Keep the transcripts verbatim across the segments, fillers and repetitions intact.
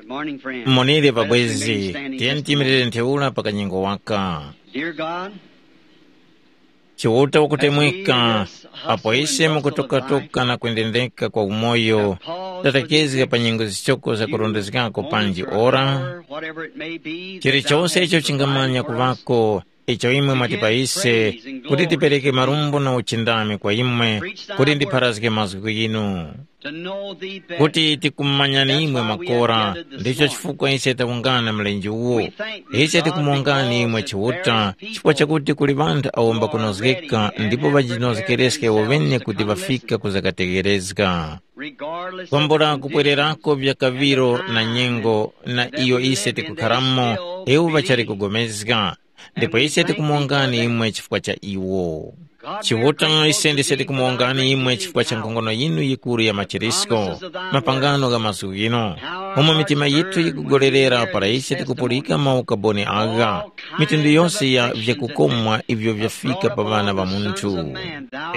Good morning, friends. Monire Let us pabwezi, remain standing tiyeni just a tiyimirire moment. Ntheura pa kanyengo waka. Dear God, Chiuta wakutemwika, apo ise mukutokatoka na kwendendeka kwa umoyo, tatakizga pa nyengo zichoko zakurondezgako panji ora, chilichose icho chingamanya kuvako, icho imwe mwatipa ise, kuti tipereke marumbo na uchindami kwa imwe, kuti ndipharazge mazgu ghinu. Kuti tikumanyani imwe makora, ndicho chifukwa ise tawungana mlenje uwu. Ise tikumongani imwe Chiuta, chifukwa chakuti kuli ŵanthu awo mbakunozgeka ndipo ŵajinozgereske iwo ŵene kuti ŵafika ku zakategherezga. Kwambula kupwererako vya kaŵiro na nyengo na iyo ise tikukharamo, iwo ŵachali kugomezga. Ndipo ise tikumongani imwe chifukwa cha iwo. Chiuta, ise ndise tikumongani imwe chifukwa cha nkhongono yinu yikuru ya machirisko, mapangano gha mazgu ghino, umo mitima yithu yikugolerera para ise tikupulika maukaboni agha, mitundu yose ya vyakukomwa ivyo vyafika pa ŵana ŵa munthu.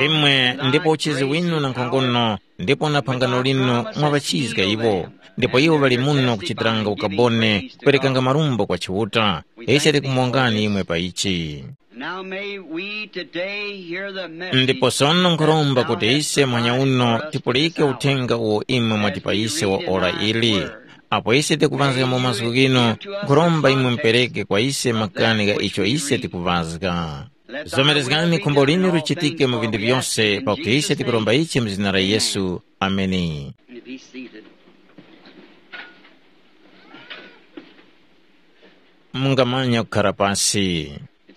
Imwe ndipo uchizi winu na nkhongono, ndipo na phangano linu mwaŵachizga iwo, ndipo iwo ŵali muno kuchitiranga ukaboni, kuperekanga marumbo kwa Chiuta. Ise tikumongani imwe pa ichi. Now may we today hear the message. Ndipo sono nkhuromba kuti ise mwanya uno tipulike uthenga uwo imwe mwatipa ise wa ora ili. Apo ise tikuŵazga mu mazgu ghino, nkhuromba imwe mupereke kwa ise makani gha icho ise tikuŵazga. Zomerezgani khumbo linu lichitike mu vinthu vyose, pakuti ise tikuromba ichi mu zina la Yesu. Ameni. And be seated. Mungamanya kukhara pasi.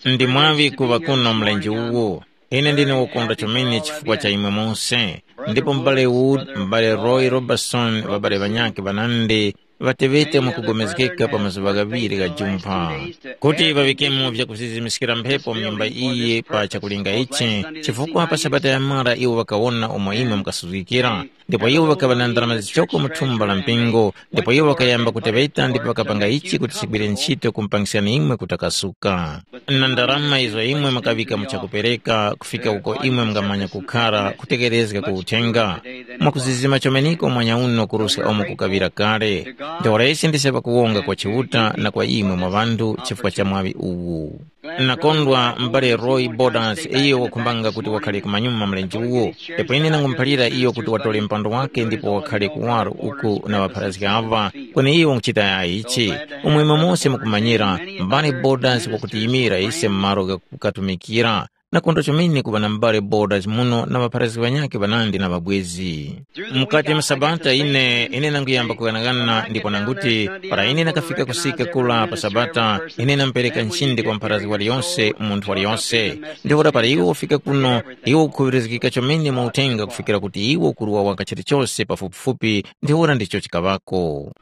Ndi mwaŵi kuŵa kuno mlenje uwu. Ine ndine wokondwa chomene chifukwa cha imwe mose. Ndipo m'bale Wood, m'bale Roy Robertson, ŵabale ŵanyakhe ŵanandi, ŵateŵete mwakupulikana pa mazuŵa ghaŵiri gha jumpha, kuti ŵaŵikemo vyakuzizimiskira mphepo mu nyumba iyi pa chakulinga ichi, chifukwa pa Sabata yamara iwo ŵakawona umo imwe mukasuzgikira. Ndipo iwo ŵakaŵa na ndarama zichoko mu thumba la mpingo, ndipo iwo ŵakayamba kuteŵeta ndipo ŵakapanga ichi kuti chigwire ntchito kumpangiskani imwe kutakasuka. Na ndarama izo imwe mukaŵika mu chakupereka, kufika uko imwe mungamanya kukhara kutekerezga ku uthenga, mwakuzizima chomeneko mwanya uno kuruska umo kukaŵira kale. Ntheura ise ndise pakuwonga kwa Chiuta na kwa imwe mwa ŵanthu chifukwa cha mwaŵi uwu. Nakondwa m'bale Roy Borders, iyo wakhumbanga kuti wakhare kumanyuma mlenje uwo. Ndipo ine nangumuphalira iyo kuti watore mpando wake ndipo wakhare kuwaro uku na ŵapharazgi aŵa, kweni iyo wanguchita yayi ichi. Umwe imwe mose mukumanyira, m'bale Borders wakutiyimira ise m'malo ghakukatumikira. Nakondwa chomene kuŵa na m'bale Borders muno na ŵapharazgi ŵanyakhe ŵanandi na ŵabwezi. Mukati mu Sabata ine, ine nanguyamba kughanaghana ndipo nanguti, para ine nakafika kusika kura pa Sabata, ine nampereka nchindi kwa mpharazgi waliyonse, munthu waliyonse. Ntheura para iwo wafika kuno, iwo ukukhuŵirizgika chomene mu uthenga kufikira kuti iwo ukuruwa waka chilichose pafupifupi, ntheura ndicho chikaŵako.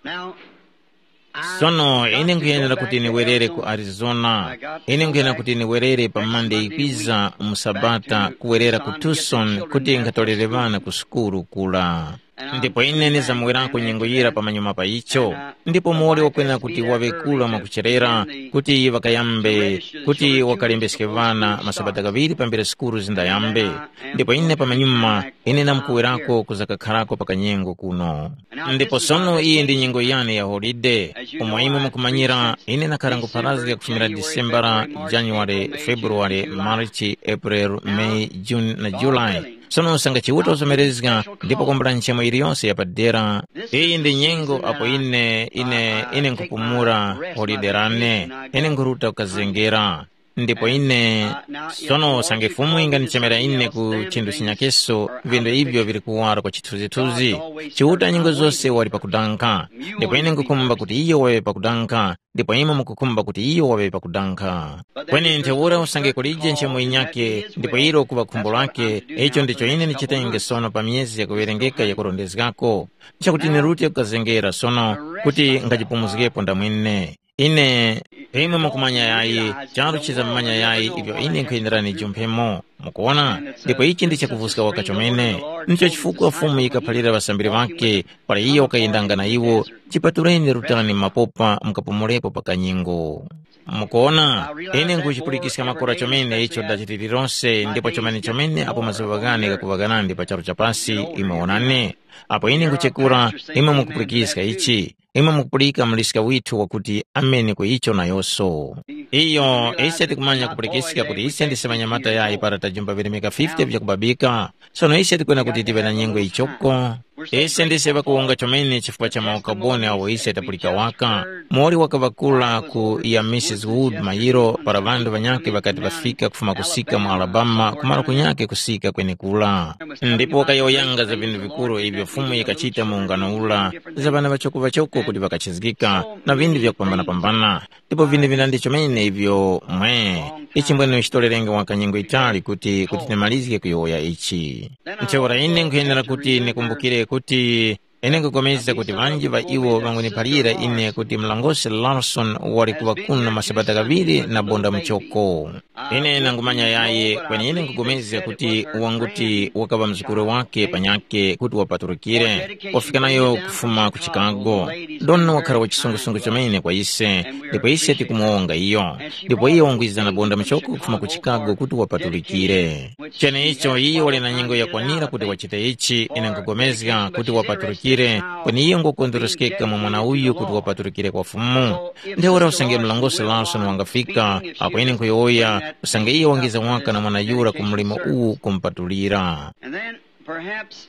Sono ine nkhuyenera kuti niwerere ku Arizona. Ine nkhuyenera kuti niwerere pa Mande yikwiza mu Sabata kuwerera ku Tucson kuti nkhatorere ŵana ku sukulu kura. Ndipo ine nizamuwerako nyengo yira pamanyuma pa icho. Ndipo muwoli wakwenera kuti waŵe kura mwakucherera, kuti ŵakayambe, kuti wakalembeske ŵana masabata ghaŵiri pambere sukulu zindayambe. Ndipo ine pamanyuma, ine namkuwerako kuzakakharako pa kanyengo kuno. Ndipo sono iyi ndi nyengo yane ya holide. Umo imwe mukumanyira, ine nakhara ngupharazga kufumira Disembara, January, February, March, April, May, June na July. Sono usangachiuta uzomerezga ndipo kwambula nchemo iliyonse yapadera. Iyi ndi nyengo apo ine, ine, ine nkupumula holide lane, ine nkhuruta kukazengera. Ndipo ine, sono usange Fumu ingandichemera ine ku chinthu chinyakeso, vindu ivyo vili kuwara kwa chithunzithunzi. Chiuta nyengo zose wali pakudankha. Ndipo ine nkukhumba kuti iyo waŵe pakudankha, ndipo imwe mukukhumba kuti iyo waŵe pakudankha. Kweni ntheura usange kulije nchemo yinyakhe, ndipo ilo kuŵa khumbo lake, icho ndicho ine ndichitenge sono pa myezi yakuwerengeka yakurondezgako, chakuti nirute kukazengera sono kuti ngachipumuzgepo ndamwine. Ine, imwe mukumanya yayi, charu chizamumanya yayi ivyo ine nkhuyenera nijumphemo. Mukuwona? Ndipo ichi ndi chakuvuska waka chomene. Ndicho chifukwa Fumu yikaphalira ŵasambiri ŵakhe, para iyo wakayendanga na iwo, chipatuleni rutani mapopa mukapumulepo pa kanyengo. Mukuwona, ine nkhuchipulikiska makora chomene icho dachitiri lonse ndipo chomene chomene apo mazuŵa ghane ghakuŵa ghanandi pa charu cha pasi, imwe wonani. Apo ine nkhuchekura, imwe mukupulikiska ichi. imwe mukupulika muliska withu wakuti amene ku icho nayoso. Iyo ise tikumanya kupulikiska kuti ise ndise ŵanyamata yayi para tajumba virimika fifty vyakubabika. Sono ise tikwena kuti tive na nyengo ichoko. Ise ndise ŵakuwonga chomene chifukwa cha maukaboni awo ise tapulika waka. Mori wakaŵakula ku ya Missus Wood mayiro para ŵanthu ŵanyakhe ŵakati ŵafika kufuma kusika mu Alabama kumara kunyakhe kusika kwenekura. Ndipo wakayowoyanga za vinthu vikuru ivyo Fumu yikachita mu ungano ura, za ŵana ŵachoko-ŵachoko kuti ŵakachizgika, na vinthu vyakupambana-pambana. Ndipo vinthu vinandi chomene ivyo mwe, ichi mbwene chitolerenge waka nyengo yitali kuti kuti timalizge kuyowoya ichi. Ntheura ine nkhuyenera kuti ndikumbukire kuti ine nkhupulikana kuti ŵanji ŵa iwo ŵanguniphalira ine kuti mlongosi Larson wali kuŵa kuno masabata ghaŵiri na bonda muchoko. Ine nangumanya yaye kweni ine nkhupulikana kuti wanguti wakaŵa mzukuru wake panyakhe kuti wapatulikire, wafika nayo kufuma ku Chicago. Don wakhala wa chisungusungu chomene kwa ise, ndipo ise tikumuwonga iyo. Ndipo iyo wangwiza na bonda muchoko kufuma ku Chicago kuti wapatulikire. Cheneicho iyo wali na nyengo yakwanira kuti wachite ichi, ine nkugomezga kuti wapatulikire, kweni iyo ngokondwereskeka mwa mwana uyu kuti wapatulikire kwa Fumu. Ntheura usange mlongosi Larson wangafika, apo ine nkhuyowoya, usange iyo wangiza waka na mwana yura ku mlimo uwu kumupatulira. And then perhaps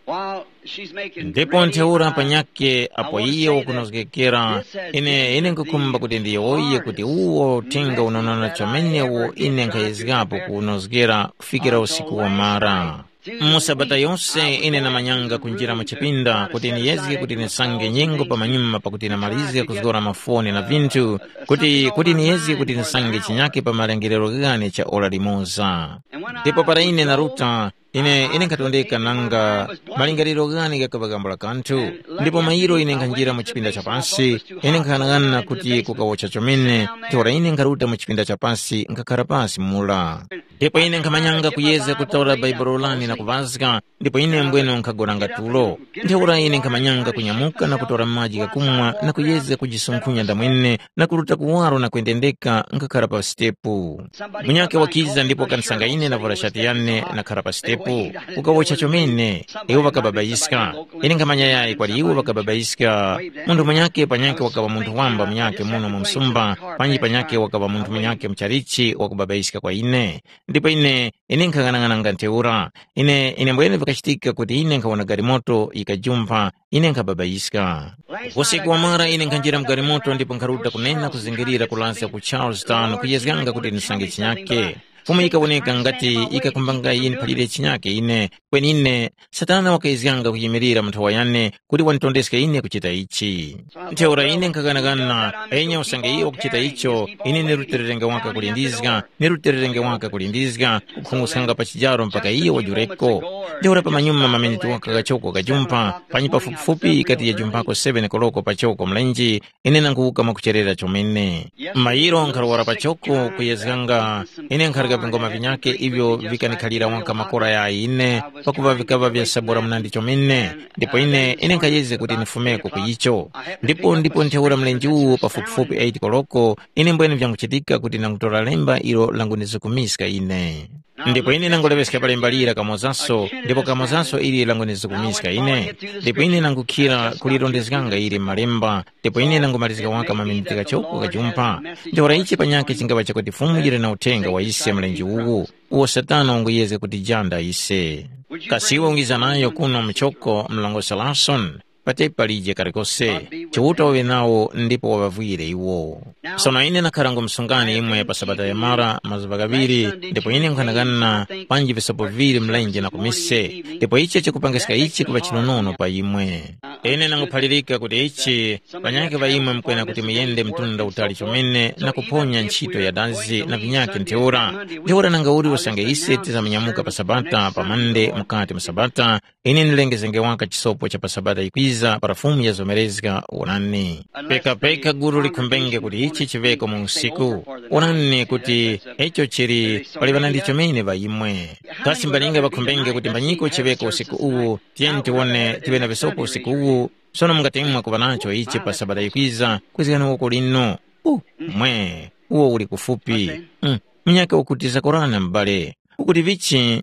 while she's making ndipo ntheura panyake apo iye wakunozgekera, ine ine nkukhumba kuti ndiyowoye kuti uwo uthenga unonona chomene uwo ine nkhayezgapo kuwunozgera kufikira usiku wamara. Mu sabata yose ine namanyanga kunjira mu chipinda kuti niyezge kuti nisange nyengo pamanyuma pakuti namalizge kuzgora mafoni na vinthu, kuti kuti niyezge kuti nisange chinyake pa malengerero ghane cha ora limoza. Ndipo para ine naruta, ine ine nkhatondeka nanga malingaliro ghane ghakaŵa gambula kanthu. Ndipo mayiro ine nkhanjira mu chipinda cha pasi, ine nkhanang'ana kuti kukawocha chomene. Ntheura ine nkharuta mu chipinda cha pasi nkhakhara pasi mura. Ndipo ine nkhamanyanga kuyeza kutora baibulo lane na kuvazga, ndipo ine mbwene nkhagonanga tulo. Ntheura ine nkhamanyanga kunyamuka na kutora maji ghakumwa na kuyeza kujisunkhunya ndamwene na kuruta kuwaro na kwendendeka nkhakhara pa sitepu. Munyakhe wakiza ndipo wakanisanga ine navura shati yane nakhara pa sitepu. Ukawocha chomene, iwo ŵakababayiska. Ine nkhamanya yayi kwali iwo ŵakababayiska. Munthu munyakhe panyakhe wakaŵa munthu wamba munyakhe muno mu msumba, panji panyakhe wakaŵa munthu munyakhe muchalichi wakubabayiska kwa ine. Ndipo ine, ine nkhang'anang'ananga ntheura. Ine, ine mbwene vikachitika kuti ine nkhawona galimoto yikajumpha, ine nkhababayiska. Usiku wamara ine nkhanjira mu galimoto ndipo nkharuta kunena kuzingirira kulasya ku Charlestown kuyezganga kuti ndisange chinyake. Fumu yikawoneka ngati yikakumbanga yiniphalire chinyake ine, kweni ine, Satana wakayezganga kuyimirira mu nthowa yane kuti wanditondeske ine kuchita ichi. Ntheura ine nkhaghanaghana, enya usange iyo wakuchita icho, ine ni lutererenge waka kulindizga, ni lutererenge waka kulindizga, kukhunguskanga pa chijaro mpaka iyo wajureko. Ntheura pamanyuma mameniti waka ghachoko kajumpha, panyi pafupifupi ikati yajumpako seven koloko pachoko mlenje, ine nanguwuka mwakucherera chomene. Mayiro nkhalowara pachoko kuyezganga, ine nkharika vingoma vinyake ivyo vikanikhalira waka makora ya ine, pakuva vikaŵa vyasabura munandi chomene, ndipo ine, ine nkhayezge kuti nifumeko ku icho. Ndipo, ndipo ntheura mlenje uwo pafupifupi eight koloko, ine mbwene vyanguchitika kuti nangutora lemba ilo langunizikumiska ine. Ndipo ine nanguleŵeska pa lemba lira kamozaso, ndipo kamozaso ili langunizikumiska ine. Ndipo ine nangukhira kulirondezganga ili m'malemba, ndipo ine nangumalizika waka maminiti ghachoko kajumpha. Ntheura ichi panyakhe chingaŵa chakuti Fumu yili na uthenga wa ise mlenje uwu, uwo Satana wanguyezga kutijanda ise. Kasi iwe ungiza nayo kuno muchoko mlongosi Larson? Patepi palije kalikose, Chiuta waŵe nawo ndipo waŵavwire iwo. Sono ine nakhara ngumsungani imwe pa Sabata yamara mazuŵa ghaŵiri, ndipo ine nkhanakana panji visopo viŵiri mlenje na kumise, ndipo ichi chikupangiska ichi kuŵa chinonono pa imwe. Ine nanguphalirika kuti ichi, panyakhe ŵa imwe mukwena kuti muyende mtunda utali chomene na kuphonya nchito ya dazi na vinyakhe ntheura. Ntheura nangauli usange ise tizamunyamuka pa Sabata, pa Mande, mukati mu Sabata, ine ndilengezenge waka chisopo cha pa Sabata yikwiza para Fumu yazomerezga, wonani. Peka-peka gulu likhumbenge kuti ichi chiŵeko mu usiku. Wonani kuti icho chili pali ŵanandi chomene ŵa imwe. Kasi mbalinga ŵakhumbenge kuti mbanyiko chiŵeko usiku uwu, tiyeni tiwone tiŵe na visopo usiku uwu, sono mungatemwa kuŵa nacho ichi pa Sabata yikwiza, kwezgani woko linu. Uh, mwe, uwo uli kufupi. Mm, munyaka ukuti zakorana m'bale. Ukuti vichi?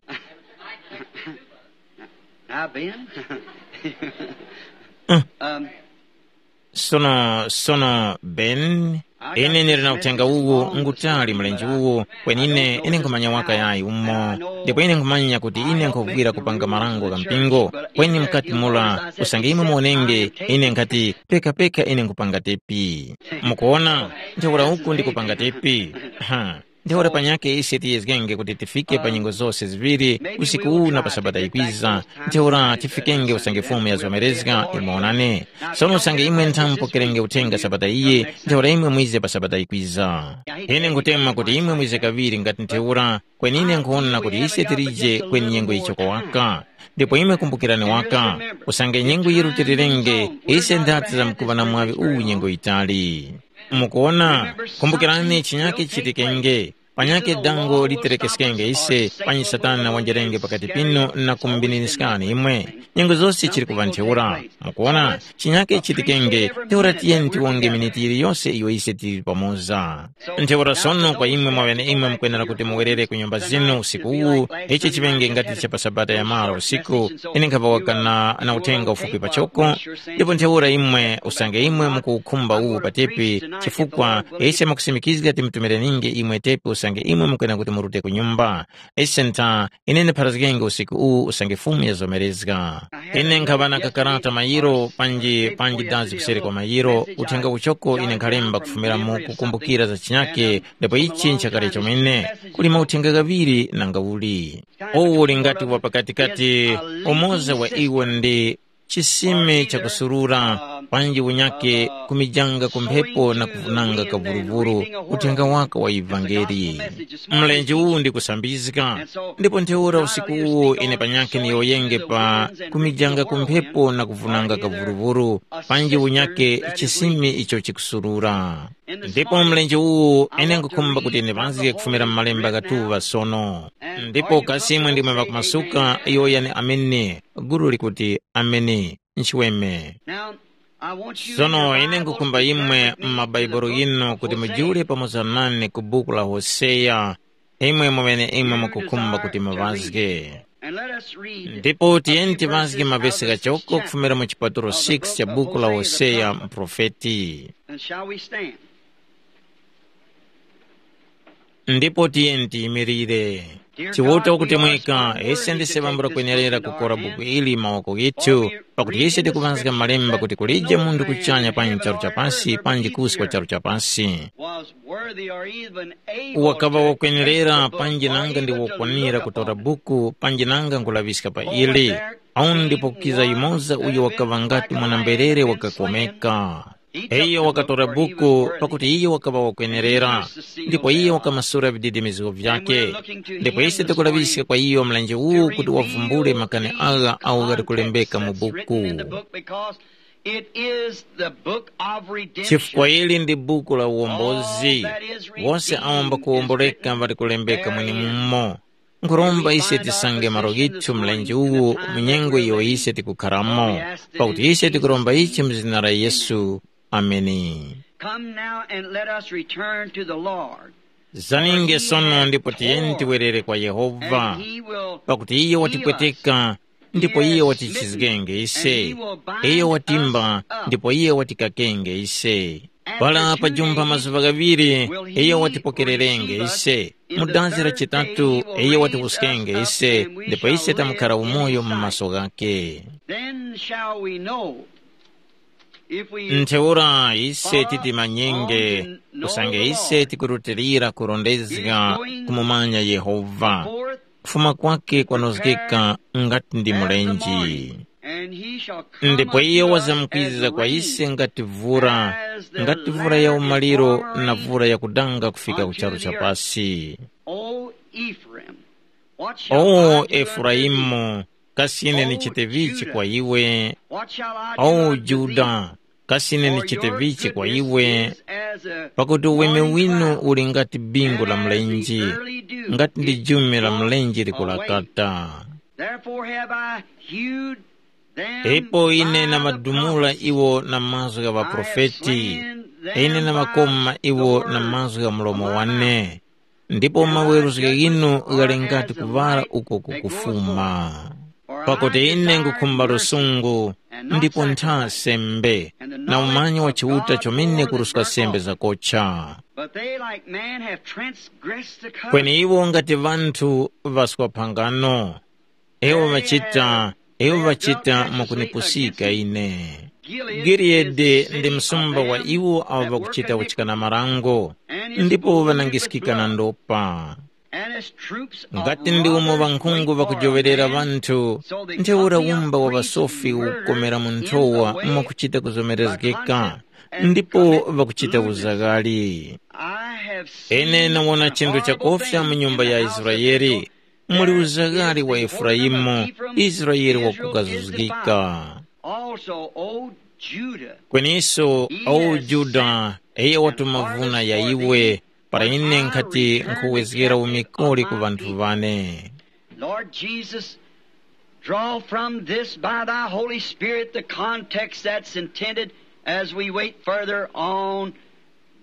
Now, Ben, um, Sono, sono, Ben, ine ndili na uthenga uwu ngutali mlenje uwu, kweni ine, ine nkhumanya waka yayi umo, ndipo ine nkhumanya kuti ine nkhuvwira kupanga marango gha mpingo, kweni mukati mura, usange imwe muwonenge, ine nkhati, peka-peka ine nkhupanga tepi. Mukuwona, ntheura uku ndikupanga tepi. Ha. Ntheura panyakhe ise tiyezgenge kuti tifike pa nyengo zose ziŵiri, usiku uwu na pa Sabata yikwiza. Ntheura tifikenge usange Fumu yazomerezga, imwe wonani. Sono usange imwe nthamupokerenge uthenga Sabata iyi, ntheura imwe mwize pa Sabata yikwiza. Ine nkhutema kuti imwe mwize kaŵiri ngati ntheura, kweni ine nkhuwona kuti ise tilije kweni nyengo yichoko waka. Ndipo imwe kumbukirani waka, usange nyengo yirutilirenge, ise ndati zamkuŵa na mwaŵi uwu nyengo yitali. Mukuwona, kumbukirani chinyakhe chichitikenge. Panyakhe dango literekeskenge ise, panyi Satana wanjerenge pakati pinu na kumubininiskani imwe. Nyengo zose chili kuŵa ntheura. Mukuwona, chinyakhe chichitikenge, ntheura tiyeni tiwonge miniti yiliyose iyo ise tili pamoza. Ntheura sono kwa imwe mwaŵene imwe mukwenera kuti muwerere ku nyumba zinu usiku uwu, ichi chiŵenge ngati cha pa Sabata ya malo usiku, ine nkhaŵawaka na, na uthenga ufupi pachoko, ndipo ntheura imwe usange imwe mukuwukhumba uwu pa tepi, chifukwa ise mukusimikizga timtumireninge imwe tepi usange imwe mukwena kuti murute ku nyumba. Ise ntha, ine ndipharazgenge usiku uwu usange Fumu yazomerezga. Ine nkhaŵa na kakarata mayiro panji, panji dazi kuseri kwa mayiro, uthenga uchoko ine nkhalemba kufumira mu kukumbukira za chinyake, ndipo ichi nchakale chomene, kuli mauthenga ghaŵiri nanga uli. Uwu uli ngati wa pakatikati, umoza wa iwo ndi chisime chakusurura, panji unyake kumijanga ku mphepo na kuvunanga kavuruvuru, uthenga waka wa ivangeli. Mlenje uwu ndi kusambizga, ndipo ntheura usiku uwu ine panyakhe niyowoyenge pa kumijanga ku mphepo na kuvunanga kavuruvuru, panji unyake chisime icho chikusurura. Ndipo mlenje uwu ine nkhukhumba kuti ndiŵazge kufumira mu malemba ghatuŵa sono. Ndipo kasi imwe ndimwe ŵakumasuka, yowoyani ameni. Gulu likuti, ameni. Nchiweme. Now, I want you in sono your ine Bibles nkukhumba to imwe turn with me to the m'mabaibulo book ghinu of kuti Hosea. Mujule pamoza nane ku buku la Hoseya, imwe mweneimwe mukukhumba kuti muŵazge. And let us read ndipo a tiyeni few tivazge verses out of mavesi the sixth ghachoko chapter kufumira mu chipatulo of the six book cha of buku la Hosea, the prophet. Mprofeti. And shall we stand? Ndipo tiyeni tiyimirire. Chiuta wakutemweka, ise ndise ŵambula kwenerera kukora buku ili mawoko ghithu, pakuti ise tikuŵazga malemba kuti kulije munthu kuchanya panji charu cha pasi panji kusi kwa charu cha pasi. Wakaŵa wakwenerera panji nanga ndi wokwanira kutora buku panji nanga nkulaŵiska pa ili. Awu ndipo kukiza yumoza uyo wakaŵa ngati mwana-mberere wakakomeka. Iyo wakatora buku pakuti iyo wakaŵa wakwenerera, ndipo iyo wakamasura vididimizgo vyake. Ndipo ise tikulaŵiska kwa iyo mlenje uwu kuti wavumbule makani agha awo ghali kulembeka mu buku. It is the book of redemption. Chifukwa ili ndi buku la uwombozi. Wose awo mbakuwomboleka ŵali kulembeka mwenemumo. Nkhuromba ise tisange malo ghithu mlenje uwu mu nyengo iyo ise tikukharamo, pakuti ise tikuromba ichi mu zina la Yesu. Ameni. Come now and let us return to the Lord. Zaninge sono ndipo tiyeni tiwerere kwa Yehova, pakuti iye watipweteka ndipo iye watichizgenge ise. Iye watimba ndipo iye watikakenge ise. Para pajumpha mazuŵa ghaŵiri, iye watipokererenge ise. Mu dazi la chitatu, iye watiwuskenge ise, ndipo ise tamukhara umoyo mu maso ghakhe. Then shall we know if we ntheura ise titimanyenge, kusanga ise tikurutilira kurondezga kumumanya Yehova. Kufuma kwake kwanozgeka ngati ndi mulenji. Ndipo iye wazamkwiza kwa ise ngati vura, ngati vura ya umaliro na vura ya kudanga kufika ku charu cha pasi. O Efuraimu, kasi ine ndichite vichi kwa iwe? O Juda, kasi ine ndichite vichi kwa iwe? Pakuti uweme winu uli ngati bingu la mlenje, ngati ndi jume la mlenje likulakata. Ipo ine namadumula iwo na mazgu gha ŵaprofeti, ine namakoma iwo na mazgu gha mlomo wane. Ndipo maweruzgo ghinu ghali ngati kuŵala uko kukufuma. Pakuti ine ngukhumba lusungu, ndipo ntha sembe, na umanyi wa Chiuta chomene kuruska sembe zakocha. But they, like man, have transgressed the covenant. Kweni iwo ngati ŵanthu ŵaswa phangano. Iwo ŵachita, iwo ŵachita mwakunipusika ine. Giliyadi ndi msumba wa iwo awo ŵakuchita kuchikana marango, ndipo ŵanangiskika na ndopa. And his troops, ngati ndi umo ŵankhungu ŵakujowerera ŵanthu, ntheura umba wa ŵasofi ukukomera mu nthowa mwakuchita kuzomerezgeka, ndipo ŵakuchita uzaghali. I have seen ine nawona chinthu chakofya mu nyumba ya Israeli. Muli uzaghali wa Efuraimu, Israeli wakukazuzgika. Also, O Judah. Kweniso, o Juda, iye watuma vuna ya iwe, para ine nkhati nkhuwezgera umikoli ku ŵanthu wane. Lord Jesus, draw from this by thy Holy Spirit the context that's intended as we wait further on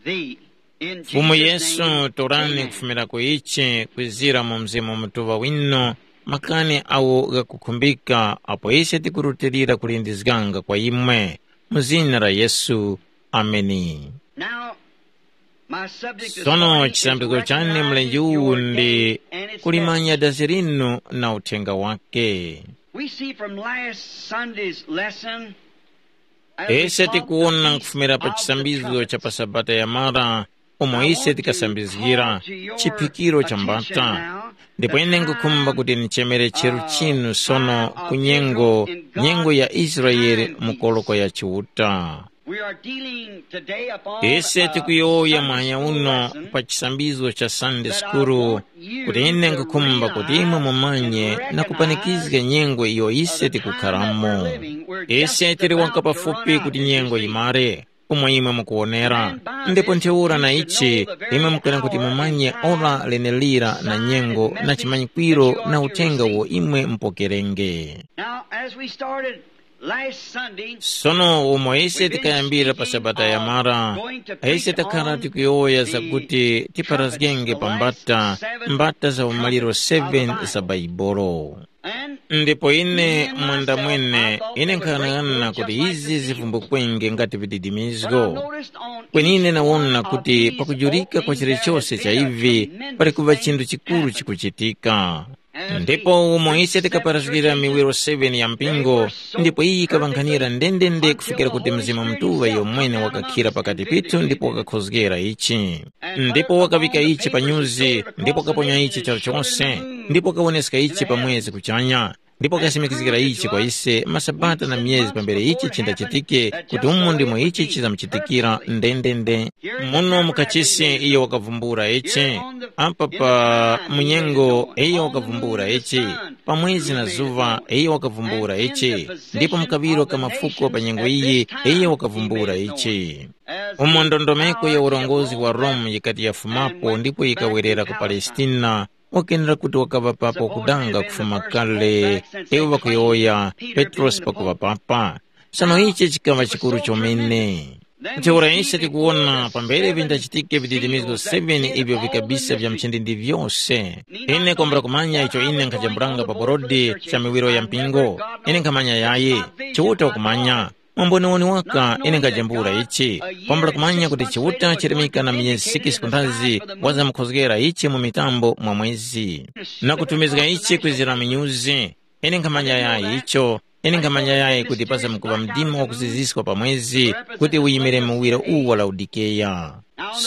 thee. In Fumu Jesus' Yesu, name, torani amen. Kufumira ku ichi kwizira mu Mzimu Mutuŵa winu, makani awo ghakukhumbika apo ise tikurutilira kulindizganga kwa imwe. Mu zina la Yesu. Ameni. Now, my subject this sono morning is chisambizo chane mlenji uwu ndi kulimanya dazi linu na uthenga wake. We see from last Sunday's lesson, as we ise saw tikuwona the kufumira pa of the chisambizo cha trumpets. Pa sabata yamara umo ise tikasambizgira chiphikiro cha mbata. Ndipo ine ngukhumba kuti nichemere cheru chinu sono ku nyengo, nyengo ya Israeli mu koloko ya Chiuta. We are dealing today upon ise a tikuyowoya Sunday mahanya school uno lesson pa chisambizo cha Sunday that I School, want you kuti ine to ngukhumba kuti realize imwe mumanye and na recognize kupanikizga nyengo iyo ise the time that we're tikukharamo. Living. We're just ise tili about waka to run pafupi out, kuti as you nyengo see. Imare, umo imwe mukuwonera. Ndipo ntheura na ichi, imwe mukwera kuti mumanye ora lenelira na nyengo na chimanyikwiro na uthenga uwo imwe mupokerenge. Now, as we started last Sunday, sono umo ise tikayambira pa sabata yamara, ise takhala tikuyowoya zakuti tiparazgenge pa mbata, mbata za umaliro seven za Baibolo. Ndipo ine mwanda mwene, ine nkhanang'ana kuti izi zivumbukenge ngati vididimizgo. Kweni ine nawona kuti pakujurika kwa chilichose cha ivi, pali kuŵa chinthu chikuru chikuchitika. Ndipo umo ise tikaparazgira miwiro seven ya mpingo, ndipo iyi yikaŵankhanira ndendende kufikira kuti Mzimu Mutuŵa iyo mwene wakakhira pakati pithu ndipo wakakhozgera ichi. Ndipo wakaŵika ichi pa nyuzi, ndipo wakaponya ichi charu chose, ndipo wakawoneska ichi pa mwezi kuchanya, ndipo wakasimikizgira ichi kwa ise masabata na myezi pambere ichi chindachitike, kuti umo ndimo ichi chizamuchitikira ndendende. Muno mukachisi iyo wakavumbula ichi, apa pa munyengo iyo wakavumbula ichi, pa mwezi na zuva iyo wakavumbula ichi, ndipo mukaŵiro ka mafuko pa nyengo iyi iyo wakavumbula ichi. Umo ndondomeko ya urongozi wa Rome yikati yafumapo ndipo yikawerera ku Palestina, wakenera kuti wakaŵa papo kudanga kufuma kale, iwo ŵakuyowoya Petrosi pakuŵa papa. Sono ichi chikaŵa chikuru chomene. Ntheura ise tikuwona pambere vindachitike vididimizgo seven ivyo vikabisa vya mchindindi vyose. Ine kwambula kumanya icho ine nkhajambulanga pa borodi cha miwiro ya mpingo. Ine nkhamanya yayi, Chiuta wakumanya. Mwamboniwoni waka ine nkajambula ichi, kwambula kumanya kuti Chiuta chirimika na miyezi sikisi kunthazi wazamukhozgera ichi mu mitambo mwa mwezi, na kutumizga ichi kwizira minyuzi. Ine nkhamanya yayi icho, ine nkhamanya yayi kuti pazamkuŵa mdima wakuziziska pa mwezi kuti uyimire muwiro uwu wa Laodikeya.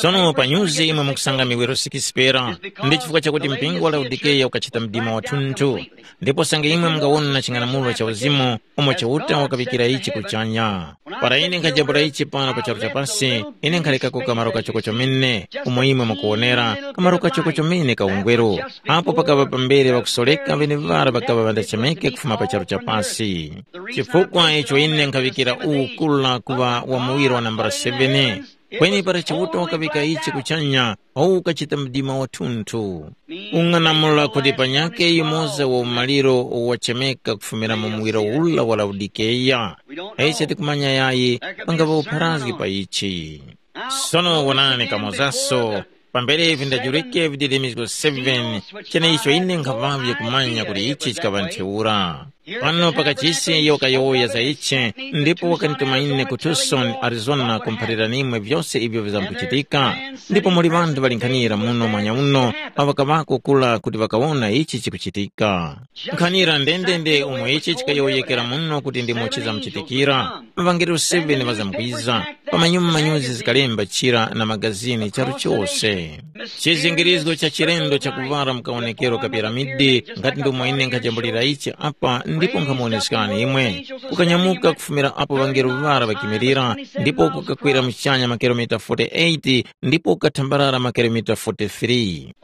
Sono pa nyuzi imwe mukusanga miwiro sikisi pera, ndi chifukwa chakuti mpingo wa Laodikeya ukachita mdima wathunthu. Ndipo sange imwe mungawona ching'anamulo cha uzimu, umo Chiuta wakaŵikira ichi kuchanya. Para ine nkhajambula ichi pano pa charu cha pasi, ine nkhalekako kamaro kachoko chomene, umo imwe mukuwonera, kamaro kachoko chomene ka ungweru. Apo pakaŵa pambere ŵakusoreka ŵeneŵara ŵakaŵa ŵandachemeke kufuma pa charu cha pasi. Chifukwa icho ine nkhaŵikira uwu kula kuŵa wa muwiro wa nambala seven. Kweni para Chiuta wakaŵika ichi kuchanya, uwu ukachita mdima wathunthu. Ung'anamula kuti panyakhe yumoza wa umaliro wachemeka kufumira mu muwiro ula wa Laodikeya. Ise tikumanya yayi pangaŵa upharazgi pa ichi. Sono wonani kamozaso, pambere vindajurike vididimizgo seven, cheneicho ine nkhaŵavye kumanya kuti ichi chikaŵa ntheura. Pano pakachisi iyo kayowoya za ichi, ndipo wakanituma ine ku Tucson, Arizona, kumphalira nimwe vyose ivyo vizamkuchitika. Ndipo muli ŵanthu ŵalinkhanira muno mwanya uno awo ŵakaŵako kula kuti ŵakawona ichi chikuchitika. Nkhanira ndendende umo ichi chikayowoyekera muno kuti ndimo chizamuchitikira. Maŵangelo seven ŵazamkwiza. Pamanyuma manyuzi zikalemba chira na magazini charu chose. Chizingirizgo cha chilendo chakuvwara mkawonekero ka piramidi, ngati ndomwe ine nkhajambulira ichi apa ndipo nkhamuwoneskani imwe. Kukanyamuka kufumira apo ŵangelo ŵara ŵakimirira, ndipo kukakwera muchanya makilomita forty-eight, ndipo kukathambarara makilomita forty-three.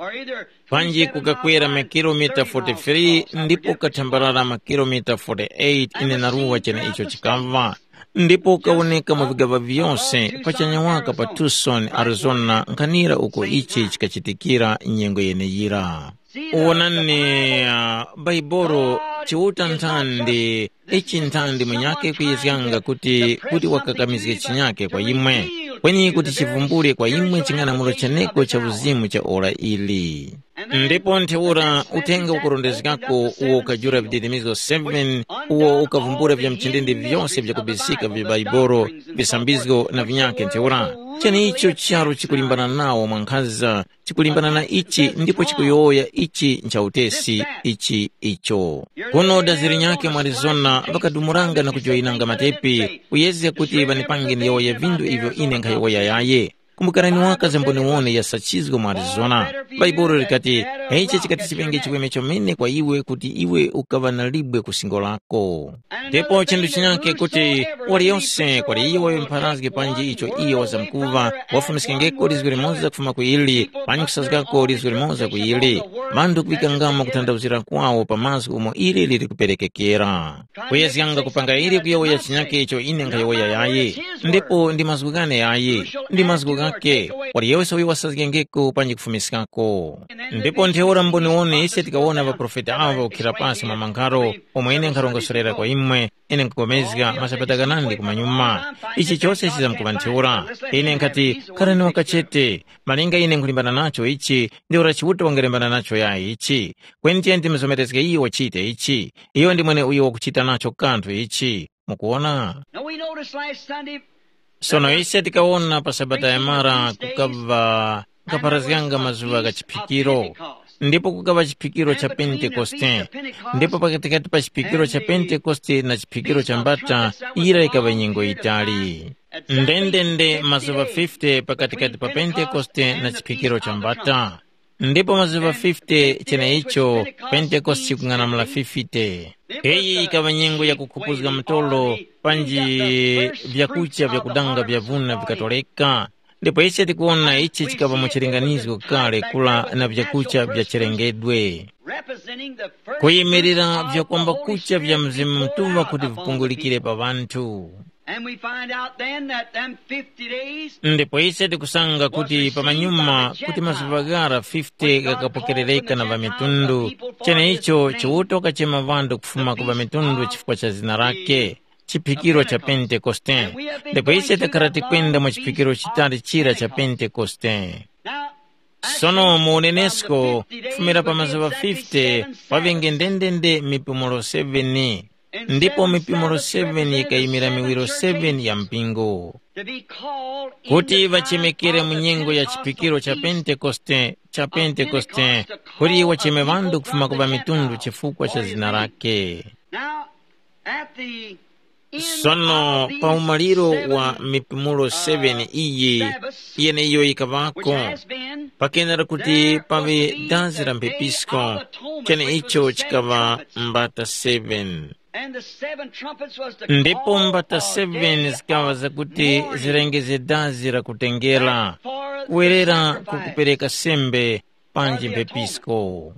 Panji kukakwera makilomita forty-three, ndipo kukathambarara makilomita forty-eight, ine naruwa chene icho chikamva. Ndipo ukawoneka mu vigaŵa vyose pachanya waka pa Tucson, Arizona, nkhanira uko ichi chikachitikira nyengo yeneyira. Wonani, uh, Baibolo chiuta nthandi ichi nthandi munyakhe kuyizganga kuti kuti wakakamizge chinyakhe kwa imwe, kweni kuti chivumbule kwa imwe ching'anamulo chaneko cha uzimu cha ora ili. Ndipo ntheura uthenga ukurondezgako uwo ukajula vididimizo seven, uwo ukavumbula vya mchindindi vyose vyakubisika vya Baibolo, visambizgo na vinyakhe ntheura. Chenicho charu chikulimbana nawo mwankhaza, chikulimbana na ichi ndipo chikuyowoya ichi nchautesi ichi icho. Kuno dazi linyakhe mu Arizona ŵakadumuranga na kujoyinanga matepi, kuyezga kuti ŵanipange ndiyowoye vindu ivyo ine nkhayowoya yaye. Kumbukarani waka za mboniwone ya sachizgo mu Arizona. Bhaibuli likati, ichi chikati chiŵenge chiweme chomene kwa iwe kuti iwe ukaŵa na libwe ku singo lako. Ndipo chinthu chinyakhe kuti waliyose kwali iyo wayempharazge panji icho iyo wazamkuŵa, wafumiskengeko lizgu limoza kufuma ku ili, panji kusazgako lizgu limoza ku ili, ŵanthu kuŵikangamo kuthandauzira kwawo pa mazgu umo ili lili kuperekekera. Kuyezganga kupanga ili kuyowoya chinyakhe icho ine nkhayowoya yayi, ndipo ndi mazgu ghane yayi, ndi mazgu ghakhe, waliyose uyo wasazgengeko panji kufumiskako. Ndipo ntheura mboniwone ise tikawona ŵaprofeti awo ŵakukhira pasi mwa mankharo, omwe ine nkharongosorera kwa imwe, ine nkupulikana masabata ghanandi kumanyuma. Ichi chose chizamkuŵa ntheura. Ine nkhati, kharani wakachete, malinga ine nkhulimbana nacho ichi, ntheura Chiuta wangalembana nacho yayi ichi. Kweni tiyeni timuzomerezge iyo wachite ichi. Iyo ndi mwene uyo wakuchita nacho kanthu ichi. Mukuwona? Now we noticed last Sunday Sono ise tikawona pa sabata yamara kukaŵa kapharazganga mazuŵa gha chiphikiro, ndipo kukaŵa chiphikiro cha Pentekoste, ndipo pakatikati pa chiphikiro cha Pentekoste na chiphikiro cha mbata, yira yikaŵa nyengo yitali. Ndendende mazuŵa fifty pakatikati pa Pentekoste na chiphikiro cha mbata. Ndipo mazuŵa fifty cheneicho, Pentekoste chikung'anamula fifty. Iyi ikaŵa nyengo ya kukhupuzga mtolo, panji vyakucha vyakudanga vya vuna vikatoleka. Ndipo ise tikuwona ichi chikaŵa mu chilinganizo kale kula na vyakucha vya chilengedwe, kuyimirira vyakwamba kucha vya Mzimu Mutuŵa kuti vipungulikire pa ŵanthu. And we find out then that them fifty days Ndipo ise tikusanga kuti pamanyuma kuti mazuŵa ghara fifty ghakapokerereka na ŵamitundu, cheneicho Chiuta wakachema ŵanthu kufuma ku ŵamitundu chifukwa cha zina lake, chiphikiro cha Pentekoste. Ndipo ise takhara tikwenda mu chiphikiro chitali chira cha Pentekoste. Sono mu unenesko, kufumira pa mazuŵa fifty, paŵenge ndendende mipumulo seven, ndipo mipumulo seven yikayimira miwiro seven ya mpingo, kuti ŵachemekere mu nyengo ya chiphikiro cha Pentekoste, cha Pentekoste, kuti wacheme ŵanthu kufuma ku ŵamitundu chifukwa cha zina lake. Now, at the Sono pa umaliro wa mipumulo seven iyi, yeneyo yikaŵako, pakenera kuti paŵe dazi la mphepisko, cheneicho chikaŵa mbata seven. Ndipo mbata seven zikaŵa zakuti zirengeze dazi la kutengera, kuwerera ku kupereka sembe, panji mphepisko.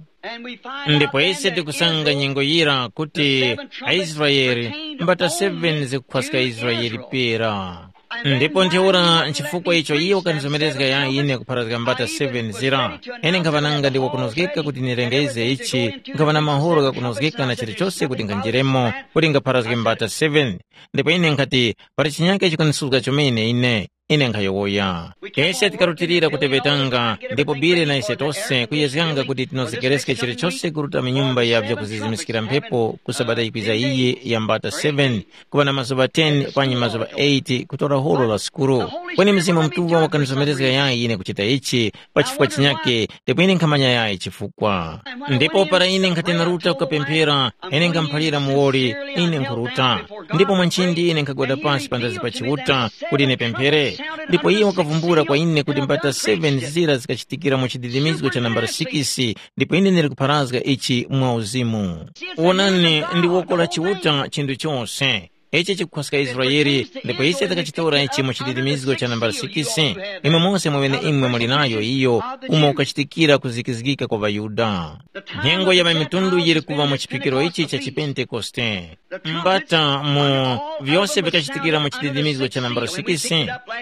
Ndipo ise tikusanga nyengo yira kuti aIsraele, mbata seven zikukhwaska Israele pera. Ndipo ntheura nchifukwa icho iye wakandizomerezga ya ine kupharazga mbata seven zira, ine nkhaŵa nanga ndi wakunozgeka kuti nirengeze ichi, nkhaŵa na mahoro ghakunozgeka na chilichose kuti nkhanjiremo, kuti ngapharazge mbata seven. Ndipo ine nkhati, pali chinyake chikunisuzga chomene ine. Ine nkhayowoya. Ise tikarutilira kuteŵetanga, ndipo Bile na ise tose kuyezganga kuti tinozegereske chilichose kuruta mu nyumba ya vyakuzizimiskira mphepo ku Sabata yikwiza iyi ya mbata seven, kuŵa na mazuŵa ten panyi mazuŵa eight kutora horo la sukuru. Kweni Mzimu Mutuŵa wakanizomerezga yayi ine kuchita ichi, pa chifukwa chinyakhe, ndipo ine nkhamanya yayi chifukwa. Ndipo para ine nkhati naruta kukapemphera, ine nkhamuphalira muwoli, ine nkhuruta. Ndipo mwanchindi ine nkhagwada pasi pandazi pa Chiuta kuti ine pemphere. Ndipo iye wakavumbula kwa ine kuti mbata seven zira zikachitikira mu chididimizgo cha nambala six, ndipo ine ndili kupharazga ichi mwa uzimu. Wonani, ndi woko la Chiuta chinthu chose. Ichi chikukhwaska Israele, ndipo ise takachitora ichi mu chididimizgo cha nambala six. Imwe mose mweneimwe muli nayo iyo, umo ukachitikira kuzikizgika kwa ŵaYuda. Nyengo ya ŵamitundu yiri kuŵa mu chiphikiro ichi cha chipentekoste. Mbata mu vyose vikachitikira mu chididimizgo cha nambala six,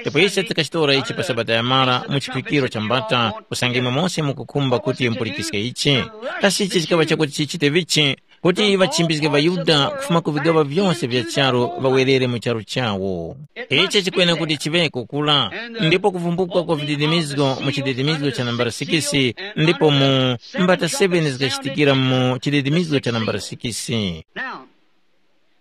ndipo ise tikachitora ichi pa Sabata yamara mu chiphikiro cha mbata, usange imwe mose mukukhumba kuti mupulikiske ichi. Kasi ichi chikaŵa chakuti chichite vichi? Kuti ŵachimbizge ŵaYuda kufuma ku vigaŵa vyose vya charu ŵawerere mu charu chawo. Ichi chikwena kuti chiŵeko kura, ndipo kuvumbukwa kwa vididimizgo mu chididimizgo cha nambala six, ndipo mu mbata seven zikachitikira mu chididimizgo cha nambala six. Now,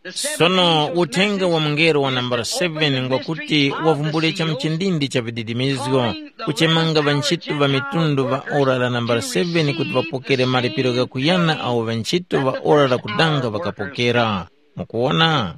the seven Sono angels uthenga wa mungelo wa nambala seven ngwakuti wavumbule cha mchindindi cha vididimizgo, kuchemanga ŵantchito ŵa mitundu ŵa ora la nambala seven kuti ŵapokere malipiro ghakuyana awo ŵantchito ŵa ora la kudanga ŵakapokera. Mukuwona?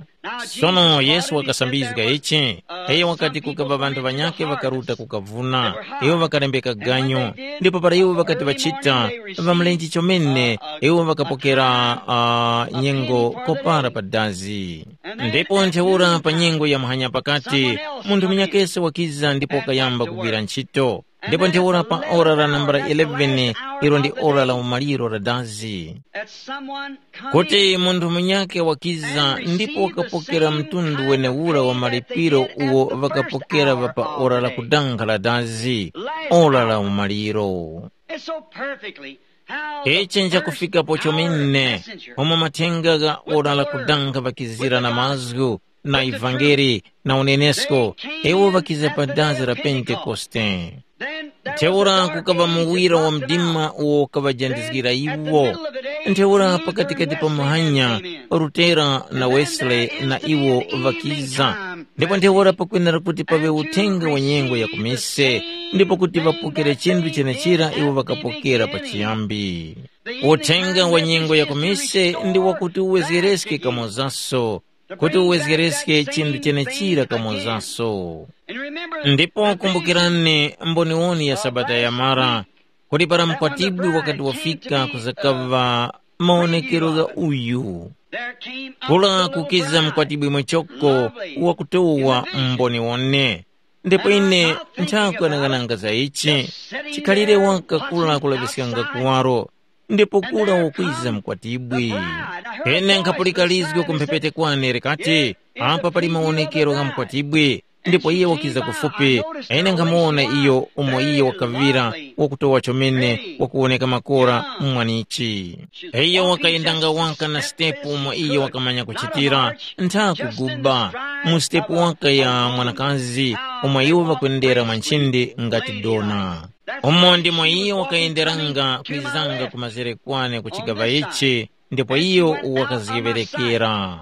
Sono Yesu wakasambizga ichi. Iyo wakati kukaŵa ŵanthu ŵanyakhe ŵakaruta kukavuna. Iwo ŵakalembeka ganyo. Ndipo para iwo ŵakati ŵachita, ŵamulenje chomene, iwo ŵakapokera uh, nyengo kopara pa dazi. Ndipo ntheura pa nyengo ya muhanya pakati, munthu munyakese wakiza ndipo wakayamba kugwira ntchito. Ndipo ntheura pa ora la nambala eleven, ilo ndi ora la umaliro la dazi. Kuti munthu munyakhe wakiza ndipo wakapokera mtundu wenewura wa malipiro uwo ŵakapokera ŵa pa ora la kudanga la dazi, ora la umaliro. It's so perfectly how the Ichi first njakufikapo hour chomene messenger umo mathenga gha ora la kudanga ŵakizira na mazgu na ivangeli na unenesko, iwo ŵakiza pa dazi la Pentekoste. Then there was a Ntheura dark kukaŵa age muwira wa that dropped them mdima out. Uwo ukaŵajandizgira Then at the iwo. Middle of the day, Ntheura he pakatikati pa muhanya, Rutera na Wesley na iwo ŵakiza. Ndipo ntheura pakwenera kuti paŵe uthenga wa nyengo ya kumise, ndipo kuti ŵapokere chinthu chenechira iwo ŵakapokera pachiyambi. Uthenga wa nyengo ya kumise ndi wakuti uwezgereske kamozaso, kuti uwezgereske chinthu chenechira kamozaso. Ndipo kumbukirani mboniwoni ya Sabata yamara, kuti para mkwatibwi wakati wafika kuzakaŵa mawonekero gha uyu. Kula kukiza mkwatibwi mwechoko wakutowa mboniwone. Ndipo ine nthakwanang'ananga za ichi, chikhalire waka kula kulaŵiskanga kuwaro, ndipo kura wakwiza mkwatibwi. Ine nkhapulika lizgo ku mphepete kwane likati, apa pali mawonekero gha mkwatibwi, ndipo iye wakiza kufupi. Ine nkhamuwona iyo umo iye wakaŵira wakutowa chomene wakuwoneka makora mwanichi. Iyo wakayendanga waka na sitepu umo iyo wakamanya kuchitira, ntha kuguba, mu sitepu waka ya mwanakazi umo iwo ŵakwendera mwa nchindi ngati dona. Umo ndimo iyo wakayenderanga kwizanga ku mazere kwane ku chigaŵa ichi, ndipo iyo wakazgeŵerekera.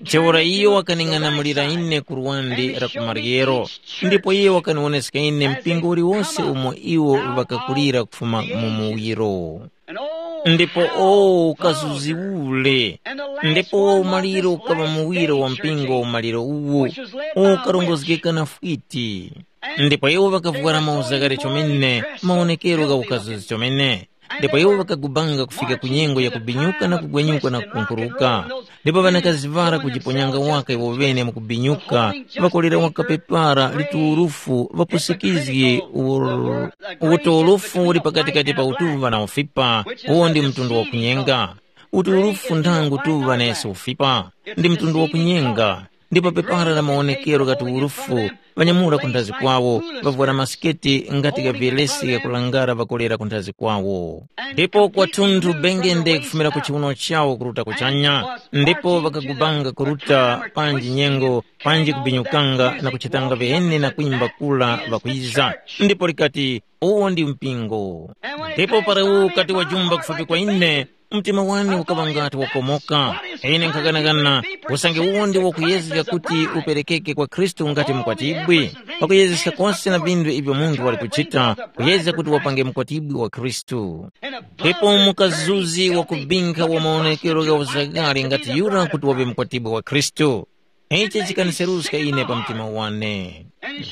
Ntheura iyo wakaning'anamulira ine ku luwandi la ku maryero, ndipo iyo wakaniwoneska ine mpingo uliwose umo iwo ŵakakulira kufuma mu muwiro. Ndipo o ukazuzi ule! Ndipo wa umaliro ukaŵa muwiro wa mpingo wa umaliro uwu, ukarongozgeka na fwiti. Ndipo iwo ŵakavwara mauza ghali chomene, mawonekero gha ukazuzi chomene. Ndipo iwo ŵakagubanga kufika ku nyengo ya kubinyuka na kugwenyuka na kukunkuruka. Ndipo ŵanakazi ŵara kujiponyanga waka iwo ŵene mu kubinyuka, ŵakolera waka pepara liturufu ŵapusikizgi ur-, uturufu uli pakatikati pa utuva na ufipa, uwo ndi mtundu wa kunyenga. Uturufu nthangu tuva nesi ufipa, ndi mtundu wa kunyenga. ndipo pepara la mawonekero ghati urufu, ŵanyamura ku nthazi kwawo, ŵavwara masiketi ngati gha viyelesi ghakulangara ŵakolera ku nthazi kwawo. Ndipo kwathunthu bengende kufumira ku chiwuno chawo kuruta kuchanya, ndipo ŵakagubanga kuruta panji nyengo, panji kubinyukanga na kuchitanga viheni na kwimba kula ŵakwiza. Ndipo likati, “Uwo ndi mpingo.” Ndipo para uwo ukati wajumba kufupi kwa ine, mtima wane ukaŵa ngati wakomoka. Ine nkhaganagana, usange uwo ndi wakuyezga kuti uperekeke kwa Khristu ngati mukwatibwi, pakuyezeska kose na vinthu ivyo munthu wali kuchita, kuyezga kuti wapange mukwatibwi wa Khristu. Ndipo mukazuzi wakubinkha wa maonekero gha uzagale ngati yura kuti waŵe mukwatibwi wa Khristu. Ichi chikaniseruska ine pa mtima wane.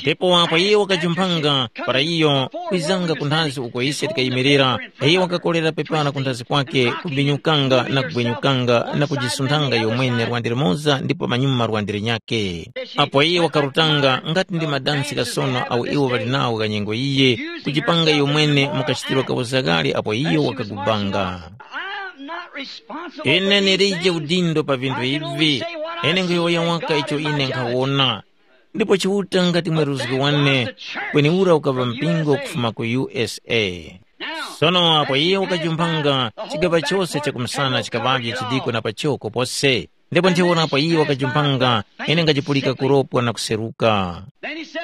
Ndipo apo iye wakajumphanga, para iyo kwizanga ku nthazi uko ise tikayimirira, iyo wakakolera pepana ku nthazi kwake, kubinyukanga na kugwenyukanga na kujisunthanga yomwene lwande limoza ndipo pamanyuma lwande linyakhe. Apo iye wakarutanga ngati ndi madansi ghasono awo iwo ŵali nawo gha nyengo yiye, kujipanga yomwene mu kachitiro ka uzagale apo iyo wakagubanga. I'm not responsible for Ine these nilije things. Udindo pa vinthu I can only ivi. Say what I Ine see nkhuyowoya and waka God icho is my ine judge. Nkhawona. Ndipo Chiuta ngati mweruzgi wane, kweni ura ukaŵa mpingo kufuma ku U S A. Sono apo iye wakajumpanga, chigaŵa chose chakumsana chikaŵavye chidiko na pachoko pose. Ndipo ntheura apo iye wakajumpanga, ine ngachipulika kuropwa na kuseruka.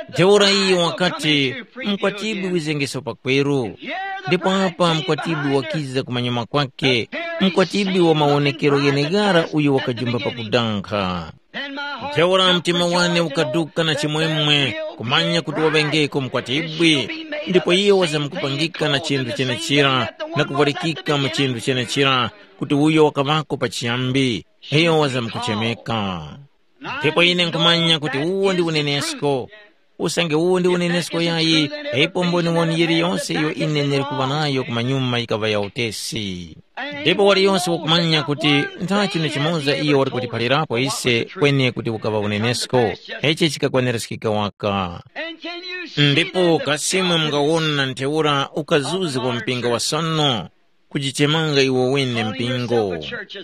Ntheura iye wakati, mkwatibwi wizengeso pakweru. Ndipo apa mkwatibwi wakiza kumanyuma kwake, mkwatibwi wa mawonekero gheneghara uyo wakajumba pakudankha. Ntheura mtima wane ukaduka na chimwemwe, kumanya kuti waŵengeko mkwatibwi, ndipo iyo wazamkupangika na chinthu chenechira, na kuvwarikika mu chinthu chenechira, kuti uyo wakaŵako pachiyambi, iyo wazamkuchemeka. Ndipo ine nkhumanya kuti uwo ndi unenesko. Usange uwo ndi unenesko yayi, ipo mboniwoni yiliyonse iyo ine ndili kuŵa nayo kumanyuma yikaŵa ya utesi. Ndipo waliyonse wakumanya kuti ntha chinu chimoza iyo wali kutiphalirapo ise kweni kuti ukaŵa unenesko. Ichi chikakwanirizgika waka. Ndipo kasimwe mungawona ntheura ukazuzi wa mpingo wa sono, kujichemanga iwo wene mpingo.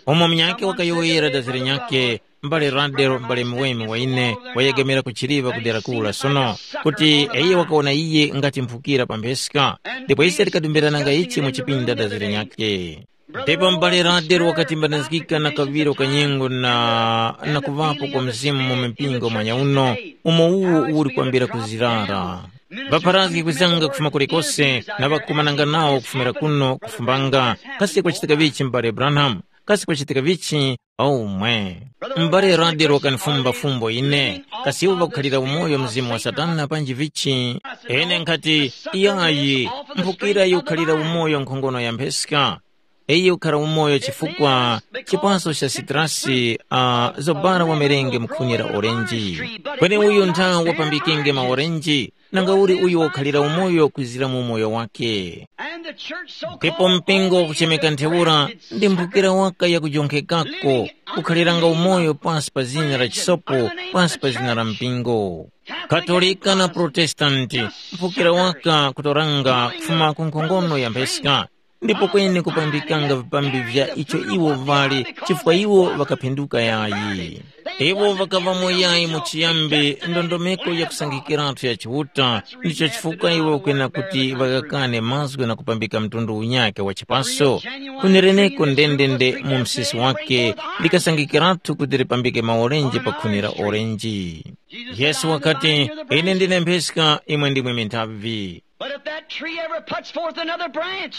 Umo munyakhe wakayowoyera dazi linyakhe, mbale Radel, mbale muweme wa ine, wayegemera ku chiliŵa ku dera kula sono, kuti iyo wakawona iye ngati mphukira pa mpheska, ndipo ise tikadumbirana nga ichi mu chipinda dazi linyakhe. Ndipo mbale Radel wakatimbanizgika na kaŵiro ka nyengo na, na kuŵapo kwa Mzimu mu mipingo mwanya uno, umo uwo uli kwambira kuzirara. Ŵapharazgi kwizanga kufuma kulikose na ŵakumananga nawo kufumira kuno kufumbanga, kasi kwachitika vichi m'bale Branham? Kasi kwachitika vichi? Omwe. M'bale Radel wakanifumba fumbo ine, kasi iwo ŵakukhalira umoyo mzimu wa Satana panji vichi? Ine nkhati, iyayi, mphukira yikukhalira umoyo nkhongono ya mpheska. Iyo ukhara umoyo chifukwa chipaso cha sitrasi, uh, zobara wamerenge mu khuni la orenji. Kweni uyu ntha wapambikenge maorenji, nanga uli uyo wakhalira umoyo kwizira mu umoyo wake. Ndipo mpingo wakuchemeka ntheura ndi mphukira waka yakujonkhekako, ukhaliranga umoyo pasi pa zina la chisopo, pasi pa zina la mpingo. Katolika na Protestanti, mphukira waka kutoranga kufuma ku nkhongono ya mpheska. Ndipo kweni kupambikanga vipambi vya icho iwo ŵali, chifukwa iwo ŵakaphinduka yayi. Iwo ŵakaŵamo yayi mu chiyambi ndondomeko yakusangikiratu ya Chiuta, ndicho chifukwa iwo kwena kuti ŵaghakane mazgu na kupambika mtundu unyakhe wa chipaso. Kunereneko ndendende mu msisi wake, likasangikiratu kuti lipambike maorenji pa khuni la orenji. Yesu wakati, ine ndine mpheska, imwe ndimwe minthavi. But if that tree ever puts forth another branch,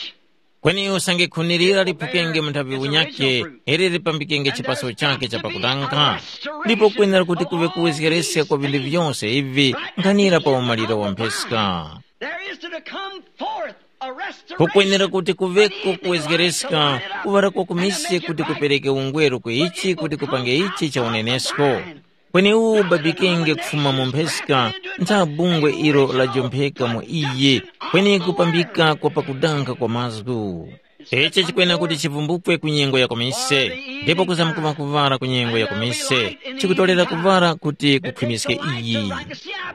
Kweni usange khuni lira liphukenge mu nthavi unyakhe, ili lipambikenge chipaso chakhe cha pakutanga. Ndipo kwenera kuti kuŵe kuwezgereska kwa vinthu vyose ivi nkhanira pa umaliro wa mpheska. There is to come forth a restoration. Kukwenera kuti kuŵeko kuwezgereska kuŵala kwakumise kuti kupereke ungweru ku ichi kuti kupange ichi cha unenesko. Kweni uwu ubabikenge kufuma mu mpheska, ntha bungwe ilo lajompheka mu iye, kweni kupambika kwa pakudanga kwa mazgu. Ichi chikwena kuti chivumbukwe ku nyengo ya kumise, ndipo kuzamkuŵa kuŵala ku nyengo ya kumise, chikutolera kuŵala kuti kukhwimiske iyi.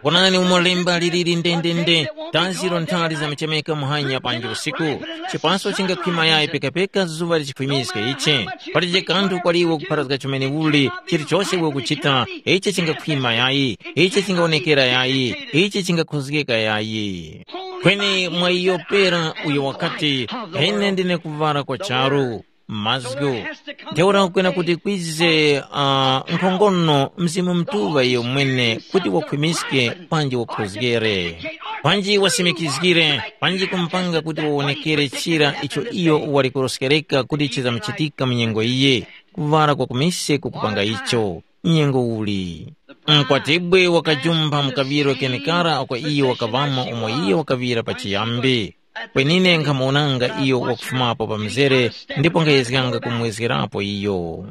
Wonani umo lemba liliri ndendende, dazi lo nthali zamuchemeka muhanya panji usiku, chipaso chingakhwima yayi pekapeka zuŵa lichikhwimiske ichi. Palibe kanthu kwaliwo kupharazga chomene uli, chilichose iwe ukuchita, ichi chingakhwima yayi, ichi chingawonekera yayi, ichi chingakhozgeka yayi. Kweni mwa iyo pera uyo wakati, ine ndine kuvara kwa charu, mazgu. Ntheura kukwena kuti kwize uh, nkhongono Mzimu Mutuŵa iyo mwene kuti wakhwimiske panji wakhozgere, panji wasimikizgire, panji kumpanga kuti wawonekere chira icho iyo wali kuroskereka kuti chizamuchitika mu nyengo iye. Kuvara kwa kumise kukupanga icho. Nyengo uli? Mkwatibwi wakajumpha mu kaŵiro kenekara uko iyo wakaŵamo umo iyo wakaŵira pachiyambi. Kwenine nkhamuwonanga iyo wakufumapo pa mzere ndipo nkhayezganga kumwezgerapo iyo.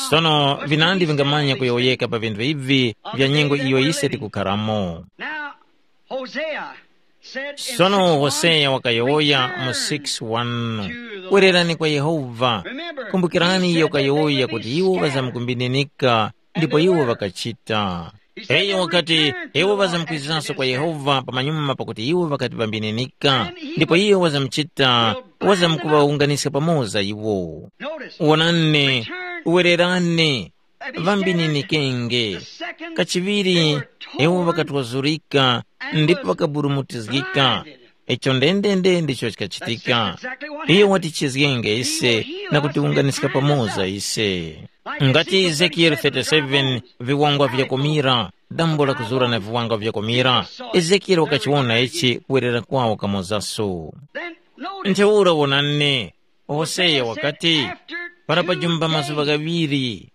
Sono vinandi vingamanya kuyowoyeka pa vinthu ivi vya nyengo iyo ise tikukharamo. Now, Hosea said in Sono six one, Hoseya wakayowoya mu return six one, to the kwererani Lord. Kwa Yehova. Remember, kumbukirani he iyo said that they wakayowoya will kuti be iwo scattered. Ŵazamkumbininika, ndipo iwo ŵakachita. Iye wakati, iwo ŵazamkwiziranso kwa Yehova pamanyuma pakuti iwo ŵakati ŵambininika, ndipo iye wazamuchita, wazamkuŵawunganiska pamoza iwo. Wonani, wererani, ŵambininikenge. Kachiŵiri, iwo ŵakatwazurika ndipo ŵakaburumutizgika. Icho ndendende ndicho chikachitika. Iye watichizgenge ise na kutiwunganiska pamoza ise. Ngati Ezekiyele thirty-seven, viwangwa vyakomira, dambo la kuzura na viwangwa vyakomira, Ezekiyele wakachiwona ichi kuwerera kwawo kamozaso. Ntheura wonani, Hoseya wakati, para pajumba mazuŵa ghaŵiri,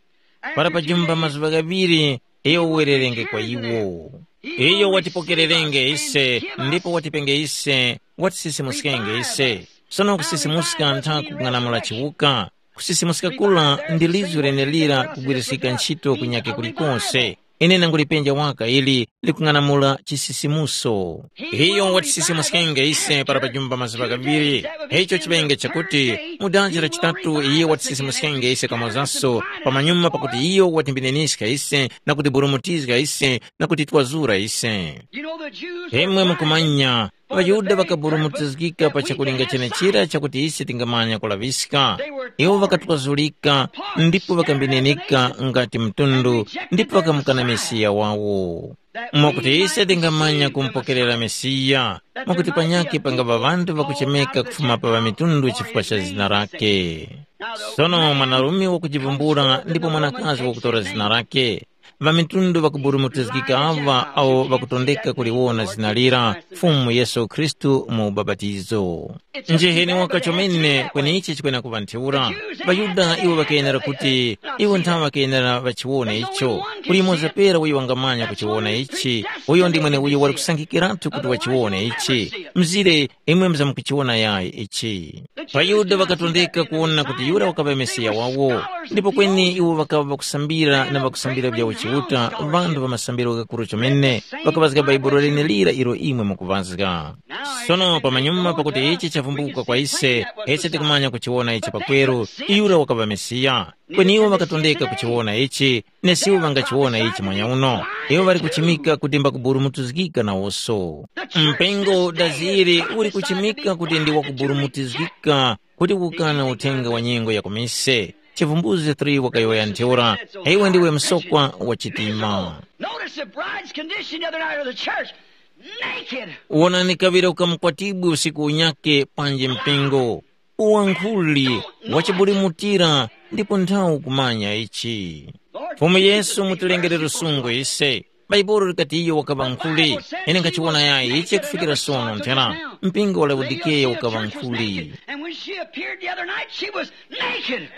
para pajumba mazuŵa ghaŵiri, iyo uwererenge kwa iwo. Iyo watipokererenge ise ndipo watipenge ise, watisisimuskenge ise. Sono kusisimuska ntha kung'anamula chiwuka. Kusisimuska kura ndi lizgu lenelira kugwiriskika ntchito kunyake kulikose. Ine nangulipenja waka ili likung'anamula chisisimuso. Iyo watisisimuskenge ise para pajumba mazuŵa ghaŵiri. Icho chiŵenge chakuti mu dazi la chitatu iyo watisisimuskenge ise kamozaso, pamanyuma pakuti iyo watimbineniska ise na kutiburumutizga ise na kutitwazura ise. Imwe mukumanya, ŵaYuda ŵakaburumutizgika pa chakulinga chenechira chakuti ise tingamanya kulaŵiska. Iwo ŵakatwazulika ndipo ŵakambininika ngati mtundu ndipo ŵakamukana Mesiya wawo. Mwakuti ise tingamanya kumupokerera Mesiya, mwakuti panyakhe pangaŵa ŵanthu ŵakuchemeka kufuma pa ŵamitundu chifukwa cha zina lake. Sono mwanarume wakujivumbula ndipo mwanakazi wakutora zina lake. Ŵamitundu ŵakuburumutizgika aŵa awo ŵakutondeka kuliwona zina lira Fumu Yesu Khristu mu ubapatizo. Njiheni waka chomene kweneichi chikwena kuŵa ntheura. ۊaYuda iwo ŵakayenera kuti iwo nthawe ŵakayenera ŵachiwone icho. Kuli yumoza pera uyo wangamanya kuchiwona ichi, uyo ndi mweneuyo wali kusankhikiratu kuti wachiwone ichi. Mzire imwe muzamkuchiwona yayi ichi. ۊaYuda ŵakatondeka kuwona kuti yura wakaŵa Mesiya wawo, ndipo kweni iwo ŵakaŵa ŵakusambira na ŵakusambira vya uchiuta vanthu va masambiro ghakuru chomene, ŵakaŵazga Bhaibuli lenelira ilo imwe mukuŵazga. Sono pamanyuma pakuti ichi chavumbuka kwa ise, ise tikumanya kuchiwona ichi pakweru, yura wakaŵa Mesiya. Kweni iwo ŵakatondeka kuchiwona ichi, nesiwo ŵangachiwona ichi mwanyauno. Iwo ŵali kuchimika kuti mbakuburumutizgika nawoso. Mpingo daziri uli kuchimika kuti ndi wakuburumutizgika kuti ukukana uthenga wa nyengo ya kumise. Chivumbuzi three wakayowoya ntheura, iwe ndiwe msokwa wa chitima. Notice the bride's condition the other night of the church. Naked. Wonani kaŵira ukamukwatibwi usiku unyake panji mpingo. Uwankhuli wachibulimutira ndipo nthawi kumanya ichi. Fumu Yesu mutilengere lusungu ise. Bhaibuli likati iyo wakaŵa nkhuli. Ine nkhachiwona yayi ichi kufikira sono nthena. Mpingo wa Laodikeya ukaŵa nkhuli. And when she appeared the other night, she was naked.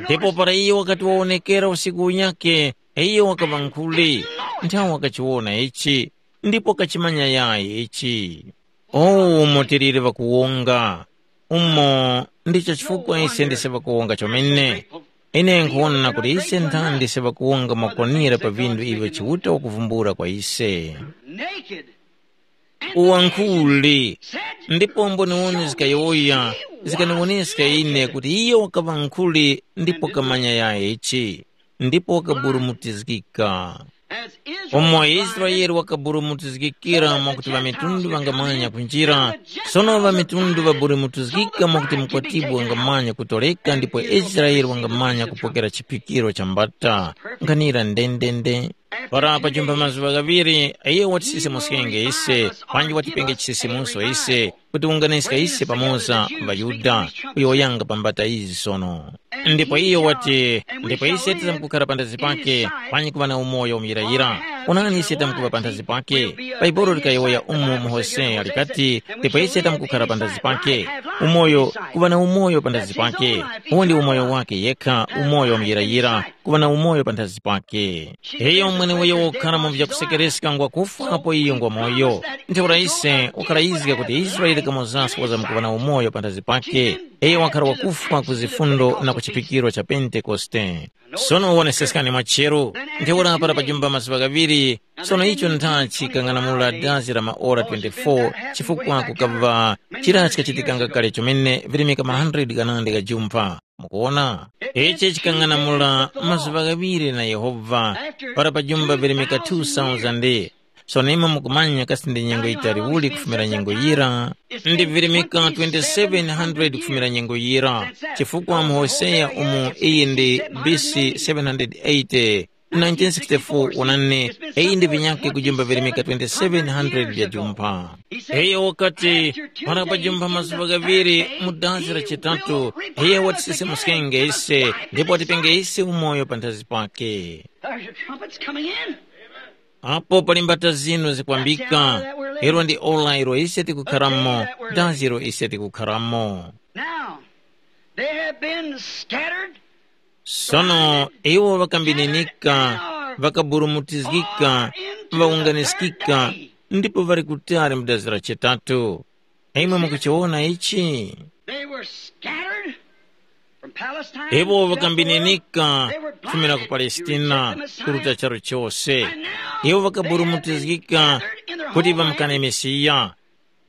Ndipo para iyo wakati wawonekera usiku unyake, iyo wakaŵa nkhuli. Nthawi wakachiwona ichi ndipo kachimanya yayi ichi. Oh, umo tiliri ŵakuwonga! Umo ndicho chifukwa ise ndise ŵakuwonga chomene. Ine nkhuwona kuti ise nthandi ndise ŵakuwonga mwakwanira pa vinthu ivyo Chiuta wakuvumbula kwa ise. Naked. Uwankhuli, Ndipo mboniwoni zikayowoya zikaniwoneska ine kuti iyo wakaŵa nkhuli ndipo kamanya yayichi, ndipo wakaburumutizgika. Umo Israele wakaburumutizgikira mwakuti ŵamitundu ŵangamanya kunjira, sono ŵamitundu ŵaburumutizgika mwakuti mkwatibwi wangamanya kutoleka ndipo Israele wangamanya kupokera chiphikiro cha mbata. Nkhanira ndendende. Para pajumba mazuŵa ghaŵiri, iyo watisisemuskenge ise, panji watipenge chisisimuso ise, kuti wunganiska ise pamoza ŵaYuda, uyo wayanga pa mbata izi sono. Ndipo iyo wati, ndipo ise tizamkukhara panthazi pake, panji kuŵa na umoyo muyirayira. Onani ise tamkuŵa panthazi pake. Bhaibuli likayowoya umo mu Hoseya likati, ndipo ise tamkukhara panthazi pake. Umoyo, kuŵa na umoyo panthazi pake. Uwo ndi umoyo wake yekha, umoyo muyirayira, kuŵa na umoyo panthazi pake. Iyo mweneweyo wokhala mu vyakusekereska ngwa kufwa apo iyo ngwa moyo. Ntheura ise ukhala yizga kuti Israele kamozaso wazamkuŵa na umoyo panthazi pake. Iyo wakhala wakufwa ku zifundo na ku chiphikiro cha Pentekoste. Sono woneseskani mwacheru, ntheura para pajumba mazuŵa ghaŵiri, sono icho nthachi kang'anamula dazi la maora twenty-four, chifukwa kukaŵa chira chikachitikanga kale chomene virimika ma hundred ghanandi gha jumpha. Mukuwona? Ichi chikang'anamula mazuŵa ghaŵiri na Yehova, para pajumba virimika two thousand. Sono imwe mukumanya kasi ndi nyengo yitali uli kufumira nyengo yira? Ndi virimika twenty-seven hundred kufumira nyengo yira, chifukwa mu Hoseya umu iyi ndi B C seven hundred eighty, nineteen sixty-four wonani, iyi ndi vinyakhe kujumba virimika twenty-seven hundred vya jumpha. Iyo wakati, para pajumba mazuŵa ghaŵiri mu dazi la chitatu, iyo watisisemuskenge ise, ndipo watipenge ise umoyo panthazi pake. There's your trumpets coming in. Apo pali mbata zinu zikwambika, ilo ndi ora ilo ise tikukharamo, dazi ilo ise tikukharamo. Now, they have been scattered. Sono iwo ŵakambininika, ŵakaburumutizgika, ŵawunganiskika, ndipo ŵali kutali mu dazi la chitatu. Imwe mukuchiwona ichi? They were scattered from Palestine. Iwo ŵakambininika kufumira ku Palestina kuruta charu chose. Iwo ŵakaburumutizgika kuti ŵamkane Mesiya.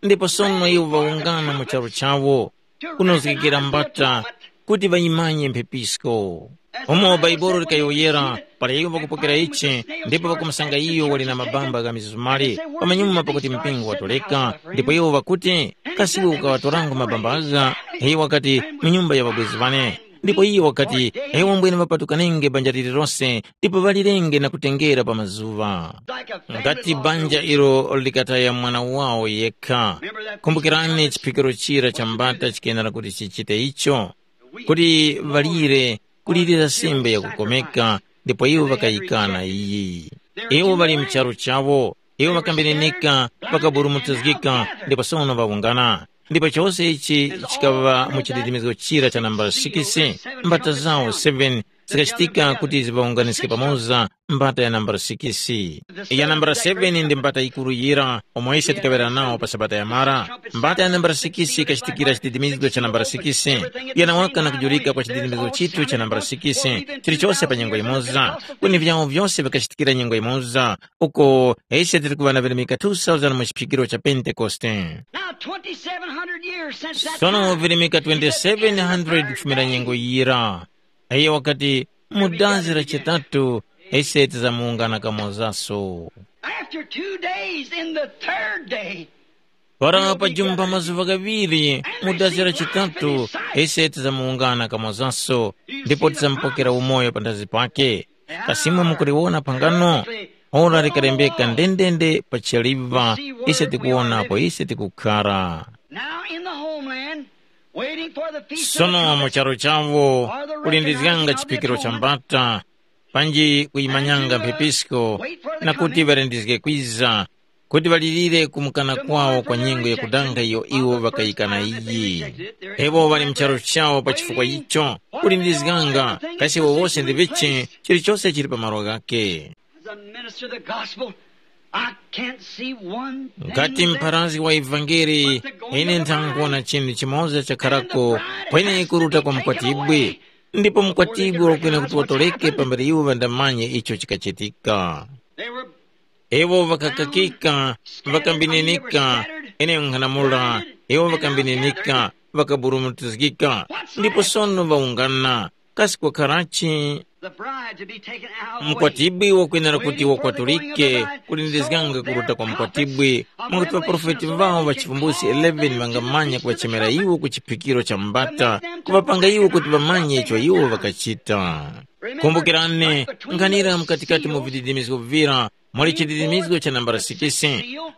Ndipo sono iwo ŵawungana mu charu chawo, kunozgekera mbata kuti ŵayimanye mphepisko. Umo Bhaibuli likayowoyera, para iwo ŵakupokera ichi, ndipo ŵakumusanga iyo wali na mabamba gha mizumali pamanyuma pakuti mpingo watoleka, ndipo iwo ŵakuti, kasi iwe ukaŵatorango mabamba agha? Iyo wakati, mu nyumba ya ŵabwezi ŵane. Ndipo iyo wakati, iwo mbwene ŵapatukanenge banja lililose, ndipo ŵalirenge na kutengera pa mazuŵa. Ngati banja ilo likataya mwana wawo yekha. Kumbukirani chiphikiro chira cha mbata chikenera kuti chichite icho, kuti ŵalire kulirira sembe yakukomeka, ndipo iwo ŵakayikana iyi. Iwo ŵali mcharu chawo, iwo ŵakambenenika, ŵakaburumutizgika, ndipo sono ŵawungana. Ndipo chose ichi chikaŵa mu chididimizgo chira cha nambala sikisi, mbata zawo seven zikachitika kuti ziŵawunganiske pamoza mbata ya nambala sikisi. Ya nambala seven ndi mbata yikuru yira, omwe ise tikaŵera nawo pa sabata yamara. Mbata ya nambala sikisi ikachitikira chididimizgo cha nambala sikisi, yanawaka na kujurika kwa chididimizgo chithu cha nambala sikisi, chilichose pa nyengo yimoza. Kweni vyawo vyose vikachitikira nyengo yimoza, uko ise tili kuŵa na virimika two thousand mu chiphikiro cha Pentekoste. Now, twenty-seven hundred years since that sono time, virimika twenty-seven hundred kufumira nyengo yira. Iye wakati, mu dazi la chitatu ise tizamuwungana kamozaso. After two days, in the third day, para pajumba mazuva ghaŵiri mu dazi la chitatu, ise tizamuwungana kamozaso, ndipo tizamupokera umoyo panthazi pake. Kasi imwe mukuliwona phangano? Ora likalembeka ndendende pa chaliva, ise tikuwona apo ise tikukhara. Now in the homeland, waiting for the feast of the sono mu trumpets, charo chavo or the kulindizganga return of the chipikiro cha atonement, mbata, panji kuyimanyanga mphepisko, na kuti ŵalindizge kwiza, kuti ŵalirire kumukana kwawo kwa nyengo yakudanga iyo iwo ŵakayikana iyi. Iwo ŵali mu charo chawo pa chifukwa icho, kulindizganga, kasi iwo wose ndi vichi, chilichose chili pa malo ghake. As a minister of the gospel, I can't see one thing ngati that mpharazi wa ivangeli, ine nthankuwona chinthu chimoza chakharako, kweni kuruta kwa mkwatibwi, ndipo mkwatibwi wakwene kuti watoleke pambere iwo ŵandamanye icho chikachitika. They were iwo ŵakakakika, ŵakambininika, ine nkhanamula, Iwo ŵakambininika, ŵakaburumutizgika, ndipo sono ŵawungana. Kasi kwakharachi? The bride to be taken out of the way. Mkwatibwi wakwenera kuti wakwatulike, kulindizganga kuruta kwa mkwatibwi, mwakuti ŵaprofeti ŵawo ŵa chivumbulutso eleven ŵangamanya kuŵachemera iwo ku chiphikiro cha mbata, kuŵapanga iwo kuti ŵamanye icho iwo ŵakachita. Kumbukirani, nkhanira mkatikati mu vididimizgo vivira, muli chididimizgo cha nambala six,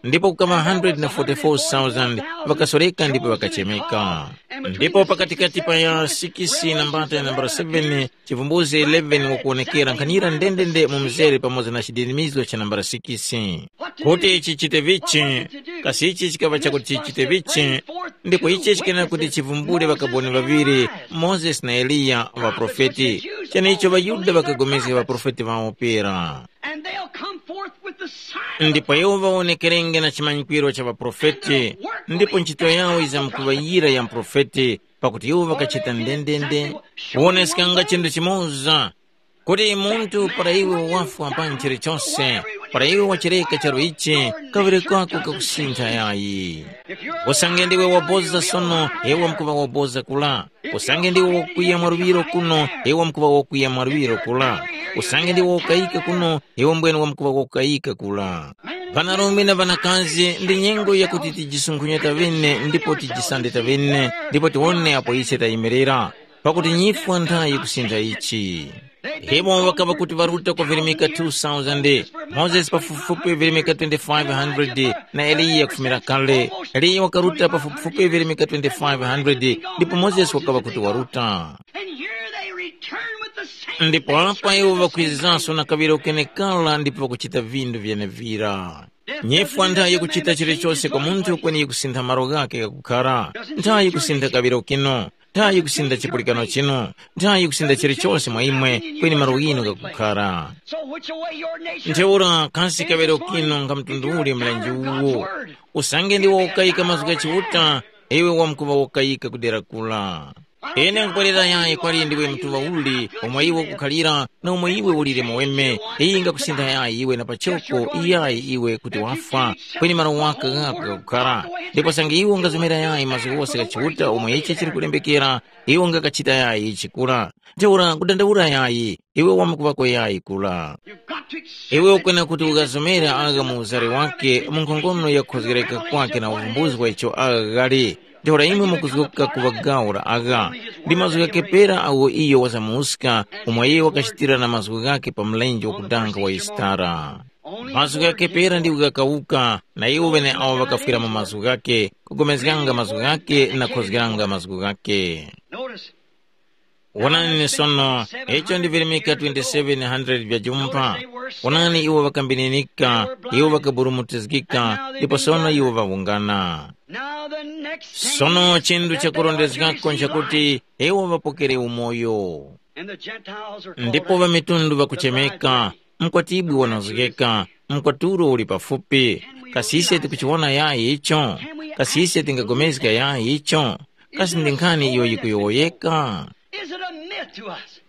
ndipo kukaŵa hundred na forty-four thousand ŵakasoreka ndipo ŵakachemeka. Ndipo pakatikati pa ya six na mbata ya nambala seven, chivumbuzi eleven wakuwonekera nkhanira ndendende mu mzere pamoza na chididimizgo cha nambala six. Kuti chichite vichi, kasi ichi chikaŵa chakuti chichite vichi, ndipo ichi chikenera kuti chivumbule ŵakaboni ŵaŵiri, Mozesi na Eliya, ŵaprofeti. Cheneicho ŵaYuda ŵakagomezga ŵaprofeti ŵawo pera. And they'll come forth with the sign of the ndipo iwo ŵawonekerenge na chimanyikwiro cha ŵaprofeti, ndipo ntchito yawo yizamkuŵa yira ya mprofeti, pakuti iwo ŵakachita ndendende, kuwoneskanga chinthu chimoza, kuti munthu para iwe wafwa pa nchire chose, para iwe wachereka charu ichi, kawere kwako kakusintha yayi. Usange ndiwe waboza sono, iwe mkuŵa waboza kula. Usange ndiwe wakwiya mwaluŵiro kuno, iwe mkuŵa wakwiya mwaluŵiro kula. Usange ndiwe wakayika kuno, iwe mbwene wamkuŵa wakayika kula. Ŵanarume na ŵanakazi, ndi nyengo yakuti tijisunkhunyeta ŵene ndipo tijisandeta ŵene, ndipo tiwone apo ise tayimirira, pakuti nyifwa nthayi kusintha ichi. Iwo ŵakaŵa kuti ŵaruta kwa virimika two thousand, Mozesi pafupifupi virimika twenty-five hundred, na Eliya kufumira kale. Eliya wakaruta pafupifupi virimika twenty-five hundred, ndipo Mozesi wakaŵa kuti waruta. And here they return with the same ndipo apa iwo ŵakwizanso na kaŵiro kenekala ndipo ŵakuchita vindu vyenevira. Nyifwa nthayi yakuchita chilichose kwa munthu kweni yikusintha malo ghake ghakukhara. Nthayi yikusintha kaŵiro kino, nthayi yikusintha chipulikano chino, nthayi yikusintha chilichose mwa imwe, kweni malo ghinu ghakukhara. So which way your nature? Ntheura kasi kaŵiro kino nga mtundu uli mlenje uwo? Usange ndiwo ukayika mazgu gha Chiuta, iwe wamkuŵa ukayika kudera kula. Ine nkupwerera yayi kwali ndiwe mtuŵa uli, omwe iwe ukukhalira, na omwe iwe ulire muweme. Iyi ingakusintha yayi iwe na pachoko, iyayi iwe kuti wafwa, kweni malo waka ghako ghakukhara. Ndipo sange iwe ungazomera yayi mazgu ghose gha Chiuta omwe ichi chili kulembekera, iwe ungakachita yayi ichi kura. Ntheura kudandaula yayi, iwe wamkuŵako yayi kura. Iwe ukwena kuti ukazomera agha mu uzari wake mu nkhongono ya kukhozgereka kwake na uvumbuzi wa icho agha ghali. Ntheura imwe mukuzgoka kuŵa gawo la agha. Ndi mazgu ghakepera agho iyo wazamuska, umo iyo wakachitira na mazgu ghake pa mlenje wakudanga wa Yisitara. Mazgu ghakepera ndiwo ghakawuka, na iwo ŵeneawo ŵakafwira mu mazgu ghake, kugomezganga mazgu ghake na kukhozgeranga mazgu ghake. Notice, Wonani sono, icho ndi virimika twenty-seven hundred vya jumpa. Wonani iwo ŵakambininika, iwo ŵakaburumutizgika, ndipo sono iwo ŵawungana. Now the next thing sono is chinthu that they are chakurondezgako to receive nchakuti life. Iwo ŵapokere umoyo. And the Gentiles are called ndipo out. Ŵamitundu ŵakuchemeka, mkwatibwi wanozgeka, mkwatulo uli pafupi. Kasi ise tikuchiwona yayi icho? Kasi ise tingagomezga yayi icho? Kasi ndi nkhani iyo yikuyowoyeka? Is it a myth to us?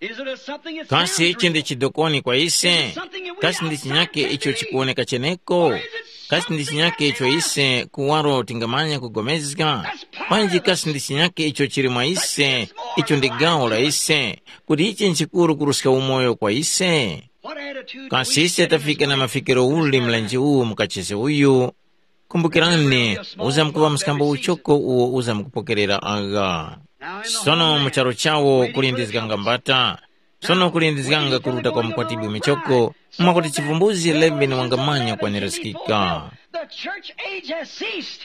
Is it a something that kasi sounds ichi ndi real? Chidokoni kwa ise? Kasi ndi chinyake icho chikuwoneka cheneko? Kasi ndi chinyake icho ise kuwaro tingamanya kugomezga? Panji kasi ndi chinyake icho chili mwa ise, icho ndi gawo la ise, kuti ichi nchikuru kuruska umoyo kwa ise? Kasi ise tafika na mafikiro uli mlenje uwu mukachisi uyu? Kumbukirani, uzamkuŵa mskambo uchoko uwo uzamkupokerera agha. Sono mu charu chawo kuli ndi zikangambata. Sono kuli ndi zikanga kuruta kwa mukwatibwi michoko, mwakuti chivumbuzi eleven wangamanya kwanirizikika. The church age has ceased.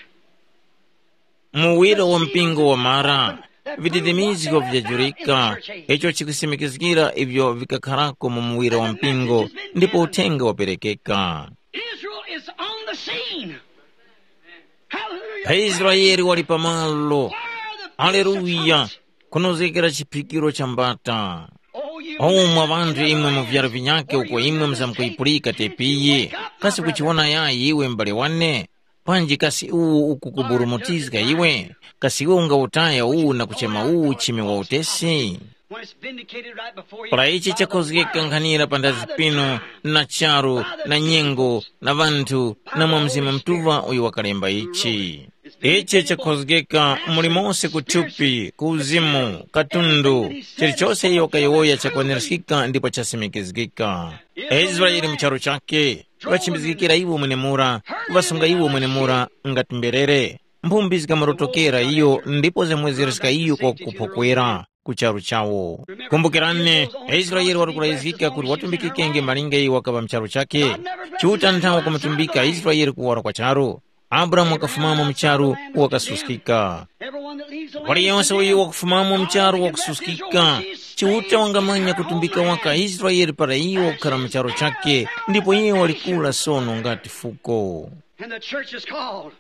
Muwiro wa mpingo wamara, vididimizgo vyajurika, icho chikusimikizgira ivyo vikakharako mu muwiro wa mpingo, ndipo uthenga waperekeka. Israel is on the scene. Hallelujah. Israeli wali pamalo. Haleluya. Kunozgekera chiphikiro cha mbata. Oh, mwa ŵanthu imwe mu vyaro vinyakhe uko imwe muzamkuyipulika tepiyi. Kasi kuchiwona yayi iwe m'bale wane? Panji kasi uwu ukukuburumutizga iwe? Kasi iwe ungawutaya uwu na kuchema uwu uchimi wa utesi? Para ichi chakhozgeka nkhanira panthazi pinu, na charu, na nyengo, na ŵanthu, na mwa Mzimu Mutuŵa uyo wakalemba ichi. Ichi chakhozgeka muli mose ku thupi, ku uzimu, katundu, chilichose iyo kayowoya chakwaniraskika ndipo chasimikizgika. Israeli mu charu chakhe, ŵachimbizgikira iwo mwenemura, kuŵasunga iwo mwenemura ngati mberere. Mphumbi zikamurotokera iyo ndipo zamwezerezga iyo kwa kuphokwera ku charu chawo. Kumbukirani, Israeli wali kurayizgika kuti watumbikikenge malinga iyo wakaŵa mu charu chakhe. Chiuta nthawe kumutumbika Israeli kuwara kwa charu. Abrahamu wakafumamo mu charu wakasuskika. Everyone that leaves the land Waliyonse uyo wakufumamo mu charu wakususkika. Chiuta wangamanya kutumbika waka Israeli para iwo wakukhara mu charu chakhe, ndipo iye walikula sono ngati fuko. And the church is called.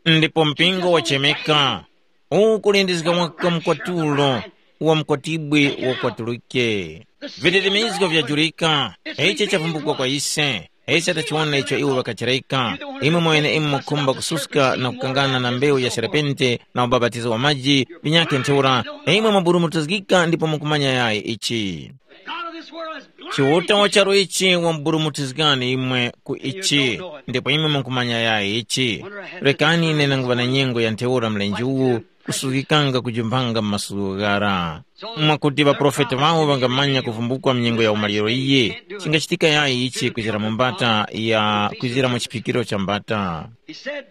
Ndipo mpingo wachemeka, ukulindizga waka mkwatulo wa mkwatibwi wakwatulike. Vitetemezgo vyajurika, ichi chavumbukwa kwa ise. Ise tachiwona icho iwo ŵakachireka. Imwe mwene imwe mukhumba kususka na kukangana na mbewu ya serpente na ubapatizo wa maji, vinyakhe ntheura, imwe mwaburumutizgika ndipo mukumanya yayi ichi. God of this world has blinded Chiuta wa charu ichi wamburumutizgani imwe ku ichi, ndipo imwe mukumanya yayi ichi. Rekani ine nanguŵa na nyengo ya ntheura mlenje uwu kusuzgikanga kujumpanga mu masuku ghara. Mwakuti ŵaprofeti ŵawo ŵangamanya kuvumbukwa mnyengo ya umaliro iyi, chingachitika yayi ichi kwizira mu mbata ya kwizira mu chiphikiro cha mbata. He said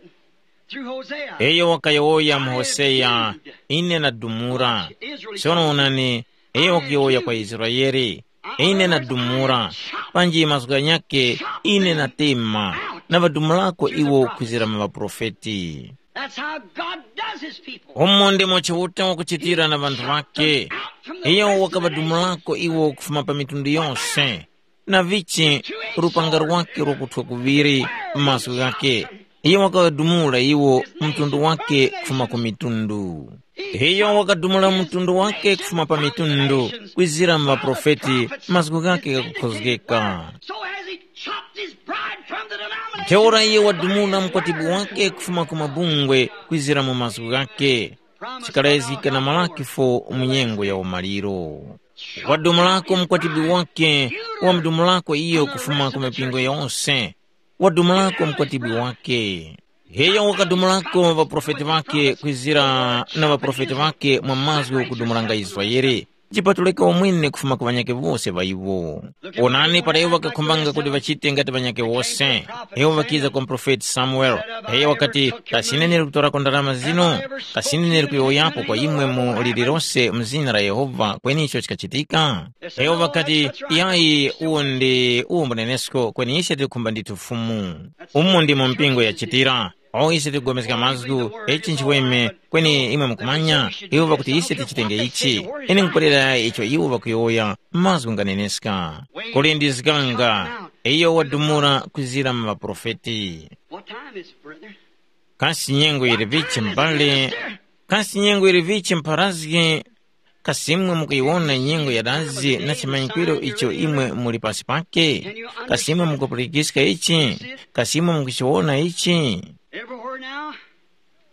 through Hosea, Iyo wakayowoya mu Hoseya, ine nadumura. Sono onani, iyo wakuyowoya kwa Israeli, ine nadumura. Panji mazgu ghanyakhe, ine natema, na ŵadumurako iwo kwizira mu ŵaprofeti. That's how God does his people. Umo ndimo Chiuta wakuchitira na ŵanthu ŵakhe. Iyo wakaŵadumulako iwo kufuma pa mitundu yose, na vichi lupanga lwakhe lwakuthwa kuŵiri m'maso ghakhe. Iyo wakaŵadumula iwo mtundu wake kufuma ku mitundu. Iyo wakadumula mtundu wake kufuma pa mitundu, kwizira mu ŵaprofeti, mazgu ghakhe ghakukhozgeka. So has he chopped his bride from the denomination. Ntheura iye wadumula mkwatibwi wake kufuma ku mabungwe kwizira mu mazgu ghakhe. Chikalayizgika na Malaki fo mu nyengo ya umaliro. Wadumulako mkwatibwi wake, wamudumulako iyo kufuma ku mipingo yose. Wadumulako mkwatibwi wake. Iyo wakadumulako ŵaprofeti ŵake kwizira na ŵaprofeti ŵake mwa mazgu kudumulanga Israele. Chipatulika umwene kufuma ku ŵanyakhe wose ŵa iwo. Onani para iwo ŵakakhumbanga kuti ŵachite ngati ŵanyakhe wose, iwo ŵakiza kwa muprofeti Samuele. Iyo wakati, kasi ine ndili kutorako ndarama zino? Kasi ine ndili kuyowoyapo kwa imwe mu lililose mu zina la Yehova kweni icho chikachitika? Iwo ŵakati, yayi, uwo ndi uwo mbunenesko kweni ise tikukhumba ndithu Fumu. Umu ndimo mpingo yachitira. O ise tikupulikana mazgu, ichi nchiweme, kweni imwe mukumanya, iwo ŵakuti ise tichitenge ichi. Ine nkupwerera icho iwo ŵakuyowoya, mazgu nganeneska. Kuli ndi zikanga, iyo wadumula kwizira mu ŵaprofeti. What time is it, brethren? Kasi nyengo yili vichi mbale? Kasi nyengo yili vichi mpharazgi? Kasi imwe mukuyiwona nyengo ya dazi na chimanyikwiro icho imwe muli pasi pake? Kasi imwe mukupulikiska ichi? Kasi imwe mukuchiwona ichi? Everywhere now,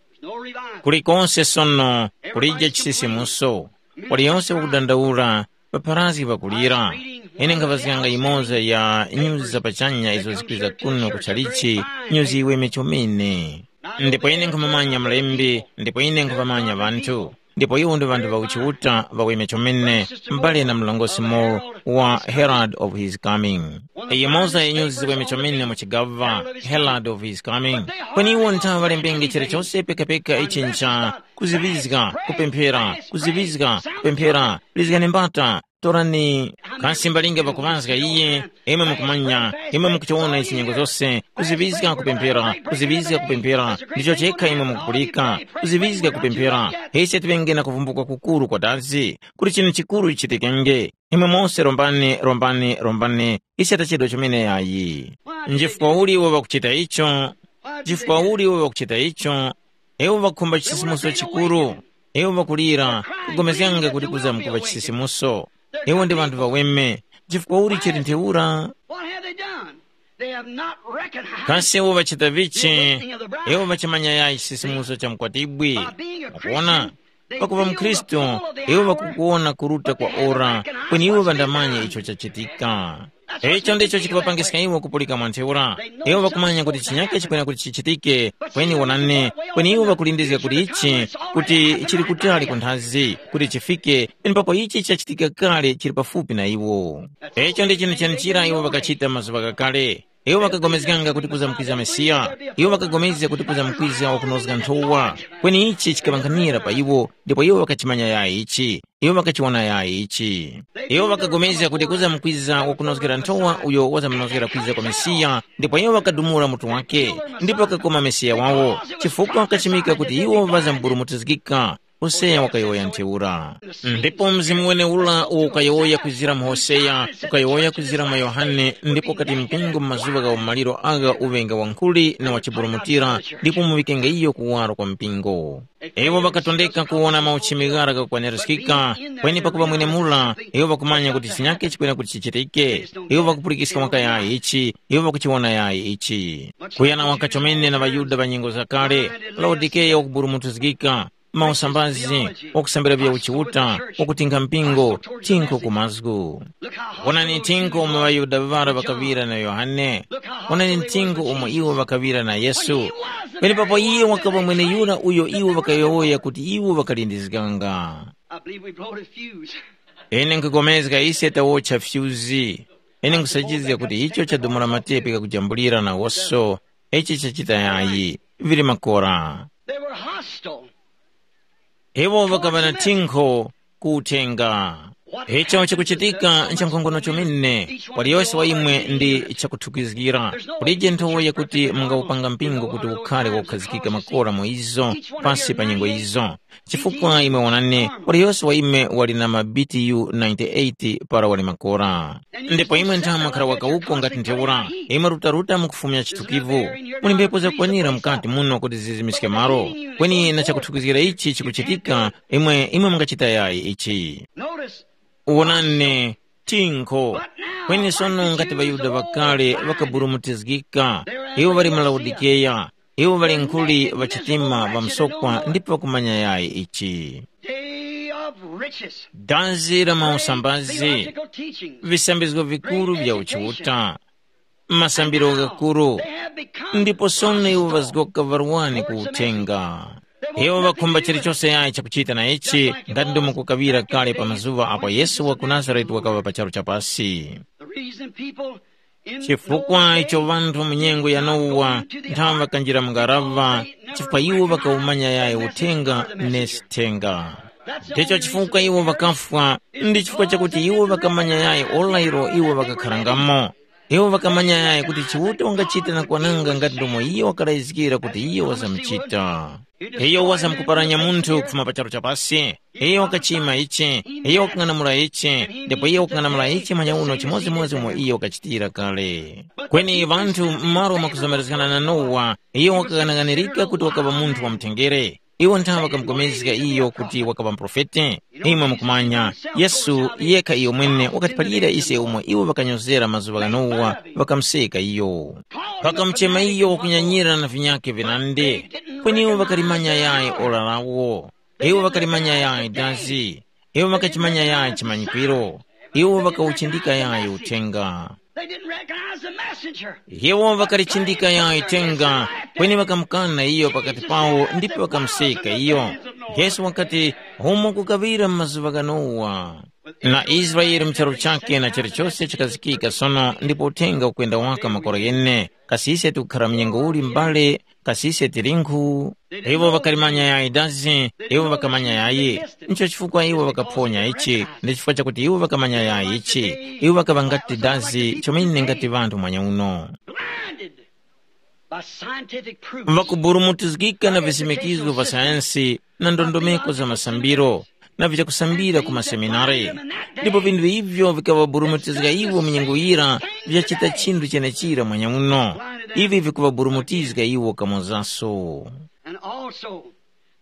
there's no revival. Kulikonse sono kulije chisisimuso. Waliyonse wakudandaula, ŵapharazgi ŵakulira. Ine nkhaŵazganga yimoza ya nyuzi za pachanya izo zikwiza kuno ku chalichi, nyuzi iweme chomene. Ndipo ine nkhumumanya mlembi, ndipo ine nkhuvamanya ŵanthu. Ndipo iwo ndi ŵanthu ŵa uchiuta ŵaweme chomene, mbale na mlongosi Moore wa Herald of His Coming. Yimoza ya nyuzi ziweme chomene mu chigaŵa, Herald of His Coming. Kweni iwo nthawe ŵalembenge chilichose pekapeka ichi ncha kuziŵizga, kupemphera, kuziŵizga, kupemphera, lizgani mbata, torani. Kasi mbalinga pakuŵazga iye, imwe mukumanya, imwe mukuchiwona ichi nyengo zose, kuziŵizga kupemphera, kuziŵizga kupemphera, ndicho chekha imwe mukupulika, kuziŵizga kupemphera. Ise tiŵenge na kuvumbuka kukuru kwa dazi, kuti chinthu chikuru chichitikenge. Imwe mose rombani, rombani, rombani, ise tachedwa chomene yayi. Nchifukwa uli iwo ŵakuchita icho? Nchifukwa uli iwo ŵakuchita icho? Iwo ŵakhumba chisisimuso chikuru. Iwo ŵakulira, kugomezganga kuti kuza mkuŵa chisisimuso. Iwo ndi ŵanthu ŵaweme. Chifukwa uli chili ntheura? What have they done? They have not recognized Kasi iwo ŵachita vichi? Iwo ŵachimanya yayi chisisimuso cha mkwatibwi. Mukuona? Pakuva mkhristu, iwo ŵakukuwona kuruta kwa ora, kweni iwo ŵandamanya icho chachitika. Icho ndicho chikuŵapangiska iwo kupulika mwa ntheura. Iwo ŵakumanya kuti chinyake chikwena kuti chichitike, kweni wonani, kweni iwo ŵakulindizga kuti ichi, kuti chili kutali ku nthazi, kuti chifike, penepapo ichi chachitika kale chili pafupi na iwo. Icho ndi chinthu chenichira iwo ŵakachita mazuŵa ghakale. Iwo ŵakapulikana kuti kuzamkwiza Mesiya. Iwo ŵakapulikana kuti kuzamkwiza wakunozga nthowa. Kweni ichi chikaŵankhanira pa iwo, ndipo iwo ŵakachimanya yayi ichi. Iwo ŵakachiwona yayi ichi. Iwo ŵakapulikana kuti kuzamkwiza wakunozgera nthowa uyo wazamunozgera kwiza kwa Mesiya, ndipo iwo ŵakadumula mutu wake, ndipo ŵakakoma Mesiya wawo, chifukwa ŵakachimika kuti iwo ŵazamburumutizgika. Hoseya wakayowoya ntheura. Ndipo mzimu weneura uwo ukayowoya kwizira mu Hoseya, ukayowoya kwizira mwa Yohane, ndipo ukati mpingo mu mazuŵa gha umaliro agha uŵenga wankhuli na wachiburumutira, ndipo muŵikenge iyo kuwaro kwa mpingo. Iwo ŵakatondeka kuwona mauchimi ghara ghakukwanirizgika, kweni pakuŵa mwenemura, iwo ŵakumanya kuti chinyake chikwera kuti chichitike. Iwo ŵakupulikiska mwaka yayi ichi, iwo ŵakuchiwona yayi ichi. Kuyana waka chomene na ŵaYuda ŵa nyengo zakale, Laodikeya wakuburumutizgika, mausambazi, wakusambira vya uchiuta, wakutinga mpingo, tinkho ku mazgu. Wonani tinkho umo ŵaYuda ŵara ŵakaŵira na Yohane. Wonani tinkho umo iwo ŵakaŵira na Yesu. Penepapo iye wakaŵa mweneyura uyo iwo ŵakayowoya kuti iwo ŵakalindizganga. I believe we blowed a fuse. Ine nkupulikana ise tawotcha fyuzi. Ine nkusachizga kuti icho chadumula matepi kakujambulira nawoso. Ichi chachita yayi. Vili makora. They were hostile. Iwo ŵakaŵa na tinkho ku uthenga. Icho chikuchitika nchankhongono chomene, waliyose wa imwe ndi chakuthukizgira. Kulije nthowa yakuti mungawupanga mpingo kuti ukhare wokhazikika makora mu izo, pasi pa nyengo izo. Chifukwa imwe wonani, waliyose wa imwe wali na ma B T U ninety-eight para wali makora. Ndipo imwe ntha mwakhara wakawuko ngati ntheura, imwe rutaruta mukufumya chithukivu. Muli mphepo zakwanira mukati muno kuti zizimiske malo. Kweni na chakuthukizgira ichi chikuchitika, imwe imwe mungachita yayi ichi. Notice, wonani, tinkho. Kweni sono ngati ŵaYuda ŵakale ŵakaburumutizgika, iwo ŵali mu Laodikeya, iwo ŵali nkhuli ŵachitima ŵamsokwa ndipo ŵakumanya yayi ichi. Day of riches. Dazi la mausambazi, theological teachings, visambizgo vikuru vya uchiuta, masambiro ghakuru. They have become ndipo sono iwo gospel ŵazgoka varwani ku uthenga. Iwo ŵakhumba chilichose yayi chakuchita na ichi, ngati ndomwe kukaŵira kale pa mazuŵa apo Yesu wa ku Nazarete wakaŵa pa charu cha pasi. The reason people in chifukwa Noah's icho day ŵanthu mu nyengo ya Nowa nthawi ŵakanjira mu ngaraŵa, chifukwa iwo ŵakawumanya yayi uthenga ne sithenga. Ndicho chifukwa iwo ŵakafwa, ndi chifukwa chakuti iwo ŵakamanya yayi ora ilo iwo ŵakakharangamo. Iwo ŵakamanya yayi kuti Chiuta wangachita na kwananga ngati ndomwe iyo wakalayizgira kuti iyo wazamuchita. Iyo wazamkuparanya munthu kufuma pa charu cha pasi. Iyo wakachima ichi, iyo wakang'anamula ichi, ndipo iyo wakang'anamula ichi manya uno chimodzimodzi umo iyo wakachitira kale. Kweni ŵanthu m'malo mwakuzomerezgana na Nowa, iyo wakaghanaghanirika kuti wakaŵa munthu wa mutengere. Iwo nthawe ŵakamupulikana iyo kuti wakaŵa muprofeti. Imwe mukumanya, Yesu yekha iyo mwene wakatiphalira ise umo iwo ŵakanyozera mazuŵa gha Nowa, ŵakamuseka iyo. Ŵakamuchema iyo wakunyanyira na vinyakhe vinandi, kweni iwo ŵakalimanya yayi ora lawo. Iwo ŵakalimanya yayi dazi. Iwo ŵakachimanya yayi chimanyikwiro. Iwo ŵakawuchindika yayi uthenga. They didn't recognize the messenger. Iwo ŵakalichindika yayi uthenga, kweni ŵakamukana iyo pakati pawo ndipo ŵakamuseka iyo. Yesu wakati, umo kukaŵira mu mazuŵa gha Nowa. Na Israele mu charu chakhe na chilichose chikazikika sono ndipo uthenga ukwenda waka makora ghene. Kasi ise tikukhara mnyengo uli mbale? Kasi ise tilinkhu? Iwo ŵakalimanya yayi dazi, iwo ŵakamanya yayi. Ncho chifukwa iwo ŵakaphonya ichi, ndi chifukwa chakuti iwo ŵakamanya yayi ichi. Iwo ŵakaŵa ngati dazi chomene ngati ŵanthu mwanya uno. Blinded by scientific proofs. Ŵakuburumutizgika na visimikizo vya sayansi na ndondomeko za masambiro na vyakusambira ku maseminari. Ndipo vinthu ivyo vikaŵaburumutizga iwo munyengo yira vyachita chinthu chenechira mwanya uno. Ivi vikuŵaburumutizga iwo kamozaso. And also,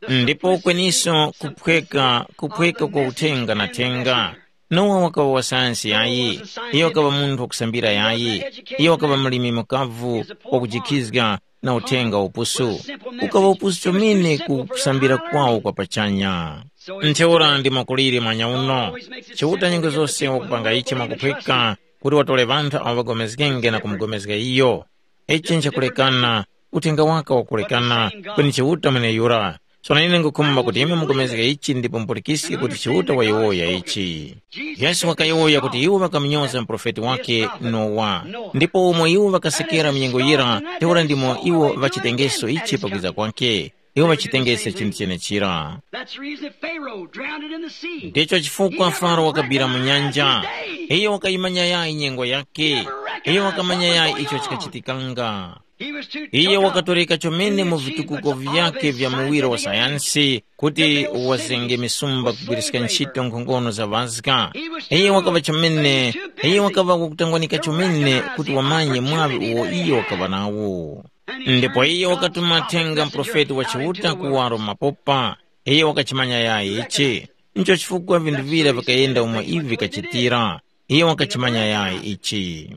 the ndipo kweniso kuphweka kuphweka kwa uthenga na thenga. Nowa wakaŵa wa sayansi yayi. Iyo wakaŵa munthu wakusambira yayi. Iyo wakaŵa mlimi mukavu, wakujikhizga na uthenga wa upusu. Ukaŵa upusu chomene ku kusambira kwawo kwa pachanya. Ntheura ndi mwakulire mwanya uno. Chiuta nyengo zose wakupanga ichi mwakuphweka. kuti watore ŵanthu awo ŵagomezgenge na kumugomezga iyo. Ichi nchakulekana, uthenga waka wakulekana, kweni Chiuta mweneyura. Sono ine ngukhumba kuti imwe mugomezge ichi ndipo mupulikiske kuti Chiuta wayowoya ichi. Yesu wakayowoya kuti iwo ŵakamunyoza muprofeti wake Nowa, ndipo umo iwo ŵakasekera mu nyengo yira, ntheura ndimo iwo ŵachitengeso ichi pakwiza kwake. Iwo ŵachitengese chinthu chenechira. That's the reason Pharaoh drowned it in the sea. Ndicho chifukwa Faro wakabira mu nyanja. Iyo wakayimanya yayi nyengo yake. Iyo wakamanya yayi icho chikachitikanga. He was too Iye took up wakatoreka chomene in mu the vitukuko achievements of all vyake this vya muwiro wa scientific sayansi kuti wazenge misumba kugwiriska ntchito nkhongono za Paska. Iye wakava chomene, iye wakava wakutangwanika chomene kuti wamanye mwaŵi uwo iye wakava nawo. Ndipo iye wakatuma thenga muprofeti wa Chiuta kuwaro mapopa. Iye wakachimanya yayi ichi. Ncho chifukwa vinthu vira vikayenda umo ivi vikachitira. Iye wakachimanya yayi ichi.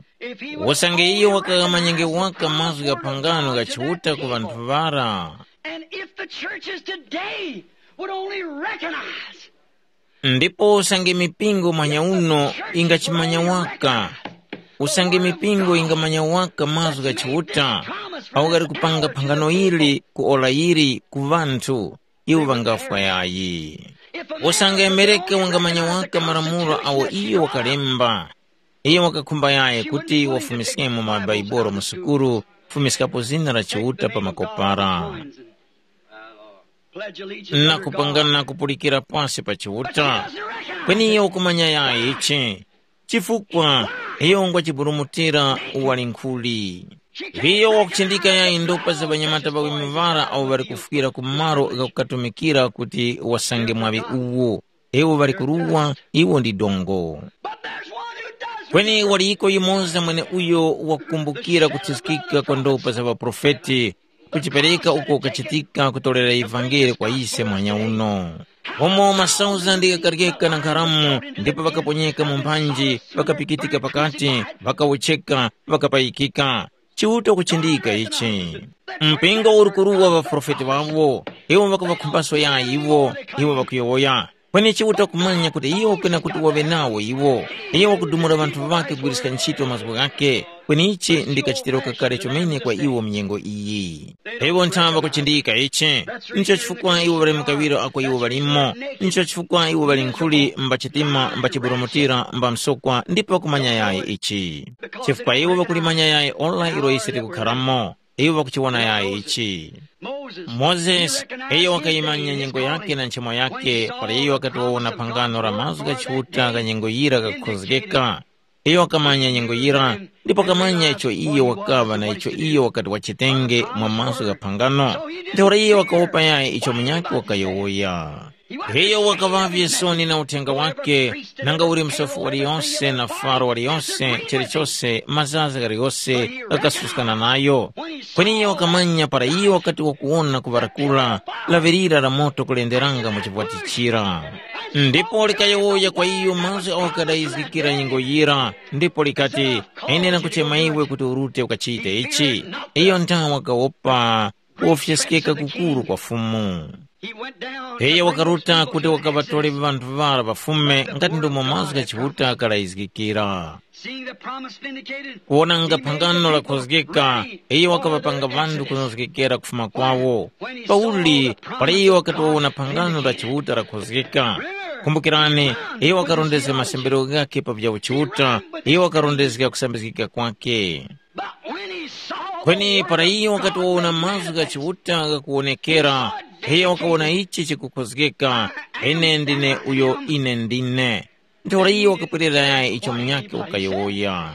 Usange iye wakamanyenge waka mazgu gha phangano gha Chiuta ku ŵanthu ŵara. And if the churches today would only recognize. Ndipo usange mipingo mwanya uno ingachimanya waka. Usange mipingo ingamanya waka mazgu gha Chiuta, awo ghali kupanga phangano ili ku ora ili ku ŵanthu, iwo ŵangafwa yayi. Usange Mereke wangamanya waka malamulo awo iyo wakalemba, iyo wakakhumba yayi kuti wafumiskemo mabaibulo mu sukulu, kufumiskapo zina la Chiuta pa makopara, na kupangana kupulikira pasi pa Chiuta. Kweni iyo wakumanya yayi ichi, chifukwa iyo ngwa chiburumutira wali nkhuli. Iyo wakuchindika yayi ndopa za ŵanyamata ŵawi muŵara awo ŵali kufwira ku malo ghakukatumikira kuti wasange mwaŵi uwo. Iwo ŵali kuruwa, iwo ndi dongo. Kweni waliko yumoza mweneuyo wakukumbukira kuthuskika kwa ndopa za ŵaprofeti, kuchipereka uko kachitika kutorera ivangeli kwa ise mwanya uno. Umo masauzandi ghakaryeka na nkharamu ndipo ŵakaponyeka mu mphanji, ŵakapikitika pakati, ŵakawotcheka, ŵakapayikika. Chiuta kuchindika ichi. Mpingo uri kuruwa ŵaprofeti ŵawo, iwo ŵakaŵakhumbaso yayi iwo, iwo ŵakuyowoya. Kweni Chiuta kumanya kuti iyo kwena kuti waŵe nawo iwo. Iyo wakudumula ŵanthu ŵakhe kugwiriska ntchito mazgu ghakhe, kweni ichi ndi kachitiro kakale chomene kwa iwo mu nyengo iyi. Iwo nthawe ŵakuchindika ichi, ncho chifukwa iwo ŵali mukawiro ako iwo ŵalimo, ncho chifukwa iwo ŵali nkhuli mba chitima mba chiburumutira mba msokwa ndipo ŵakumanya yayi ichi. Chifukwa iwo ŵakulimanya yayi ora ilo ise tikukharamo, iwo ŵakuchiwona yayi ichi. Mozesi, iyo wakayimanya nyengo yakhe na nchemo yakhe para iyo wakati wawona phangano la mazgu gha Chiuta gha nyengo yira ghakukhozgeka. Iyo wakamanya nyengo yira, ndipo wakamanya icho iyo wakaŵa na icho iyo wakati wachitenge mwa mazgu gha phangano. Ntheura iyo wakawopa yayi icho munyakhe wakayowoya. Iyo wakaŵavye soni na uthenga wakhe, nanga uli msofi waliyose na faro waliyose chilichose mazaza ghaliyose ghakasuskana nayo. Kweni iyo wakamanya para iyo wakati wakuwona kuŵarakura laŵirira la moto kulenderanga mu chivwati chira. Ndipo likayowoya kwa iyo mazgu awo ghadayizgikira nyengo yira, ndipo likati, ine nakuchema iwe kuti urute ukachite ichi. Iyo nthawe wakawopa kuwofyeskeka kukuru kwa Fumu. Iyo wakaruta kuti wakaŵatore ŵanthu ŵara ŵafume ngati ndomwe mazgu gha Chiuta ghalayizgikira. Kuwonanga phangano lakhozgeka, iyo wakaŵapanga ŵanthu kunozgekera kufuma kwawo. Pauli, para iyo wakati wawona phangano la Chiuta lakhozgeka, kumbukirani, iyo wakarondezga masembero ghakhe pa vya uchiuta, iyo wakarondezga kusambizgika kwakhe. Kweni para iyo wakati wawona mazgu gha Chiuta ghakuwonekera, iyo wakawona ichi chikukhozgeka, ine ndine uyo ine ndine. Ntheura iyo wakapwerera yayi icho munyakhe wakayowoya.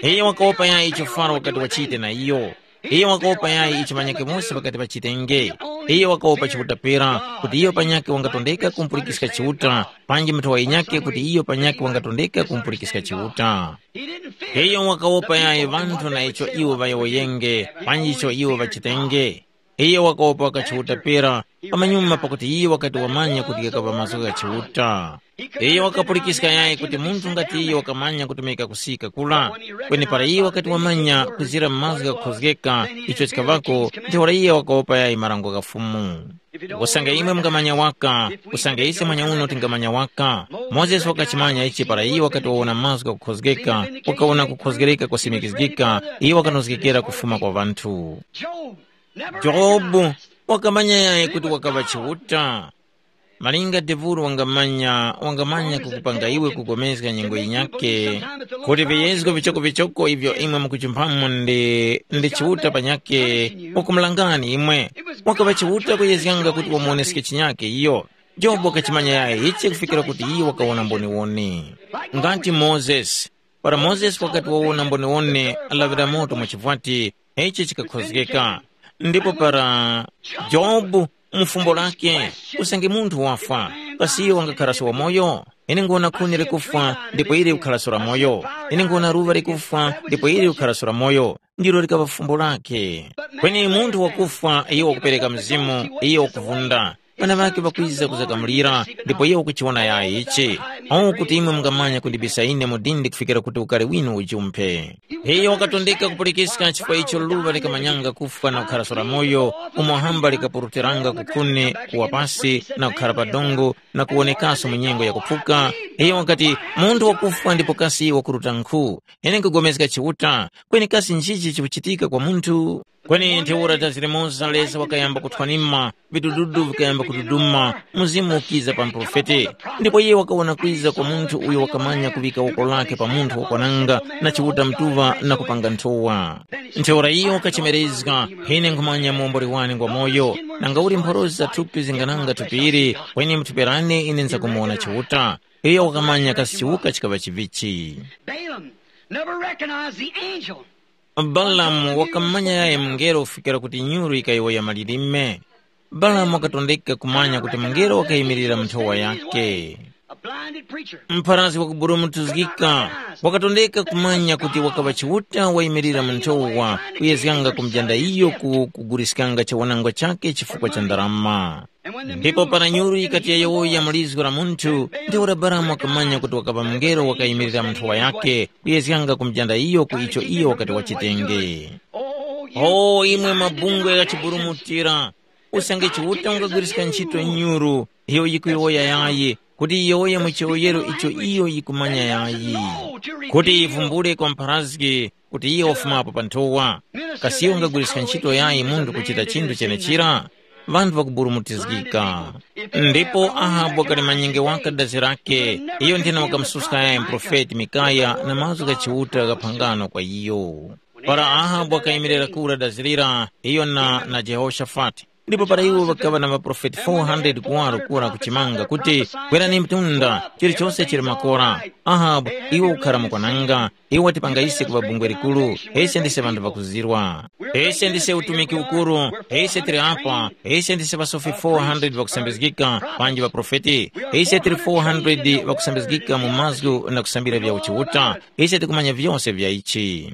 Iyo wakawopa yayi icho Faro wakati wachite na iyo. Iyo wakawopa yayi icho ŵanyakhe mose ŵakati ŵachitenge. Iyo wakawopa Chiuta pera kuti iyo panyakhe wangatondeka kumpulikiska Chiuta, panji mutha wa yinyakhe kuti iyo panyakhe wangatondeka kumpulikiska Chiuta. Iyo wakawopa yayi ŵanthu na icho iwo ŵayowoyenge, panji icho iwo ŵachitenge. Iyo wakawopa wakachiuta pera, pamanyuma pakuti iyo wakati wamanya kuti ghakaŵa mazgu gha Chiuta. Iyo wakapulikiska yayi kuti munthu ngati iyo wakamanya kutumika kusika kura, kweni para iyo wakati wamanya kuzira mazgu ghakukhozgeka icho chikaŵako, ntheura iyo wakawopa yayi marango gha Fumu. Usange imwe mungamanya waka, usange ise mwenyeuno tingamanya waka. Mozesi wakachimanya ichi para iyo wakati wawona mazgu ghakukhozgeka, wakawona kukhozgereka kwasimikizgika, iyo wakanozgekera kufuma kwa ŵanthu. Jobu wakamanya yayi kuti wakaŵa Chiuta. Malinga Deburu wangamanya, wangamanya kukupanga iwe kugomezga nyengo yinyakhe, kuti viyezgo vichokovichoko ivyo imwe mukuchumphamo ndi, ndi Chiuta panyakhe, wakumulangani imwe. Wakaŵa Chiuta kuyezganga kuti wamuwoneske chinyakhe iyo. Jobu wakachimanya yayi ichi kufikira kuti iyo wakawona mboniwone. Ngati Mozesi, para Mozesi wakati wawona mboniwone, alaŵira moto mwa chivwati, ichi chikakhozgeka. Ndipo para Jobu, mu fumbo lake, usange munthu wafwa, kasi iyo wangakharaso wamoyo? Ine nguwona khuni likufwa, ndipo ili kukharaso la moyo. Ine nguwona luŵa likufwa, ndipo ili kukharaso la moyo. Ndilo likaŵa fumbo lake. Kweni munthu wakufwa, iyo wakupereka mzimu, iyo wakuvunda. Ŵana ŵakhe ŵakwiza kuzakamulira, ndipo iyo wakuchiwona yayi ichi. Awo kuti imwe mungamanya kundibisa ine mu dindi kufikira kuti ukari winu ujumphe. Iyo wakatondeka kupulikiska chifukwa icho luŵa likamanyanga kufwa na kukhara soramoyo, umo hamba likapurutiranga kukhuni, kuwa pasi, na kukhara pa dongo, na kuwonekaso mu nyengo yakuphuka. Iyo wakati, munthu wakufwa ndipo kasi wakuruta nkhu. Ine nkugomezga Chiuta, kweni kasi nchichi chikuchitika kwa munthu? Kweni ntheura dazi limoza Lesa wakayamba kuthwanima, vidududu vikayamba kududuma, mzimu ukiza pa muprofeti. Ndipo iye wakawona kwiza kwa munthu uyo wakamanya kuŵika woko lake pa munthu wakwananga na Chiuta mtuŵa na kupanga nthowa. Ntheura iyo wakachemerezga, ine nkhumanya muomboli wane ngwa moyo, nanga uli mphorosi za thupi zingananga thupi ili, kweni muthuperane ine nzakumuwona Chiuta. Iyo wakamanya kasi Chiuta chikaŵa chivichi. Balaam never recognized the angel. Balamu wakamanya yaye mungelo kufikira kuti nyuru yikayowoya malilime. Balamu wakatondeka kumanya kuti mungelo wakayimirira mu nthowa yake. A blinded preacher. Mpharazgi wakuburumutizgika wakatondeka kumanya kuti wakaŵa Chiuta wayimirira mu nthowa kuyezganga kumujanda iyo ku kuguliskanga chawanangwa chake chifukwa cha ndarama. Ndipo para nyuru yikati yayowoya mu lizgu la munthu, ntheura Balamu wakamanya kuti wakaŵa mungelo wakayimirira mu nthowa yake, kuyezganga kumujanda iyo ku icho iyo wakati wachitenge. O imwe mabungwe ghachiburumutira, usange Chiuta ungagwiriska ntchito nyuru, iyo yikuyowoya yayi, kuti yiyowoye mu chiyowoyero icho iyo yikumanya yayi, kuti yivumbule kwa mpharazgi kuti iyo wafumapo pa nthowa. Kasi iyo ungagwiriska ntchito yayi munthu kuchita chinthu chenechira? Ŵanthu ŵakuburumutizgika. Ndipo Ahabu wakali manyenge waka dazi lake, iyo nthena wakamususka yayi muprofeti Mikaya na mazgu gha Chiuta gha phangano kwa iyo. Para Ahabu wakayimirira kura dazi lira, iyo na, na Jehoshafati. Ndipo para iwo ŵakaŵa na ŵaprofeti four hundred kuwaro kura kuchimanga kuti, kwerani mtunda, chilichose chili makora. Ahabu, iwe ukhara mukwananga, iwe watipanga ise kuŵa bungwe likuru, ise ndise ŵanthu ŵakuzirwa. Ise ndise utumiki ukuru, ise tili apa, ise ndise ŵasofi four hundred ŵakusambizgika, panji ŵaprofeti, ise tili four hundred ŵakusambizgika mu mazgu na kusambira vya uchiuta, ise tikumanya vyose vya ichi.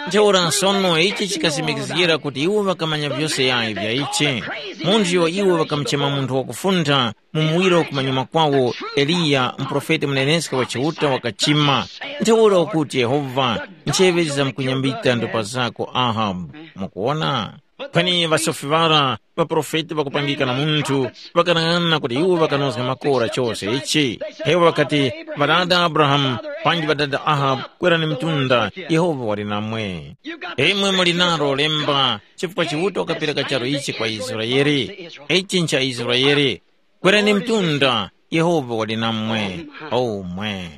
Ntheura sono ichi chikasimikizgira kuti iwo ŵakamanya vyose yayi vya ichi. Munthu uyo iwo ŵakamuchema munthu wakufuntha, mu muwiro kumanyuma kwawo, Eliya, muprofeti muneneska wa Chiuta wakachima. Ntheura ukuti Yehova, ncheŵe zizamkunyambika ndopa zako Ahabu. Mukuwona? Kweni ŵasofi ŵara, ŵaprofeti ŵakupangika na munthu, ŵakanang'ana kuti iwo ŵakanozga makora chose ichi. Iwo ŵakati, ŵadada Abrahamu, panji ŵadada Ahabu, kwerani mtunda, Yehova wali namwe. Imwe muli nalo lemba, chifukwa Chiuta wakapereka charu ichi kwa Israele. Ichi ncha Israele. Kwerani mtunda, Yehova wali namwe. Omwe.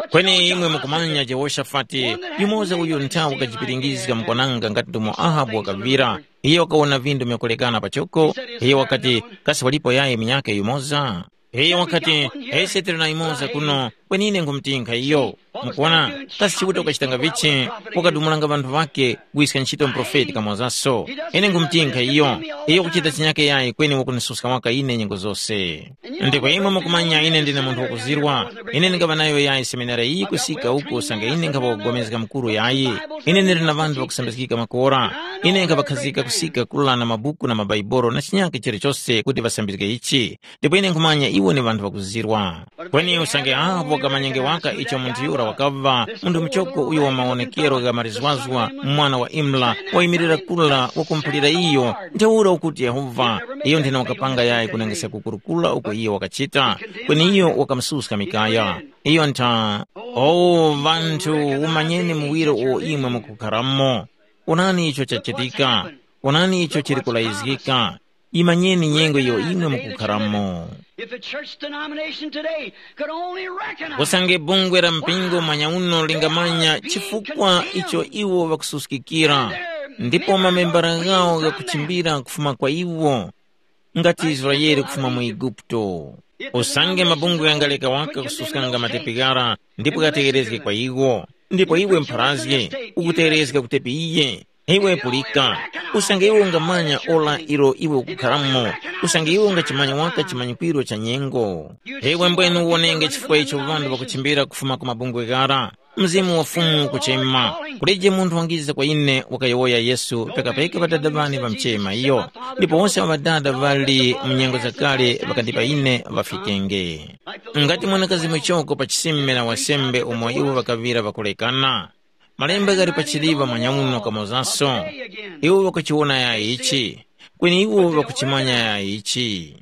Kweni imwe mukumanya Jehoshafati, yumoza uyo nthawi wakajipiringizga mukwananga ngati ndomo Ahabu wakavira. Iye wakawona vindu vyakulekana pachoko. Iye wakati, kasi walipo yayi munyakhe yumoza? Iye wakati, ise tili na yumoza kuno, kweni ine nkhumutinkha iyo. Mukuwona, kasi Chiuta ukachitanga vichi, wakadumulanga ŵanthu ŵakhe, kuwiska ntchito muprofeti kamozaso. Ine nkhumutinkha iyo, iyo kuchita chinyake yayi kweni wakunisuska waka ine nyengo zose. Ndipo imwe mukumanya ine ndine munthu wakuzirwa. Ine ndingaŵa nayo yayi seminari iyi kusika uku usange ine nkhaŵa kugomezga mukuru yayi. Ine ndili na ŵanthu ŵakusambizgika makora. Ine nkhaŵakhazika kusika kulana mabuku na mabaibolo na chinyake chilichose kuti ŵasambizge ichi. Ndipo ine nkhumanya iwo ni ŵanthu ŵakuzirwa. Kweni usange apo Kamanyenge waka icho munthu yura wakaŵa, munthu muchoko uyo wa mawonekero gha marizwazwa, mwana wa Imla, wayimirira kula wakumuphalira iyo, ntheura ukuti Yehova, iyo nthena wakapanga yayi kunengesa kukurukura uko iyo wakachita, kweni iyo wakamususka Mikaya. Iyo ntha, o ŵanthu, umanyeni muwiro uwo imwe mukukharamo. Onani icho chachitika, onani icho chili kulayizgika, imanyeni nyengo iyo imwe mukukharamo. If the church denomination today could only recognize Usange bungwe la mpingo mwanya uno lingamanya chifukwa icho iwo ŵakususkikira, ndipo mamembara ghawo ghakuchimbira kufuma kwa iwo, ngati Israele kufuma mu Eguputo. Usange mabungwe ghangaleka waka kususkanga matepi ghara ndipo ghategherezge kwa iwo, ndipo iwe mpharazge ukutegherezga kutepi iye, iwe pulika, usange iwe ungamanya ora ilo iwe ukukharamo, usange iwe ungachimanya waka chimanyikwiro cha nyengo. Iwe mbwenu uwonenge chifukwa icho ŵanthu ŵakuchimbira kufuma ku mabungwe ghara. Mzimu wa Fumu ukuchema, kulije munthu wangiza kwa ine, wakayowoya Yesu, pekapeka ŵadada ŵane ŵamchema iyo, ndipo wose ŵadada ŵali mu nyengo zakale ŵakandipa ine ŵafikenge. Ngati mwanakazi muchoko pa chisime na wasembe umo iwo ŵakaŵira ŵakulekana, malemba ghali pachiliŵa mwanyauno kamozaso, iwo ŵakuchiwona ya ichi, kweni iwo ŵakuchimanya ya ichi.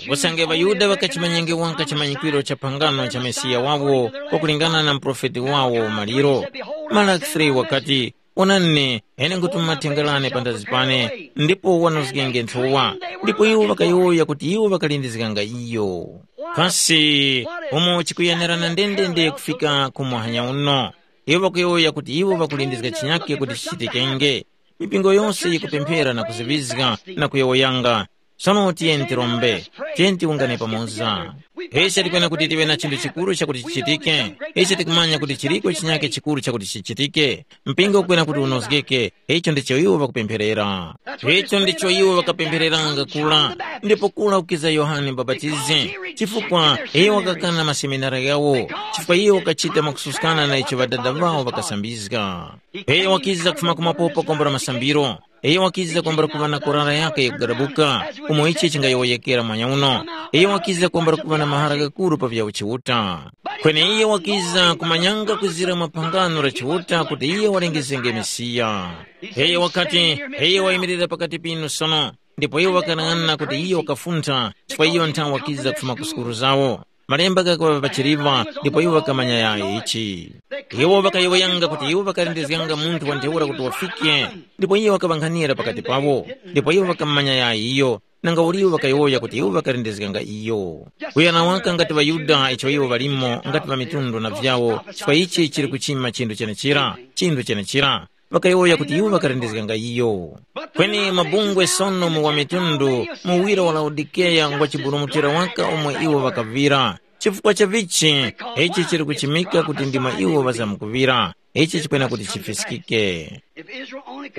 Usange ŵaYuda ŵakachimanyenge waka chimanyikwiro cha phangano cha Mesiya wawo, kwakulingana na muprofeti wawo maliro, Malaki three wakati, “Onani, ine ngutuma mathenga ghane panthazi pane, ndipo wanozgenge nthowa.” Ndipo iwo ŵakayowoya kuti iwo ŵakalindizganga iyo. Kasi umo chikuyenerana ndendende kufika ku muhanya uno? Iwo ŵakuyowoya kuti iwo ŵakulindizga chinyake kuti chichitikenge. Mipingo yose yikupemphera na kuziŵizga na kuyowoyanga. Sono tiyeni tirombe, tiyeni tiwungane pamoza. Ise tikwena kuti tive na chinthu chikuru chakuti chichitike. Ise tikumanya kuti chiliko chinyake chikuru chakuti chichitike. Mpingo ukwena kuti unozgeke. Icho ndicho iwo ŵakupempherera. Icho ndicho iwo ŵakapemphereranga kula. Ndipo kula ukiza Yohane Mubapatizi, chifukwa iye wakakana maseminari ghawo, chifukwa iye wakachita mwakususkana na icho ŵadada ŵawo ŵakasambizga. Iye wakiza kufuma kumapopa kwambula masambiro. Iye wakiza kwambula kuŵa na korara yakhe yakugadabuka, umo ichi chingayowoyekera mwanya uno. Iye wakiza kwambula kuŵa na mahara ghakuru pa vya uchiuta. Kweni iye wakiza kumanyanga kwizira mwa phangano la Chiuta kuti iye walengezenge Mesiya. Iye wakati, iye wayimirira pakati pinu sono, ndipo iwo ŵakanang'ana kuti iyo wakafuntha, chifukwa iyo nthawe wakiza kufuma ku sukulu zawo. Malemba ghakuŵa pachiliŵa, ndipo iwo ŵakamanya yayi ichi. Iwo ŵakayowoyanga kuti iwo ŵakalindizganga munthu wa ntheura kuti wafike, ndipo iyo wakaŵankhanira pakati pawo, ndipo iwo ŵakamanya yayi iyo, nanga uli iwo ŵakayowoya kuti iwo ŵakalindizganga iyo. Kuyana waka ngati ŵaYuda icho iwo ŵalimo ngati ŵamitundu na vyawo, chifukwa ichi chili kuchima chinthu chenechira, chinthu chenechira. Ŵakayowoya kuti iwo ŵakalindizganga iyo. Kweni mabungwe sono mu wamitundu, muwiro wa Laodikeya ngwa chiburumutira waka umo iwo ŵakaŵira. Chifukwa cha vichi, ichi chili kuchimika kuti ndimo iwo ŵazamkuŵira. Ichi chikwena kuti chifiskike.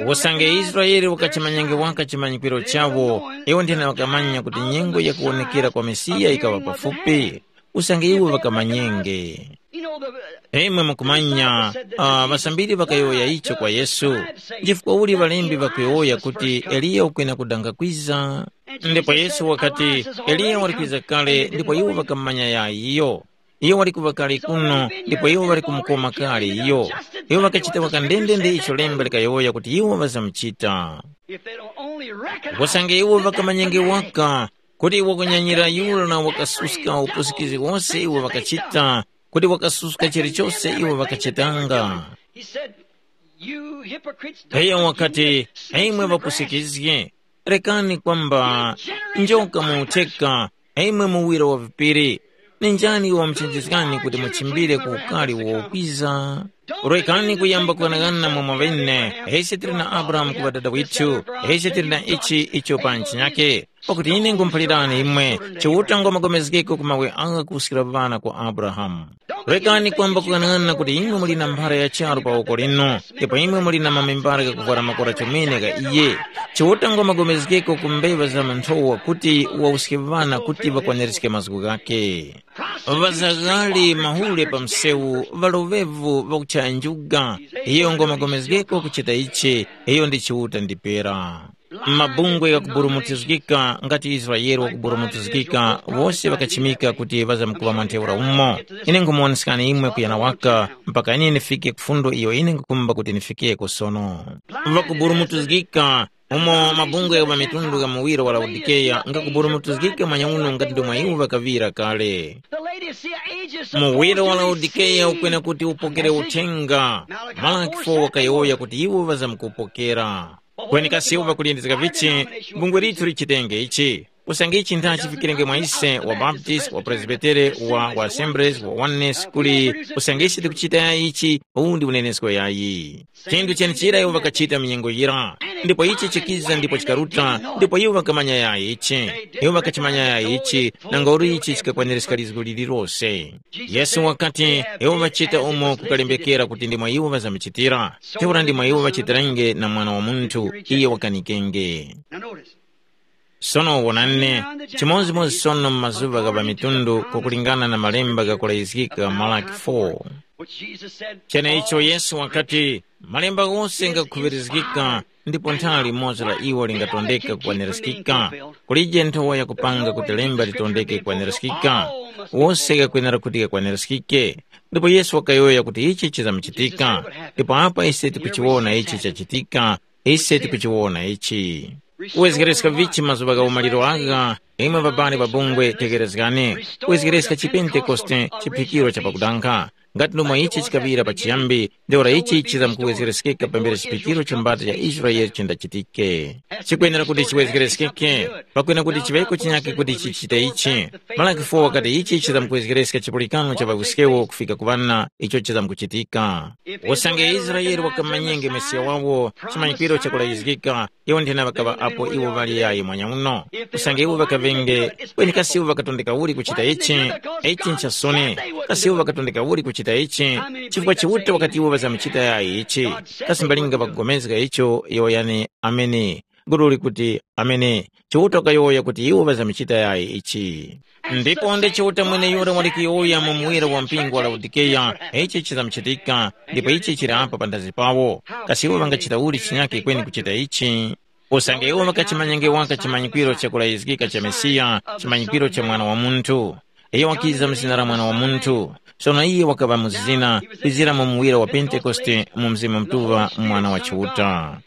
Usange Israele wakachimanyange waka chimanyikwiro chawo, iwo nthena ŵakamanya kuti nyengo yakuwonekera kwa Mesiya ikaŵa pafupi. Usange iwo ŵakamanyenge. Imwe mukumanya, uh, ŵasambiri ŵakayowoya icho kwa Yesu. Chifukwa uli ŵalembi ŵakuyowoya kuti Eliya ukwena kudanga kwiza? Ndipo Yesu wakati, Eliya wali kwiza kale, ndipo iwo ŵakamanya yayi iyo. Iyo wali kuŵa kale kuno, ndipo iwo ŵali kumukoma kale iyo. Iwo ŵakachita waka ndendende icho lemba likayowoya kuti iwo ŵazamuchita. Usange iwo ŵakamanyenge waka, kuti wakunyanyira yura wakasuska upusikizgi wose iwo ŵakachita, kuti wakasuska chilichose iwo ŵakachitanga. He said, "You hypocrites, don't Iye you wakati, hear the imwe wisdom of the grass?" Ŵapusikizgi, rekani kwamba njoka mu utheka, imwe muwira wa vipiri. Ni njani wamuchenjezgani kuti muchimbire ku ukari wokwiza? Rekani kuyamba kughanagana mwa mwaŵene, ise tili na Abrahamu ku ŵadada withu, ise tili na ichi icho pa ntchinyake. Pakuti ine nkhumuphalirani imwe, Chiuta ngwamagomezgeko ku mawe agha kuwuskira ŵana kwa Abrahamu. Rekani kwamba kughanagana kuti imwe muli na mphara ya charu pa woko linu, ndipo imwe muli na mamembara ghakuvwara makora chomene gha iye. Chiuta ngwamagomezgeko ku mbeŵa za manthowa kuti wawuske ŵana kuti ŵakwaniriske mazgu ghakhe. Ŵazaghali mahule pa msewu, ŵaloŵevu ŵakuchaya njuga, iyo ngwamagomezgeko kuchita ichi, iyo ndi Chiuta ndipera. Mabungwe ghakuburumutizgika ngati Israele wakuburumutizgika, wose ŵakachimika kuti ŵazamkuŵa mwa ntheura umo. Ine nkhumuwonesekani imwe kuyana waka, mpaka ine ndifike ku fundo iyo ine nkhukhumba kuti ndifikeko sono. Ŵakuburumutizgika, umo mabungwe gha mitundu gha muwiro wa Laodikeya ngakuburumutizgika manyauno ngati ndomwe iwo ŵakaŵira kale. Muwiro wa Laodikeya ukwena kuti upokere uthenga. Malaki fo wakayowoya kuti iwo ŵazamkupokera. Kweni kasi iwo ŵakulindizga vichi? Bungwe lithu lichitenge ichi. Usange ichi ntha chifikirenge mwa ise wa Baptist, wa Presbytere, wa, wa Assemblies, wa Oneness, kuli usange ise tikuchita ichi, uwu ndi unenesko yayi. Chinthu chenichira iwo ŵakachita mu nyengo yira, ndipo ichi chikiza ndipo chikaruta, ndipo iwo ŵakamanya yayi ichi. Iwo ŵakachimanya yayi ichi, nanga uli ichi chikakwanirizika lizgu lililose. Yesu wakati, iwo ŵachita umo kukalembekera kuti ndimo iwo ŵazamuchitira. Ntheura ndimo iwo ŵachitirenge na Mwana wa Munthu, iye wakanikenge. Now notice, Sono wonani, chimodzimodzi sono mu mazuŵa gha ŵamitundu kukulingana na malemba ghakulayizgika Malaki four. Which Jesus said, Cheneicho Yesu wakati, malemba ghose ngakhuŵirizgika, ndipo nthawi limodzi la iwo lingatondeka kukwanirizgika. Kulije nthowa yakupanga kuti lemba litondeke kukwanirizgika, wose ghakwenera kuti ghakwanirizgike. Ndipo Yesu wakayowoya kuti ichi chizamuchitika, ndipo apa ise tikuchiwona ichi chachitika, ise tikuchiwona ichi. Kuwezgereska vichi mazuŵa gha umaliro agha, imwe babali babungwe tekerezgani, kuwezgereska chipentekoste chiphikiro cha pakudankha, ngati ndomwe ichi chikaŵira pachiyambi, ntheura ichi chizamkuwezgereskeka pambere chiphikiro cha mbata ya Israele chindachitike. Chikwenera kuti chiwezgereskeke, pakwena kuti chiŵeko chinyakhe kuti chichite ichi. Malaki four wakati ichi chizamkuwezgereska chipulikano cha ŵawiskewo kufika ku ŵana icho chizamkuchitika. Usange Israele wakamanyenge Mesiya wawo, chimanyikiro chakulayizgika, iwo nthena ŵakaŵa apo iwo ŵali yayi mwanya uno. Usange iwo ŵakaŵenge, kweni kasi iwo ŵakatondeka uli kuchita ichi? Ichi nchasoni. Kasi iwo ŵakatondeka uli kuchita ichi? Chifukwa Chiuta wakati iwo ŵazamuchita yayi ichi. Kasi mbalinga ŵakugomezga icho, yowoyani, ameni. Gulu likuti, ameni. Chiuta wakayowoya kuti iwo ŵazamuchita yayi ichi. Ndipo nde Chiuta mweneyura wali kuyowoya mu muwiro wa mpingo wa Laodikeya, ichi chizamuchitika, ndipo ichi chili apa panthazi pawo. Kasi iwo ŵangachita uli chinyakhe kweni kuchita ichi? Usange iwo ŵakachimanyenge waka chimanyikwiro chakulayizgika cha Mesiya, chimanyikwiro cha Mwana wa Munthu. Iyo wakiza mu zina la Mwana wa Munthu. Sono iye wakaŵa mu zina, kwizira mu muwira wa Pentekoste mu Mzimu Mutuŵa Mwana wa Chiuta.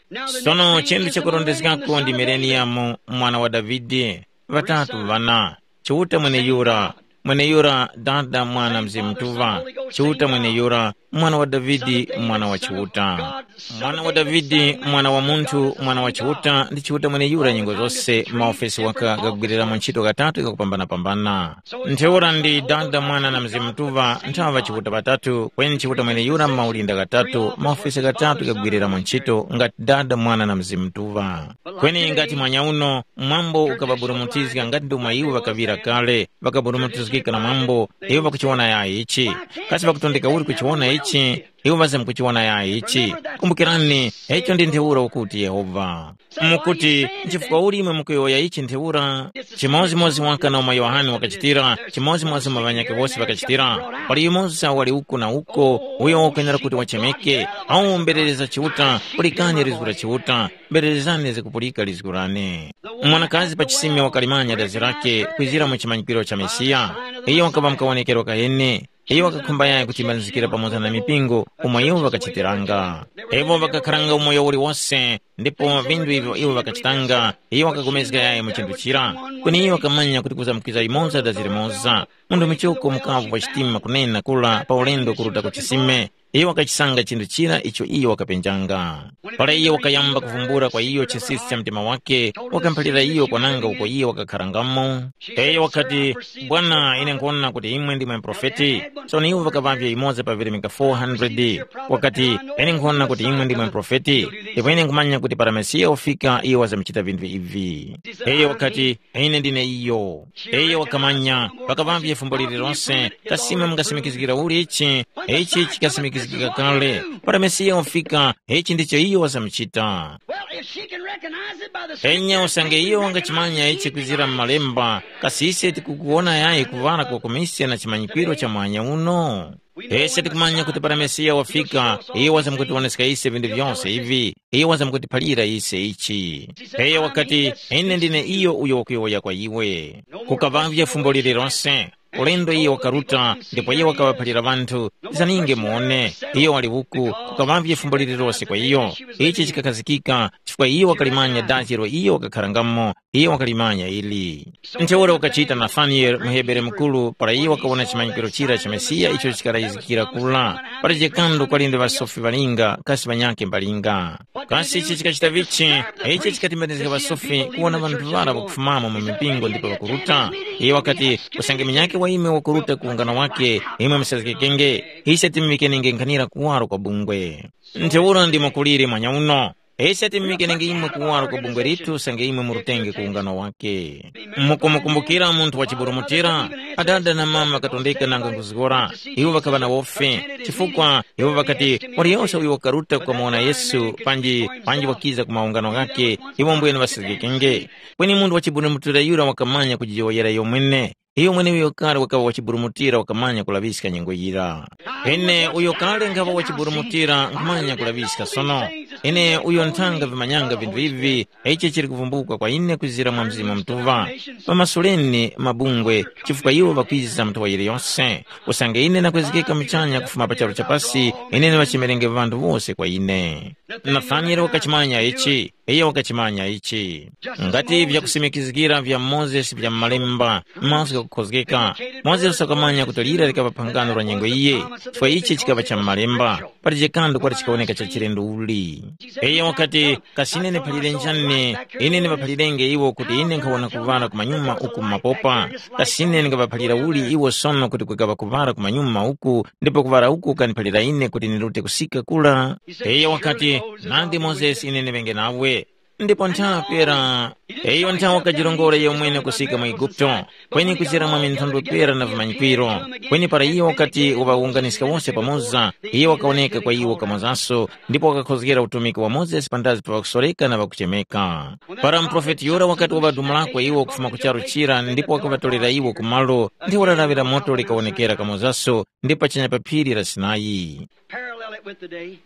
Sono chinthu chakurondezgako ndi Mileniyamu, mwana wa Davide, ŵatatu ŵana, Chiuta mweneyura, mweneyura Dada Mwana Mzimu Mutuŵa, Chiuta mweneyura, Mwana wa Davide, Mwana wa Chiuta. Mwana wa Davide, Mwana wa Munthu, Mwana wa Chiuta, ndi Chiuta mweneyura nyengo zose, maofesi waka gagwiriramu ntchito ghatatu gakupambana-pambana. Ntheura ndi Dada, Mwana na Mzimu Mutuŵa, nthaŵa Chiuta ŵatatu, kweni Chiuta mweneyura m'maulinda ghatatu, maofesi ghatatu gagwiriramu ntchito ngati Dada, Mwana na Mzimu Mutuŵa. Kweni ngati mwanya uno, mwambo ukaŵaburumutizga ngati ndomwe iwo ŵakaŵira kale, ŵakaburumutizgika na mwambo, iwo ŵakuchiwona yayi ichi. Kasi ŵakutondeka uli kuchiwona ichi? Iwo ŵazamkuchiwona yayi ichi. Kumbukirani, icho ndi ntheura ukuti Yehova. Mukuti, nchifukwa uli imwe mukuyowoya ichi ntheura? Chimodzimodzi waka na umo Yohane wakachitira, chimodzimodzi umo ŵanyakhe wose ŵakachitira. Pali yumoza wali uko na uko, uyo wakwenera kuti wachemeke, awu mberereza Chiuta, pulikani lizgu la Chiuta, mbererezani zikupulika lizgu lane. Mwanakazi pa chisime wakalimanya dazi lake kwizira mu chimanyikiro cha Mesiya. Iyo wakaŵa mukawonekero kahene. Iyo wakakhumba yayi kuchimbanizikira pamoza na mipingo umo iwo ŵakachitiranga. Iwo ŵakakharanga umoyo uliwose, ndipo vinthu ivyo iwo ŵakachitanga, iyo wakapulikana yayi mu chinthu chira. Kweni iyo wakamanya kuti kuzamkwiza limoza dazi limoza. Munthu muchoko mukavu wa chitima kunena kula pa ulendo kuruta ku chisime. Iyo wakachisanga chinthu chira icho iyo wakapenjanga. Para iyo wakayamba kuvumbula kwa iyo chinsinsi cha mtima wake, wakamuphalira iyo kwananga uko iyo wakakharangamo. Iyo wakati, "Bwana, ine nkhwona kuti imwe ndimwe muprofeti." Sono iwo ŵakaŵavye yumoza pa virimika four hundred. Wakati, "Ine nkhwona kuti imwe ndimwe muprofeti, ndipo ine nkhumanya kuti para Mesiya wafika, iyo wazamuchita vinthu ivi." Iyo wakati, "Ine ndine iyo." Iyo wakamanya, pakaŵavye fumbo lililonse, kasi imwe mungasimikizgira uli ichi? Ichi chikasimikizga Kika kale, para Mesiya wafika, ichi ndicho iyo wazamuchita. Well, if she can recognize it by the Enya usange iyo wangachimanya ichi kwizira mu malemba, kasi ise tikukuwona yayi kuŵala kwa kumisya na chimanyikwiro cha mwanya uno? Ise tikumanya kuti para Mesiya wafika, iyo wazamkutiwoneska ise vinthu vyose ivi, iyo wazamkutiphalira ise ichi. Iyo wakati, ine ndine iyo uyo wakuyowoya kwa iwe. Kukavavye fumbo lililonse. Ulendo iyo wakaruta, ndipo iyo wakaŵaphalira ŵanthu, zaninge muone, iyo wali uku, kukaŵavye fumbo lililose kwa iyo. Ichi chikakhazikika, chifukwa iyo wakalimanya dachi ilo iyo wakakharangamo, iyo wakalimanya ili. Ntheura wakachita Nathanieli muhebere mukuru para iyo wakawona chimanyikiro chira cha Mesiya icho chikarayizikira kula. Pali chikandu kwali ndi ŵasofi ŵalinga, kasi ŵanyakhe mbalinga. Kasi ichi chikachita vichi? Ichi chikatimbanizga pasofi kuwona ŵanthu ŵara ŵakufumamo mu mipingo ndipo ŵakuruta. Iye wakati, usange munyakhe wa imwe wakuruta ku ungano wake, imwe musazgekenge. Ise timumikeni nkhanira kuwaro kwa bungwe. Ntheura ndimo kuliri mwanya uno. Ise timumikeni imwe kuwaro kwa bungwe litu usange imwe murutenge ku ungano wake. Mukumukumbukira munthu wa chiburumutira? Adada na mama katondeka nanga nkuzgora. Iwo ŵakaŵa na wofe, chifukwa iwo ŵakati, waliyose uyo wakaruta kukamuwona Yesu panji panji wakiza ku maungano ghakhe, iwo mbwene ŵasirikenge. Kweni munthu wa chiburumutira yura wakamanya kujiyowoyera iyo mwene. Iyo mweneuyo kale wakaŵa wa chiburumutira wakamanya kulaŵiska nyengo yira. Ine uyo kale nkhaŵa wa chiburumutira nkhumanya kulaŵiska sono. Ine uyo nthanga vimanyanga vinthu ivi, ichi chili kuvumbuka kwa ine kwizira mwa Mzimu Mutuŵa. Pamasuleni mabungwe, chifukwa iwo ŵakwiza mnthowa yiliyose. Usange ine nakwezgeka muchanya kufuma pa charu chapasi, ine ndiŵachemerenge ŵanthu wose kwa ine. Nathanieli wakachimanya ichi, iyo wakachimanya ichi. Ngati vyakusimikizgira vya Mozesi vya m'malemba, mazgu ghakukhozgeka. Mozesi wakamanya kuti lira likaŵa phangano la nyengo iye, chifukwa ichi chikaŵa cha m'malemba. Pali chikando kwati chikawoneka cha chilendo uli. Iyo wakati, kasine niphalire njani, ine niŵaphalirenge iwo kuti ine nkhawona kuŵala kumanyuma uku mumapopa. Kasine ningaŵaphalira uli iwo sono kuti kwikaŵa kuŵala kumanyuma uku, ndipo kuŵala uku kaniphalira ine kuti nirute kusika kura? Iyo wakati, nandi Mozesi ine niŵenge nawe. Ndipo nthawi pera, iyo nthawi wakajirongora iyo mwene kusika mu Eguputo, kweni kuchera mwa minthondwe pera na vimanyikwiro. Kweni para iyo wakati waŵawunganiska wose pamoza, iyo wakawoneka kwa iwo kamozanso, ndipo wakakhozgera utumiki wa Mozesi pandazi pa ŵakusoreka na ŵakuchemeka. Para muprofeti yura wakati waŵadumulako iwo kufuma ku charu chira ndipo wakaŵatolera iwo ku malo, ndi walaŵira moto likawonekera kamozanso ndi pachanya pa phiri la Sinai. Parallel it with the day.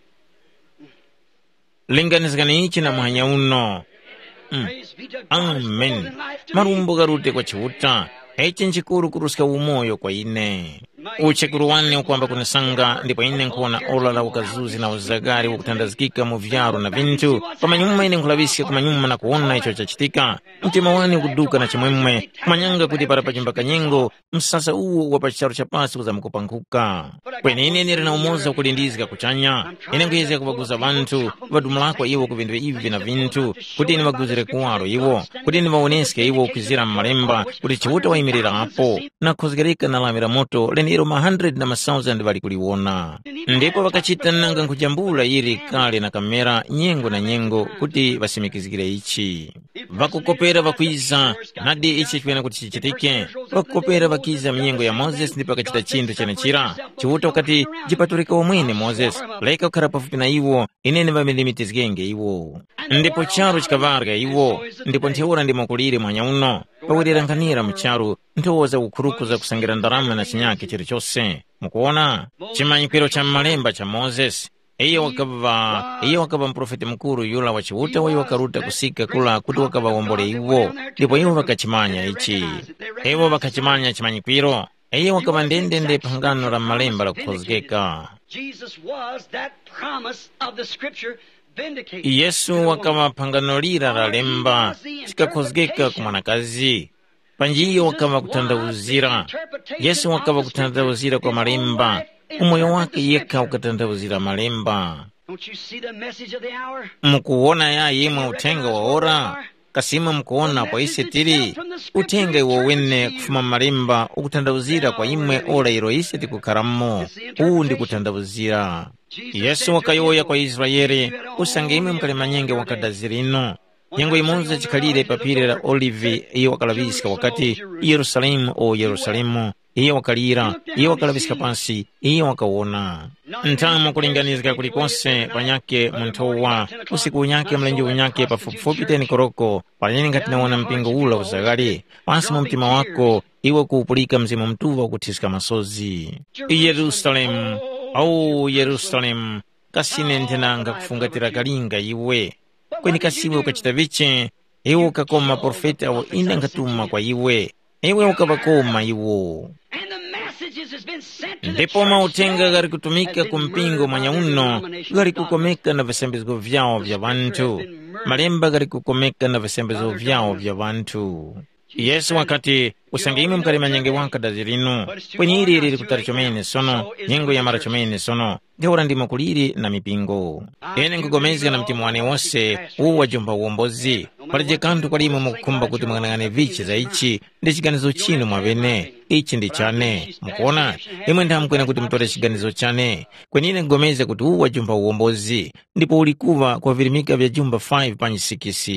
Linganizgani ichi na muhanya uno. Mm. Praise be to God. Amen. Malumbo gharute kwa Chiuta. Ichi nchikuru kuruska umoyo kwa ine. Uchekuru wane ukwamba kunisanga ndipo ine nkuwona ora la ukazuzi na uzagari ukuthandazikika mu vyaro na vinthu. Pamanyuma ine nkulaŵiska kumanyuma na kuwona icho chachitika. Mtima wane ukuduka na chimwemwe, kumanyanga kuti para pachimba kanyengo, msasa uwo wa pa charu cha pasi uzamkupankhuka. Kweni ine ndili na umoza ukulindizga kuchanya. Ine nkuyezga kuŵaguza ŵanthu, ŵadumulako iwo ku vinthu ivi na vinthu, kuti ine ŵaguzire kuwaro iwo, kuti ine ŵawoneske iwo kwizira mu malemba, kuti Chiuta wayimirira apo, na khozgereka na lawi la moto lenelo ma hundred na ma thousand ŵali kuliwona. Ndipo ŵakachita nanga nkujambula yili kale na kamera nyengo na nyengo kuti ŵasimikizgire ichi. Ŵakukopera ŵakwiza, nadi ichi chikwena kuti chichitike? Ŵakukopera ŵakiza mu nyengo ya Mozesi ndipo ŵakachita chinthu chenechira. Chiuta wakati, jipatulika wamwene Mozesi, reka kukhara pafupi na iwo, ine ndiŵamilimitizgenge iwo. Ndipo charu chikaŵarya iwo, ndipo ntheura ndimo kulire mwanya uno, pawerera nkhanira mu charu, nthowa za ukhuruku za kusangira ndarama na chinyakhe chilichose. Mukuwona? Chimanyikwiro cha m'malemba cha Mozesi. Iyo wakaŵa, iyo wakaŵa muprofeti mukuru yura wa Chiuta uyo wakaruta kusika kula kuti wakaŵawombole iwo, ndipo iwo ŵakachimanya ichi. Iwo ŵakachimanya chimanyikwiro. Iyo wakaŵa ndendende phangano la malemba lakukhozgeka. Jesus was that promise of the scripture vindicated. Yesu wakaŵa phangano lira la lemba chikakhozgeka ku mwanakazi. Panji iyo wakaŵa kutanthauzira. Yesu wakaŵa kutanthauzira kwa malemba, umoyo wake yekha ukatanthauzira malemba. Don't you see the message of the hour? Mukuwona ya yimwe uthenga wa ora? Kasi imwe mukuwona kwa ise tili? Uthenga iwo wene kufuma mu malemba ukutanthauzira kwa imwe ora ilo ise tikukharamo. Uwu ndi kutanthauzira. Yesu wakayowoya kwa Israele, usange imwe mukalimanyenge wakadazi lino. Nyengo imodzi chikhalire pa phiri la Olive iyo wakalaŵiska wakati, Yerusalemu, o Yerusalemu, Iye wakalira, iye wakalaŵiska pansi, iye wakawona. Nthamo kulinganizga kulikose panyakhe mu nthowa, usiku unyakhe mlenje unyakhe pafupifupi teni koroko, panyene ngati nawona mpingo ula uzaghali, pansi mu mtima wako, iwe kuwupulika Mzimu Mutuŵa ukuthiska masozi. Yerusalemu, au Yerusalemu, kasi ine nthenanga kufungatira kalinga iwe? Kweni kasi iwe ukachita vichi? Iwe ukakoma maprofeti awo ine nkhatuma kwa iwe. Iwe ukaŵakoma iwo. And the messages has been sent to the ndipo church mauthenga ghali kutumika ku mpingo mwanya uno ghali kukomeka na visambizgo vyawo vya ŵanthu. Malemba ghali kukomeka na visambizgo vyawo vya ŵanthu. Yesu wakati, usange imwe mukali manyenge waka dazi linu, kweni ili lili kutali chomene sono, nyengo yamara chomene sono, ntheura ndimo kuliri na mipingo. Ine nkupulikana na mtima wane wose uwu wajomba uwombozi. Palije kanthu kwalimo mukukhumba kuti mung'anang'ane vichi za ichi, ndi chiganizo chinu mwaŵene. Ichi ndi chane. Mukuona, imwe nthamkwena kuti mutore chiganizo chane. Kweni ine nkupulikana kuti uwu wajomba uwombozi, ndipo uli kuŵa kwa virimika vya jumba five panji six.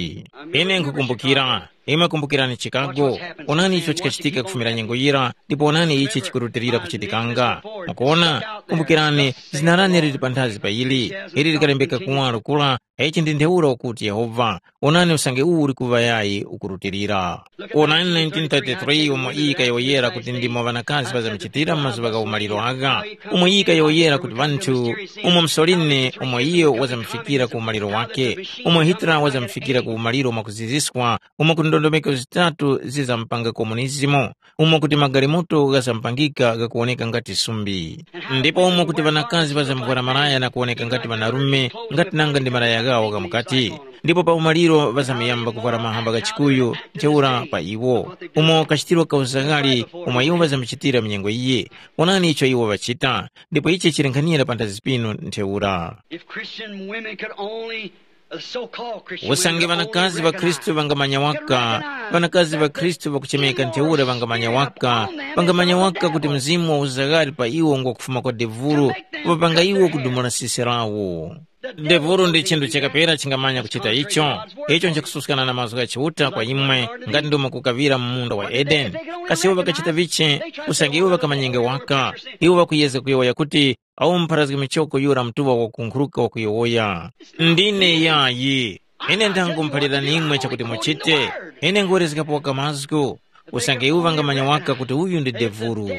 Ine nkukumbukira, imwe kumbukirani Chicago. Onani icho chikachitika kufumira nyengo yira, ndipo onani ichi chikurutilira kuchitikanga. Mukuona, kumbukirani, zina lane lili panthazi pa ili, ili likalembeka kuwaro kula. Ichi ndi ntheura ukuti Yehova, onani usange uwu uli kuŵa yayi ukurutilira. Onani nineteen thirty-three umo iyi kayowoyera kuti ndimo ŵanakazi ŵazamchitira mu mazuŵa gha umaliro agha, umo iyi kayowoyera kuti ŵanthu, umo Mussolini umo iyo wazamufikira ku umaliro wake, umo Hitler wazamufikira ku umaliro mwakuziziswa, umo kuti ndondomeko zitatu zizamupanga komunizimu, umo kuti magalimoto ghazamupangika ghakuwoneka ngati sumbi. Ndipo umo kuti ŵanakazi ŵazamuvwara malaya na kuwoneka ngati ŵanarume, ngati nanga ndi malaya ghawo ghamukati. Ndipo pa umaliro ŵazamuyamba kuvwara mahamba gha chikuyu ntheura pa iwo, umo kachitiro ka uzaghali umo iwo ŵazamuchitira mu nyengo iyi. Wonani icho iwo ŵachita, ndipo ichi chili nkhanira panthazi pinu ntheura. If Christian women could only, uh, so-called Christian women usange could only ŵanakazi ŵa Khristu recognize, ŵangamanya waka, ŵanakazi ŵa Khristu ŵakuchemeka ntheura ŵangamanya waka, ŵangamanya waka kuti mzimu wa uzaghali pa iwo ngwakufuma kwa devulu, kupapanga iwo kudumula sisi lawo. Devulu ndi chinthu chakapera chingamanya kuchita icho. Icho nchakususkana na mazgu gha Chiuta kwa imwe, ngati ndomwe kukaŵira mu munda wa Edeni. Kasi iwo ŵakachita vichi? Usange iwo ŵakamanyenge waka, iwo ŵakuyezga kuyowoya kuti, awo mupharazgi michoko yura mtuŵa wakunkhuruka wakuyowoya. Ndine yayi. Ine ndangumuphalirani imwe chakuti muchite. Ine ngwerezgapo waka mazgu. Usange iwo ŵangamanya waka kuti uyu ndi devulu.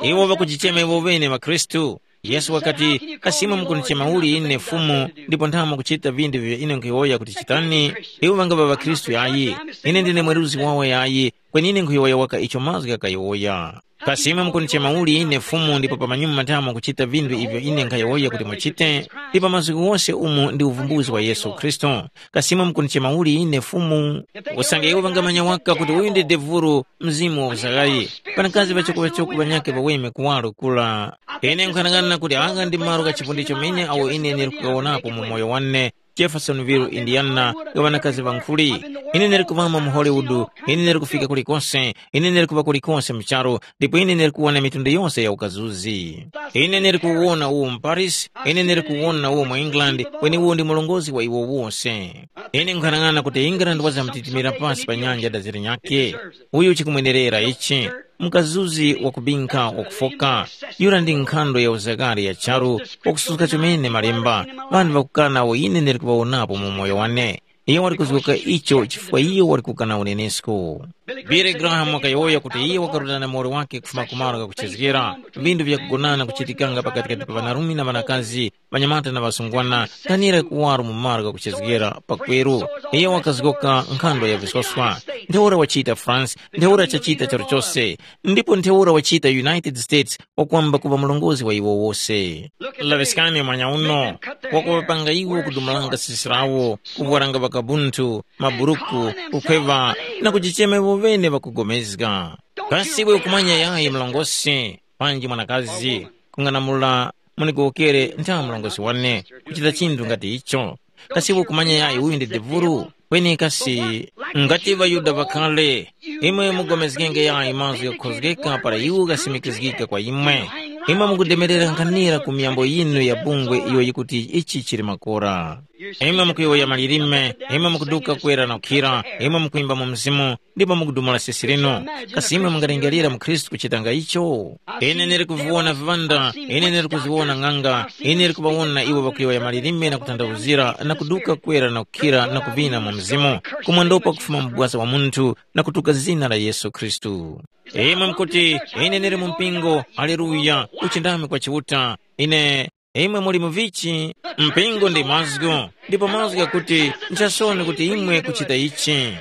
Iwo ŵakujichema iwo ŵene ŵakhristu. Yesu wakati, kasi imwe mukundichema uli ine Fumu, ndipo nthamo mukuchita vindu vivyo ine nkhuyowoya kuti chitani? Iwo ŵangaŵa ŵakhristu yayi. Ine ndine mweruzi wawo yayi, kweni ine nkhuyowoya waka icho mazgu ghakayowoya. Kasi imwe mukundichema uli ine Fumu ndipo pamanyuma nthamo mukuchita vindu ivyo ine nkhayowoya kuti muchite? Ndi pa mazgu ghose umu ndi uvumbuzi wa Yesu Khristu. Kasi imwe mukundichema uli ine Fumu? Usange iwo ŵangamanya waka kuti uyu ndi devulu, mzimu wa uzagayi. Panakazi ŵachoko-ŵachoko ŵanyakhe ŵaweme kuwaro kula. Ine nkhanang'ana kuti agha ndi malo gha chifundi chomene awo ine nili kukawonapo mu moyo wane, Jeffersonville, Indiana, ga ŵanakazi ŵankhuli. Ine nili kuvama mu Hollywood, ine nili kufika kulikose, ine nili kuŵa kulikose mu charu, ndipo ine nili kuwona mitundu yose ya ukazuzi. Ine nili kuwona uwo mu Paris, ine nili kuwona uwo mu England, kweni uwo ndi murongozgi wa iwo wose. Ine nkhanang'ana kuti England wazamtitimira pasi pa nyanja da zilinyakhe. Uyu chikumwenerera ichi, mukazuzi wakubinkha wakufoka. Yura ndi nkhando ya uzakari ya charu, wakususka chomene malemba, ŵanthu ŵakukana awo ine ndili kuŵawonapo mu moyo wane. Iyo wali kuzgoka icho chifukwa iyo wali kukana unenesko. Billy Graham wakayowoya kuti iye wakarutana na muwoli wake kufuma ku malo ghakuchezgera, vindu vyakugonana kuchitikanga pakatikati pa ŵanarume na ŵanakazi, ŵanyamata na ŵasungwana, kanira kuwaro mu malo ghakuchezgera pakweru. Iyo wakazgoka nkhando ya visoswa. Ntheura wachita France, ntheura chachita charo chose, ndipo ntheura wachita United States, wakwamba kuŵa murongozgi wa iwo wose. Laŵiskani mwanya uno, wakuŵapanga iwo kudumulanga sisi lawo, kuvwaranga ŵakabunthu, maburuku, kukhweŵa, na kujichema iwo ŵene ŵakugomezga. Kasi iwe ukumanya yayi mlongosi, panji mwanakazi, kung'anamula munigowokere nthawe mlongosi wane, kuchita chinthu ngati icho? Kasi iwe ukumanya yayi uyu ndi devulu? Kweni kasi, ngati ŵaYuda ŵakale, imwe mugomezgenge yayi mazgu ghakukhozgeka para iwo ghasimikizgika kwa imwe. Imwe mukudemerera nkhanira ku miyambo yinu ya bungwe iyo yikuti ichi chili makora. Imwe mukuyowoya malilime, imwe mukuduka kwera na kukhira, imwe mukwimba mu mzimu, ndipo mukudumula sisi linu. Kasi imwe mungalingalira mu Khristu kuchitanga icho? Ine ndili kuviwona viŵanda, ine ndili kuziwona ng'anga, ine ndili kuŵawona iwo ŵakuyowoya malilime na kutanthauzira na kuduka kwera na kukhira na kuvina mu mzimu, kumwendopo kufuma mu bwasa wa munthu na kutuka zina la Yesu Khristu. Imwe mukuti, ine ndili mu mpingo, aleluya, uchindami kwa Chiuta. Ine, imwe muli mu vichi? Mpingo ndi mazgu, ndipo mazgu ghakuti, nchasoni kuti imwe kuchita ichi.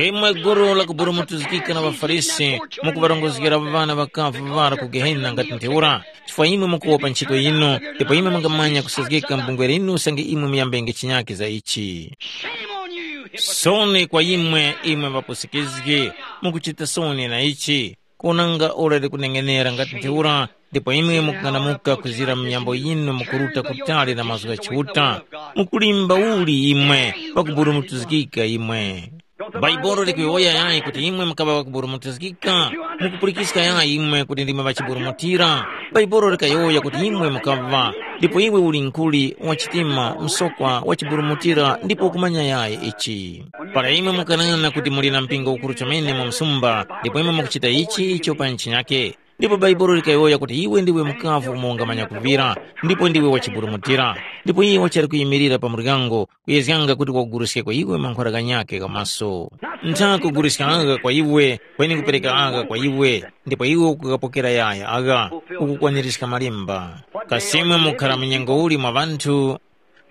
Imwe gulu la kuburumutuzgika na ŵaFarisi, mukuŵarongozgera ŵana ŵakavu ŵara ku Gehena ngati ntheura, chifukwa imwe mukuwopa ntchito yinu, ndipo imwe mungamanya kusazgika mu bungwe linu usange imwe muyambenge chinyakhe za ichi. Soni kwa imwe, imwe ŵapusikizgi, mukuchita soni na ichi. Kunanga ora likuneng'enera ngati ntheura, ndipo imwe mukung'anamuka kuzira minyambo yinu mukuruta kutali na mazgu gha Chiuta, mukulimba uli imwe, pakuburumutizgika imwe. Bhaibuli likuyowoya yayi kuti imwe mukaŵa ŵakuburumutizgika? Mukupulikiska yayi imwe kuti ndimwe ŵachiburumutira? Bhaibuli likayowoya kuti imwe mukaŵa, ndipo iwe uli nkuli, wachitima, msokwa, wachiburumutira, ndipo ukumanya yayi ichi. Para imwe mukanena kuti muli na mpingo ukuru chomene mu msumba, ndipo imwe mukuchita ichi icho pa ntchinyake, ndipo Bhaibuli likayowoya kuti iwe ndiwe mukavu umo ungamanya kuvira, ndipo ndiwe wachiburumutira, ndipo iye wachali kuyimirira pa muryango, kuyezganga kuti waguruskeko iwe mankhwara ghanyakhe gha maso. Ntha kuguruska agha kwa iwe, kweni kupereka agha kwa iwe, ndipo iwe ukugapokera yaya agha, ukukwanirizga malemba. Kasi imwe mukhara mu nyengo uli mwa ŵanthu?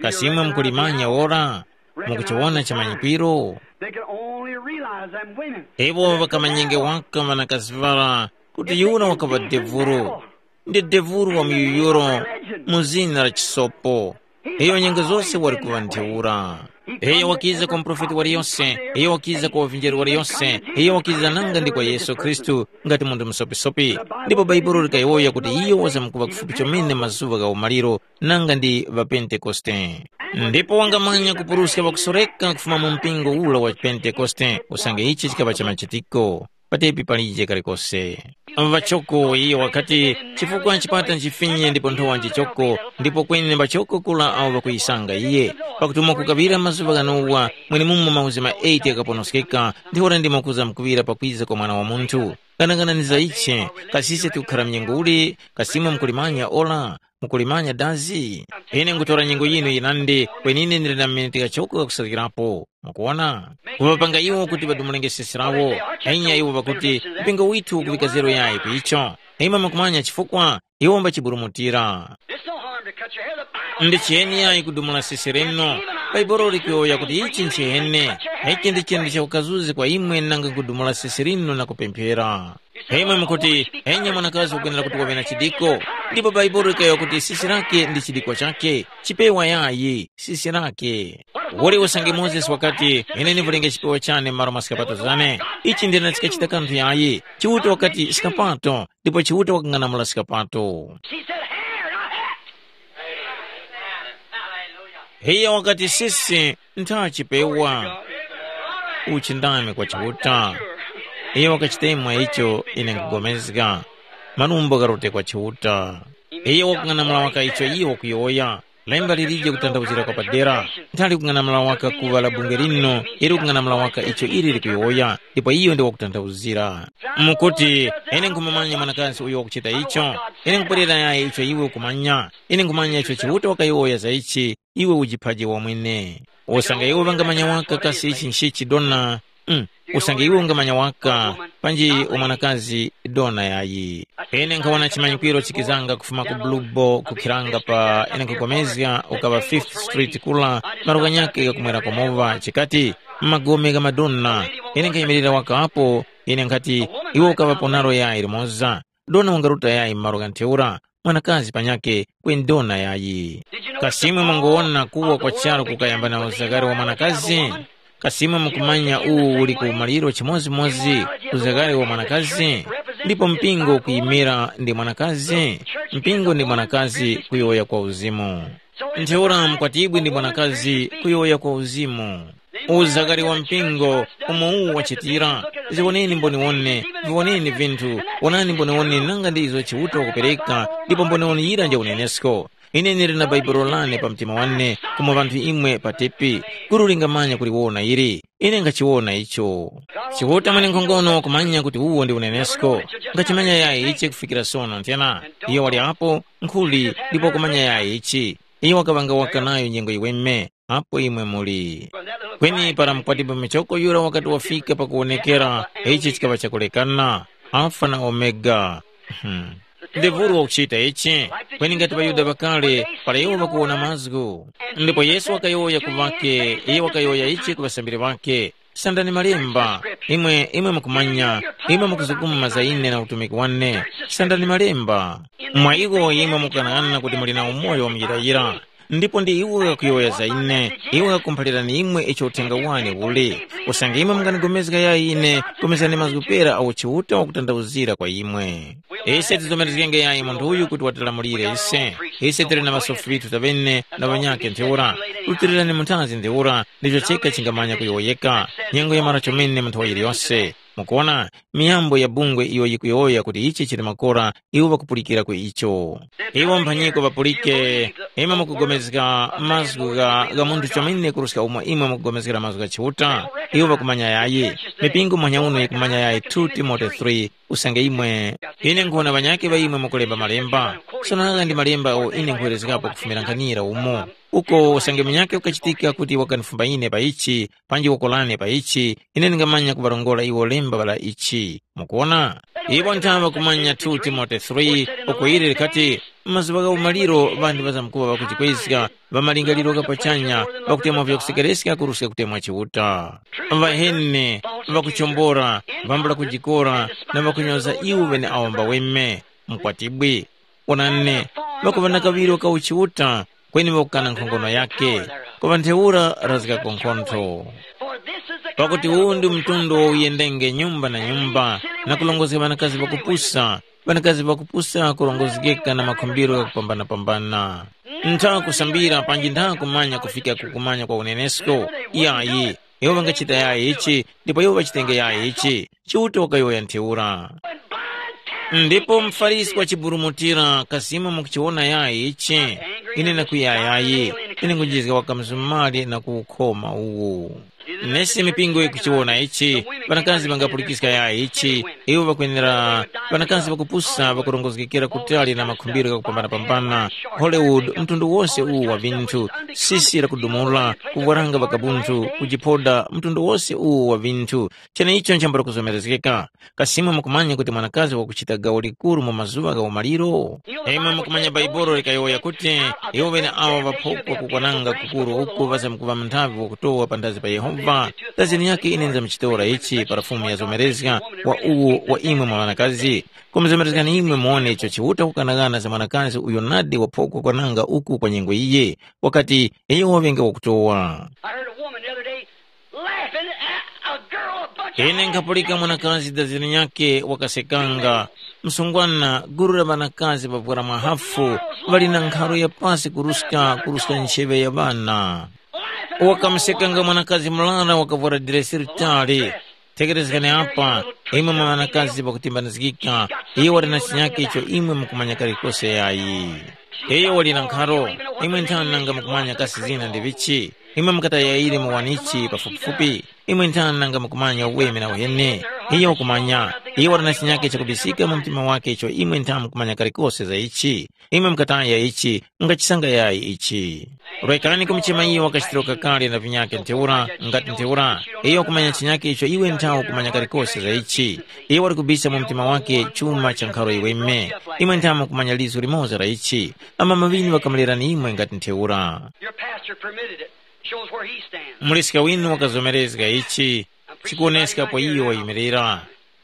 Kasi imwe mukulimanya ora? Mukuchiwona chimanyikwiro? They can only realize them women. Iwo ŵakamanyenge waka ŵanakazi ŵara kuti yura wakaŵa devuro. Ndi devuro wa miyuyuro mu zina la chisopo. Iyo nyengo zose wali kuŵa ntheura. Iyo wakiza kwa muprofeti waliyose, iyo wakiza kwa wavinjeri waliyose, iyo wakiza nanga ndi kwa Yesu Khristu ngati munthu musopisopi. Ndipo Bhaibuli likayowoya kuti iyo wazamkuŵa kufupi chomene mazuŵa gha umaliro nanga ndi ŵaPentekoste. Ndipo wangamanya kupuruska ŵakusoreka kufuma mu mpingo ula wa Pentekoste, usange ichi chikaŵa cha machitiko. Patepi palije kalikose. Ŵachoko iye wakati, chifukwa chipata nchifinye ndipo nthowa nchichoko, ndipo kweni ŵachoko kula awo ŵakuyisanga iye. Pakuti umo kukaŵira mazuŵa ghanowa, mwenemumo mauzi ma eight ghakaponoskeka, ntheura ndimo kuzamkuŵira pakwiza kwa Mwana wa Munthu. Ghanaghanani za ichi, kasi ise tikukhara mnyengo uli, kasi imwe mukulimanya ora? Mukulimanya dazi? Ine nkutora nyengo yinu yinandi, kweni ine ndili na miniti ghachoko ghakusazgirapo. Mukuwona? Kuŵapanga iwo kuti ŵadumulenge sesi lawo. Enya iwo ŵakuti, mpingo withu ukuŵika zero yayi ku icho. Imwe mukumanya chifukwa? Iwo mbachiburumutira. It's no harm to cut your hair. The Bible Ndi chiyeni yayi kudumula sesi lino? Bhaibuli likuyowoya kuti ichi nchihene. Ichi ndi chinthu chakukazuzi kwa imwe nanga kudumula sesi lino na kupemphera. Imwe mukuti, enya mwanakazi ukwenera kuti waŵe na chidiko, ndipo Bhaibuli likayowoya kuti sisi lake ndi chidiko chake, chipewa yayi, sisi lake. Uli usange Mozesi wakati, ine ndivulenge chipewa chane m'malo mwa skapato zane, ichi ndine chikachita kanthu yayi. Chiuta wakati, skapato, ndipo Chiuta wakang'anamula skapato. She said, hair, not hat. Iye wakati, sisi, ntha chipewa. Uchi ndani kwa Chiuta? Iye wakachitemwa icho ine nkugomezga. Malumbo gharute kwa Chiuta. Iye wakung'anamula waka icho iye wakuyowoya. Lemba lilije kutanthauzira kwa padera. Nthali kung'anamula waka kuŵa la bunge lino, ili kung'anamula waka icho ili likuyowoya, ndipo iyo ndi wakutanthauzira. Mukuti, ine nkhumumanya mwanakazi uyo wakuchita icho, ine nkupwerera yayi icho iwe ukumanya, ine nkhumanya icho Chiuta wakayowoya za ichi, iwe ujiphaje wamwene. Usange iwe wangamanya waka kasi ichi nchichi dona, mm, usange iwe ungamanya waka, panji umwanakazi dona yayi. Ine nkhawona chimanyikwiro chikizanga kufuma ku Blubo kukhiranga pa ine nkhugomezga ukaŵa Fifth Street kula, malo ghanyakhe ghakumwera kwa mowa, chikati, magome gha madona. Ine nkhayimirira waka apo, ine nkhati, iwe ukaŵapo nalo yayi limoza. Dona wangaruta yayi m'malo gha ntheura, mwanakazi panyakhe kweni dona yayi. Kasi imwe mwangowona kuwa kwa charu kukayamba na uzagari wa mwanakazi? Kasi imwe mukumanya uwu uli ku maliro chimodzimodzi uzagari wa mwanakazi? Ndipo mpingo ukuyimira ndi mwanakazi, mpingo ndi mwanakazi kuyowoya kwa uzimu. Ntheura mkwatibwi ndi mwanakazi kuyowoya kwa uzimu. Uzakari wa mpingo umo uwu wachitira, ziwoneni mboniwone, viwoneni vinthu, wonani mboniwone nanga ndi izo Chiuta wakupereka, ndipo mboniwone yira nja unenesko. Ine ndili na Bhaibuli lane pa mtima wane, kumwe ŵanthu imwe pa tepi, gulu lingamanya kuliwona ili. Ine nkhachiwona icho. Chiuta mwenenkhongono kumanya kuti uwo ndi unenesko. Ngachimanya yayi ichi kufikira sono nthena. Iyo wali apo, nkhuli, ndipo kumanya yayi ichi. Iyo wakaŵanga waka nayo nyengo yiweme, apo imwe muli. Kweni para mukwatibu michoko yura wakati wafika pakuwonekera, ichi chikaŵa chakulekana, Alfa na Omega. Hmm. Ndevuru wakuchita ichi, kweni ngati ŵaYuda ŵakale, para iwo ŵakuwona mazgu. Ndipo Yesu wakayowoya ku ŵake, iyo wakayowoya ichi ku ŵasambiri ŵake, sandani malemba, imwe imwe mukumanya, imwe mukuzukuma za ine na utumiki wane, sandani malemba. Mwa iwo imwe mukughanaghana kuti muli na umoyo wa muyirayira. Ndipo ndi iwo ghakuyowoya za ine, iwo ghakumphalirani imwe icho uthenga wane uli. Usange imwe mungandigomezga yayi ine, gomezgani mazgu pera agho Chiuta wakutandauzira kwa imwe. Ise tizomerezgenge yayi munthu uyu kuti watilamulire ise. Ise tili na ŵasofi ŵithu taŵene na ŵanyakhe ntheura. Rutilirani munthazi ntheura, ndicho cheka chingamanya kuyowoyeka. Nyengo yamara chomene munthu wa yiliyose. Mukuona, miyambo ya bungwe iyo yikuyowoya kuti ichi chili makora, iwo ŵakupulikira ku icho. Iwo mphanyiko ŵapulike, imwe mukugomezga mazgu gha, gha munthu chomene kuruska umo imwe mukugomezgera mazgu gha Chiuta, iwo ŵakumanya yayi. Mipingo muhanya uno yikumanya yayi two Timote three, usange imwe. Ine nkhuwona ŵanyakhe ŵa imwe mukulemba malemba. Sono agha ndi malemba agho ine nkhuwerezgapo kufumira nkhanira umo. Uko usange munyakhe ukachitika kuti wakanifumba ine pa ichi, panji woko lane pa ichi, ine ndingamanya kuŵarongora iwo lemba la ichi. Mukuwona? Iwo nthawe kumanya two Timote three, uko ili likati, m'mazuŵa gha umaliro ŵanthu ŵazamkuŵa ŵakujikwezga, ŵa malingaliro gha pachanya, ŵakutemwa vyakusekereska kuruska kutemwa Chiuta. Ŵaheni, ŵakuchombora, ŵambula kujikora, na ŵakunyoza iwo ŵeneawo mbaweme. Mukwatibwi. Onani, ŵakuŵa na kaŵiro ka uchiuta, kweni ŵakukana nkhongono yakhe, kuŵa ntheura razgako nkhontho. Pakuti uwu ndi mtundu wo uyendenge nyumba na nyumba, na kulongozga ŵanakazi ŵakupusa, ŵanakazi ŵakupusa kurongozgeka na makhumbiro ghakupambanapambana. Ntha kusambira panji ntha kumanya kufika ku kumanya kwa unenesko, yayi, iwo ŵangachita yayi ichi, ndipo iwo ŵachitenge yayi ichi. Chiuta wakayowoya ntheura. Ndipo muFarisi wachiburumutira, kasi imwe mukuchiwona yayi ichi? Ine nakwiya yayi, ine ngunjizga waka mzumali na kuwukhoma uwu. Nesi mipingo yikuchiwona ichi, ŵanakazi ŵangapulikiska yayi ichi, iwo ŵakwenera, ŵanakazi ŵakupusa ŵakurongozgekera kutali na makhumbiro ghakupambanapambana, Hollywood, mtundu wose uwu wa vinthu, sisi lakudumula, kuvwaranga ŵakabunthu, kujiphoda, mtundu wose uwu wa vinthu, cheneicho nchambula kuzomerezgeka. Kasi imwe mukumanya kuti mwanakazi wakuchita gawo likuru mu mazuŵa gha umaliro? Imwe mukumanya Bhaibuli likayowoya kuti, iwo ŵeneawo ŵaphokwa kukwananga kukuru uku ŵazamkuŵa mnthavi wakutowa panthazi pa Yehova. Dazini yake ine ndizamchitora ichi para Fumu yazomerezga wa uwu wa imwe mwa ŵanakazi. Kumuzomerezgani imwe muwone icho Chiuta kukanaghana za mwanakazi uyo nadi waphokwa kwananga uku kwa nyengo iyi. Wakati, iyo waŵenge wakutowa. I heard a woman the other day laughing at a girl, a bunch of Ine nkhapulika mwanakazi dazini nyakhe wakasekanga, msungwana gulu la ŵanakazi ŵavwara mwahafu, ŵali na nkharo ya pasi kuruska kuruska ncheŵe ya ŵana. Wakamusekanga mwanakazi murara wakavwara diresi litali. Tekerezgani apa, imwe mwa ŵanakazi ŵakutimbanizgika, iyo wali na chinyakhe icho imwe mukumanya kalikose yayi. Iyo wali na nkharo, imwe nthani nanga mukumanya kasi zina ndi vichi? Imwe mukatayayire mu wanichi pafupifupi, imwe nthani nanga mukumanya uweme na uheni? Iyo ukumanya, iyo wali na chinyakhe chakubisika mu mtima wake icho imwe ntha mukumanya kalikose za ichi. Imwe mukataya ichi, mungachisanga yayi ichi. Rekani kumuchema iyo wakachitiro kakale na vinyakhe ntheura, ngati ntheura, iyo kumanya chinyakhe icho iwe nthawe kumanya kalikose za ichi. Iyo wali kubisa mu mtima wake chuma cha nkharo iweme. Imwe nthawe mukumanya lizu limoza la ichi. Amama ŵinu ŵakamulerani imwe ngati ntheura. Your pastor permitted it. Shows where he stands. Muliska winu wakazomerezga ichi, chikuwoneska po iyo wayimirira.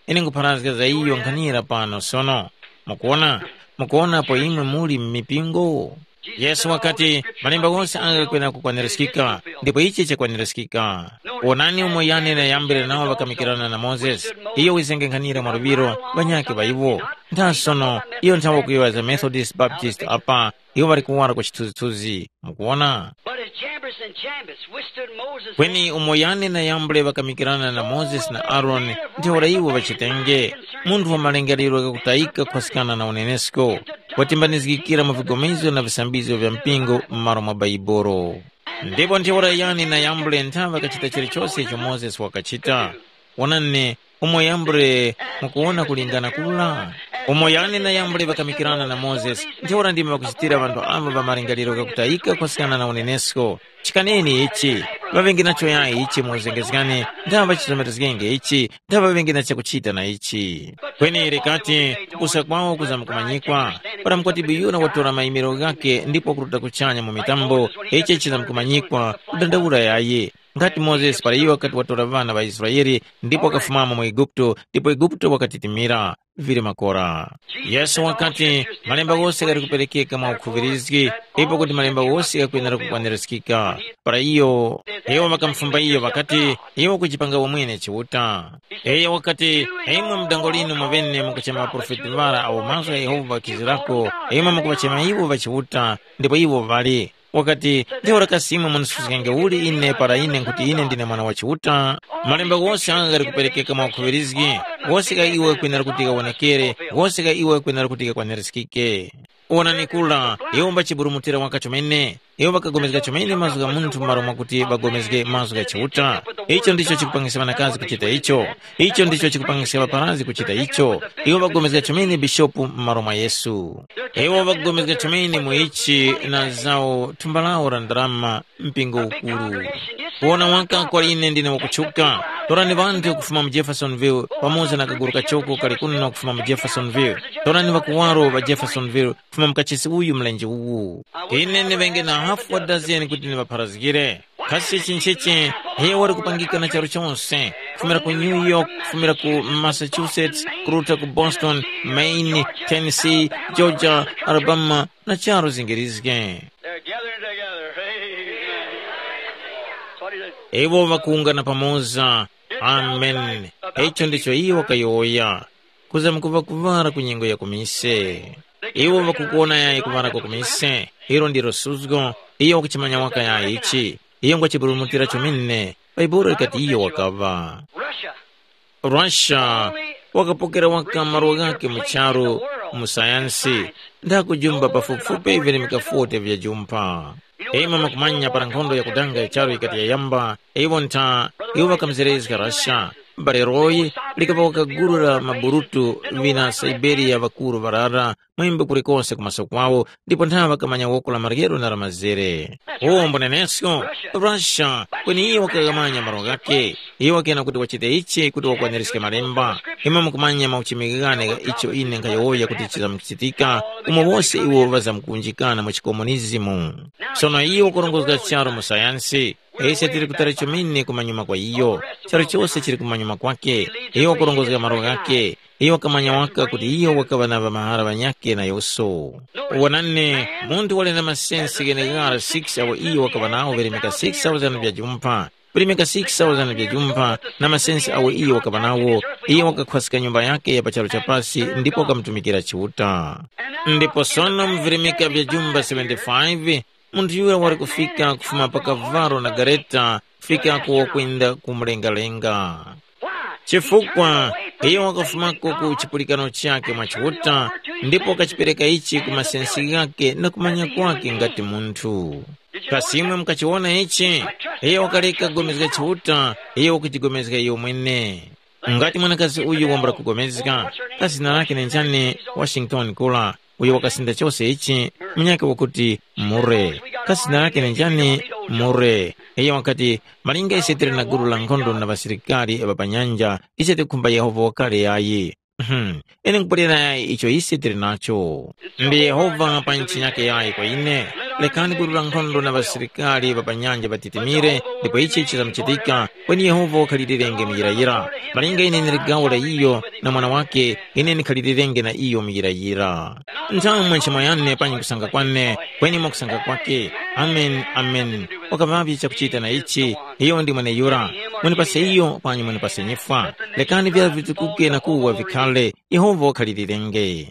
Ine nkupharazga za iyo nkhanira pano sono. Mukuona? Mukuona apo imwe muli m'mipingo? Yesu wakati, malemba ghose agha ghakwena kukwanirizgika, ndipo ichi chakwanirizgika. Wonani umo Yane na Yambere nawo ŵakamikirana na Mozesi. Iyo wizenge nkhanira mwa luŵiro, ŵanyakhe ŵa iwo. Ntha sono, iyo nthawe kuyowoya za Methodist, Baptist apa, iwo ŵali kuwara kwa chithunzithunzi. Mukuona? But as Jambres and Jambres withstood Moses, kweni umo Yane na Yambure ŵakamikirana na Mozesi na Aroni, ntheura iwo ŵachitenge, munthu wa malingaliro ghakutayika kukhwasikana na unenesko. watimbanizgikira mu vigomezo na visambizgo vya mpingo m'malo mwa Baibolo. Ndipo ntheura yani na yambule nthawe kachita chilichose icho Mozesi wakachita? Wonani, umo yambule mukuwona kulingana kula? Umo yani na yambule ŵakamikirana na Mozesi, ntheura ndime ŵakuchitira ŵanthu ava ŵa malingaliro ghakutayika kwasikana na unenesko. Chikaneni ichi, ŵaŵenge nacho yayi ichi mu uzengezgani, nthawe ŵachizomerezgenge ichi, nthawe ŵaŵenge na chakuchita na ichi. Kweni likati, kupusa kwawo kuzamkumanyikwa, para mukwati biyuna watora mayimiro ghakhe ndipo wakuruta kuchanya mu mitambo, ichi chizamkumanyikwa, kudandaula yayi. Ngati Mozesi para iyo wakati watora ŵana ŵa Israele ndipo wakafumamo mu Eguputo, ndipo Eguputo wakatitimira, vili makora. Yesu wakati, malemba ghose ghali kuperekeka mwa ukhuŵirizgi, ipo kuti malemba ghose ghakwenera kukwanirizgika. Para iyo, iwo ŵakamufumba iyo ŵakati, iwe ukujipanga wamwene Chiuta. Iyo wakati, imwe mu dango linu mwaŵene mukuchema ŵaprofeti ŵara awo mazgu gha Yehova ghakizirako, imwe mukuŵachema iwo ŵa Chiuta, ndipo iwo ŵali. Wakati, ntheura kasi imwe munisuzgenge uli ine para ine nkuti ine ndine Mwana wa Chiuta? Malemba ghose agha ghali kuperekeka mwa ukhuŵirizgi, ghose gha iwe kwenera kuti ghawonekere, ghose gha iwe kwenera kuti ghakwanirizgike. Wonani kura, iwo mbachiburumutira waka chomene, iwo ŵakapulikana chomene mazgu gha munthu m'malo mwakuti ŵapulikane mazgu gha Chiuta. Icho ndicho chikupangisa ŵanakazi kuchita icho. Icho ndicho chikupangisa ŵaparazi kuchita icho. Iwo ŵapulikana chomene bishopu m'malo mwa Yesu. Iwo ŵapulikana chomene mu ichi na zawo thumba lawo la ndarama mpingo ukuru. Kuwona waka kwa ine ndine wakutchuka. Torani ŵanthu kufuma mu Jeffersonville pamoza na kaguru kachoko kali kuno kufuma mu Jeffersonville. Torani ŵakuwaro ŵa Jeffersonville kufuma mu kachisi uyu mlenje uwu. Ine ndiŵenge na hafu wa dazeni kuti ndiŵapharazgire. Kasi chinchichi, iyo wali kupangika na charu chonse, kufumira ku New York, kufumira ku Massachusetts, kuruta ku Boston, Maine, Tennessee, Georgia, Alabama, na charu zingirizge. They're gathering together. Amen. That's what he said. Iwo ŵakuwungana pamoza. Amen. Icho ndicho iyo wakayowoya. Kuza mukuŵa kuŵala ku nyengo ya kumise. Iwo ŵakukuwona yayi kuŵala kwa kumise. Ilo ndilo suzgo. Iyo wakuchimanya waka yayi ichi. Iyo ngwachiburumutira chomene. Bhaibuli likati iyo wakaŵa. Russia. Russia wakapokera waka malo ghakhe mu charu mu sayansi, ndakujumba pafupifupi virimika forty vya jumpa. Imwe mukumanya para nkhondo yakudanga ya charu yikati yayamba, iwo ntha iwo ŵakamuzerezga Russia. M'bale Roy likaŵa wakagulula maburutu vina Siberia ŵakuru ŵarara mwembe kulikose kumaso kwawo, ndipo ntha ŵakamanya woko la maryero na la mazere. Uwo mbunenesko, Russia, kweni iye wakaghamanya malo ghakhe. Iye wakena kuti wachite ichi kuti wakwaniriske malemba. Imwe mukumanya mauchimighane gha icho ine nkhayowoya kuti chizamuchitika, umo wose iwo ŵazamkuwunjikana mu chikomunizimu. Sono iye wakurongozga charu mu sayansi. Ise tili kutali chomene kumanyuma kwa iyo. Charu chose chili kumanyuma kwake. Iyo wakurongozga malo ghakhe. Iyo wakamanya waka kuti iyo wakaŵa na ŵamahara ŵanyakhe na yoso. Wonani, munthu wali na masensi gheneghara six awo iyo wakaŵa nawo virimika six thousand vya jumpha. Virimika six thousand vya jumpha na masensi awo iyo wakaŵa nawo, iyo wakakhwaska nyumba yakhe ya pa charu cha pasi ndipo wakamutumikira Chiuta. Ndipo sono mu virimika vya jumba seventy-five, munthu yura wali kufika kufuma pa kavalo na gareta kufikako wakwenda ku mlengalenga. Chifukwa iyo wakafumako ku chipulikano chakhe mwa Chiuta, ndipo wakachipereka ichi ku masensi ghakhe na kumanya kwakhe ngati munthu. Kasi imwe mukachiwona ichi? Iyo wakaleka kugomezga Chiuta, iyo wakuchigomezga iyo mwene. Ngati mwanakazi uyu wambula kugomezga, kasi zina lakhe ndi njani? Washington Kula, uyo wakasinda chose ichi, munyakhe wakuti Mure. Kasi zina lakhe ndi njani? Mure. Iyo wakati, malinga ise tili na gulu la nkhondo na ŵasilikari ŵa pa nyanja, ise tikukhumba Yehova wakale yayi. Mhm. Ine nkupulira yayi icho ise tili nacho. Ndi Yehova pa ntchi yake yayi kwa ine. Lekani gulu la nkhondo na ŵasilikari ŵa pa nyanja ŵatitimire, ndipo ichi chizamuchitika, kweni Yehova wakhalilirenge muyirayira. Malinga ine ndili gawo la iyo na mwana wake, ine ndikhalilirenge na iyo muyirayira. Nthawe mwa nchimo yane panyi kusanga kwane, kweni mwa kusanga kwake. Amen, amen. Wakaŵavye chakuchita na ichi, iyo ndi mweneyura. Munipase iyo, panyi munipase nyifwa. Lekani vyara vitukuke na kuwa vikhale. Yehova wakhalilirenge.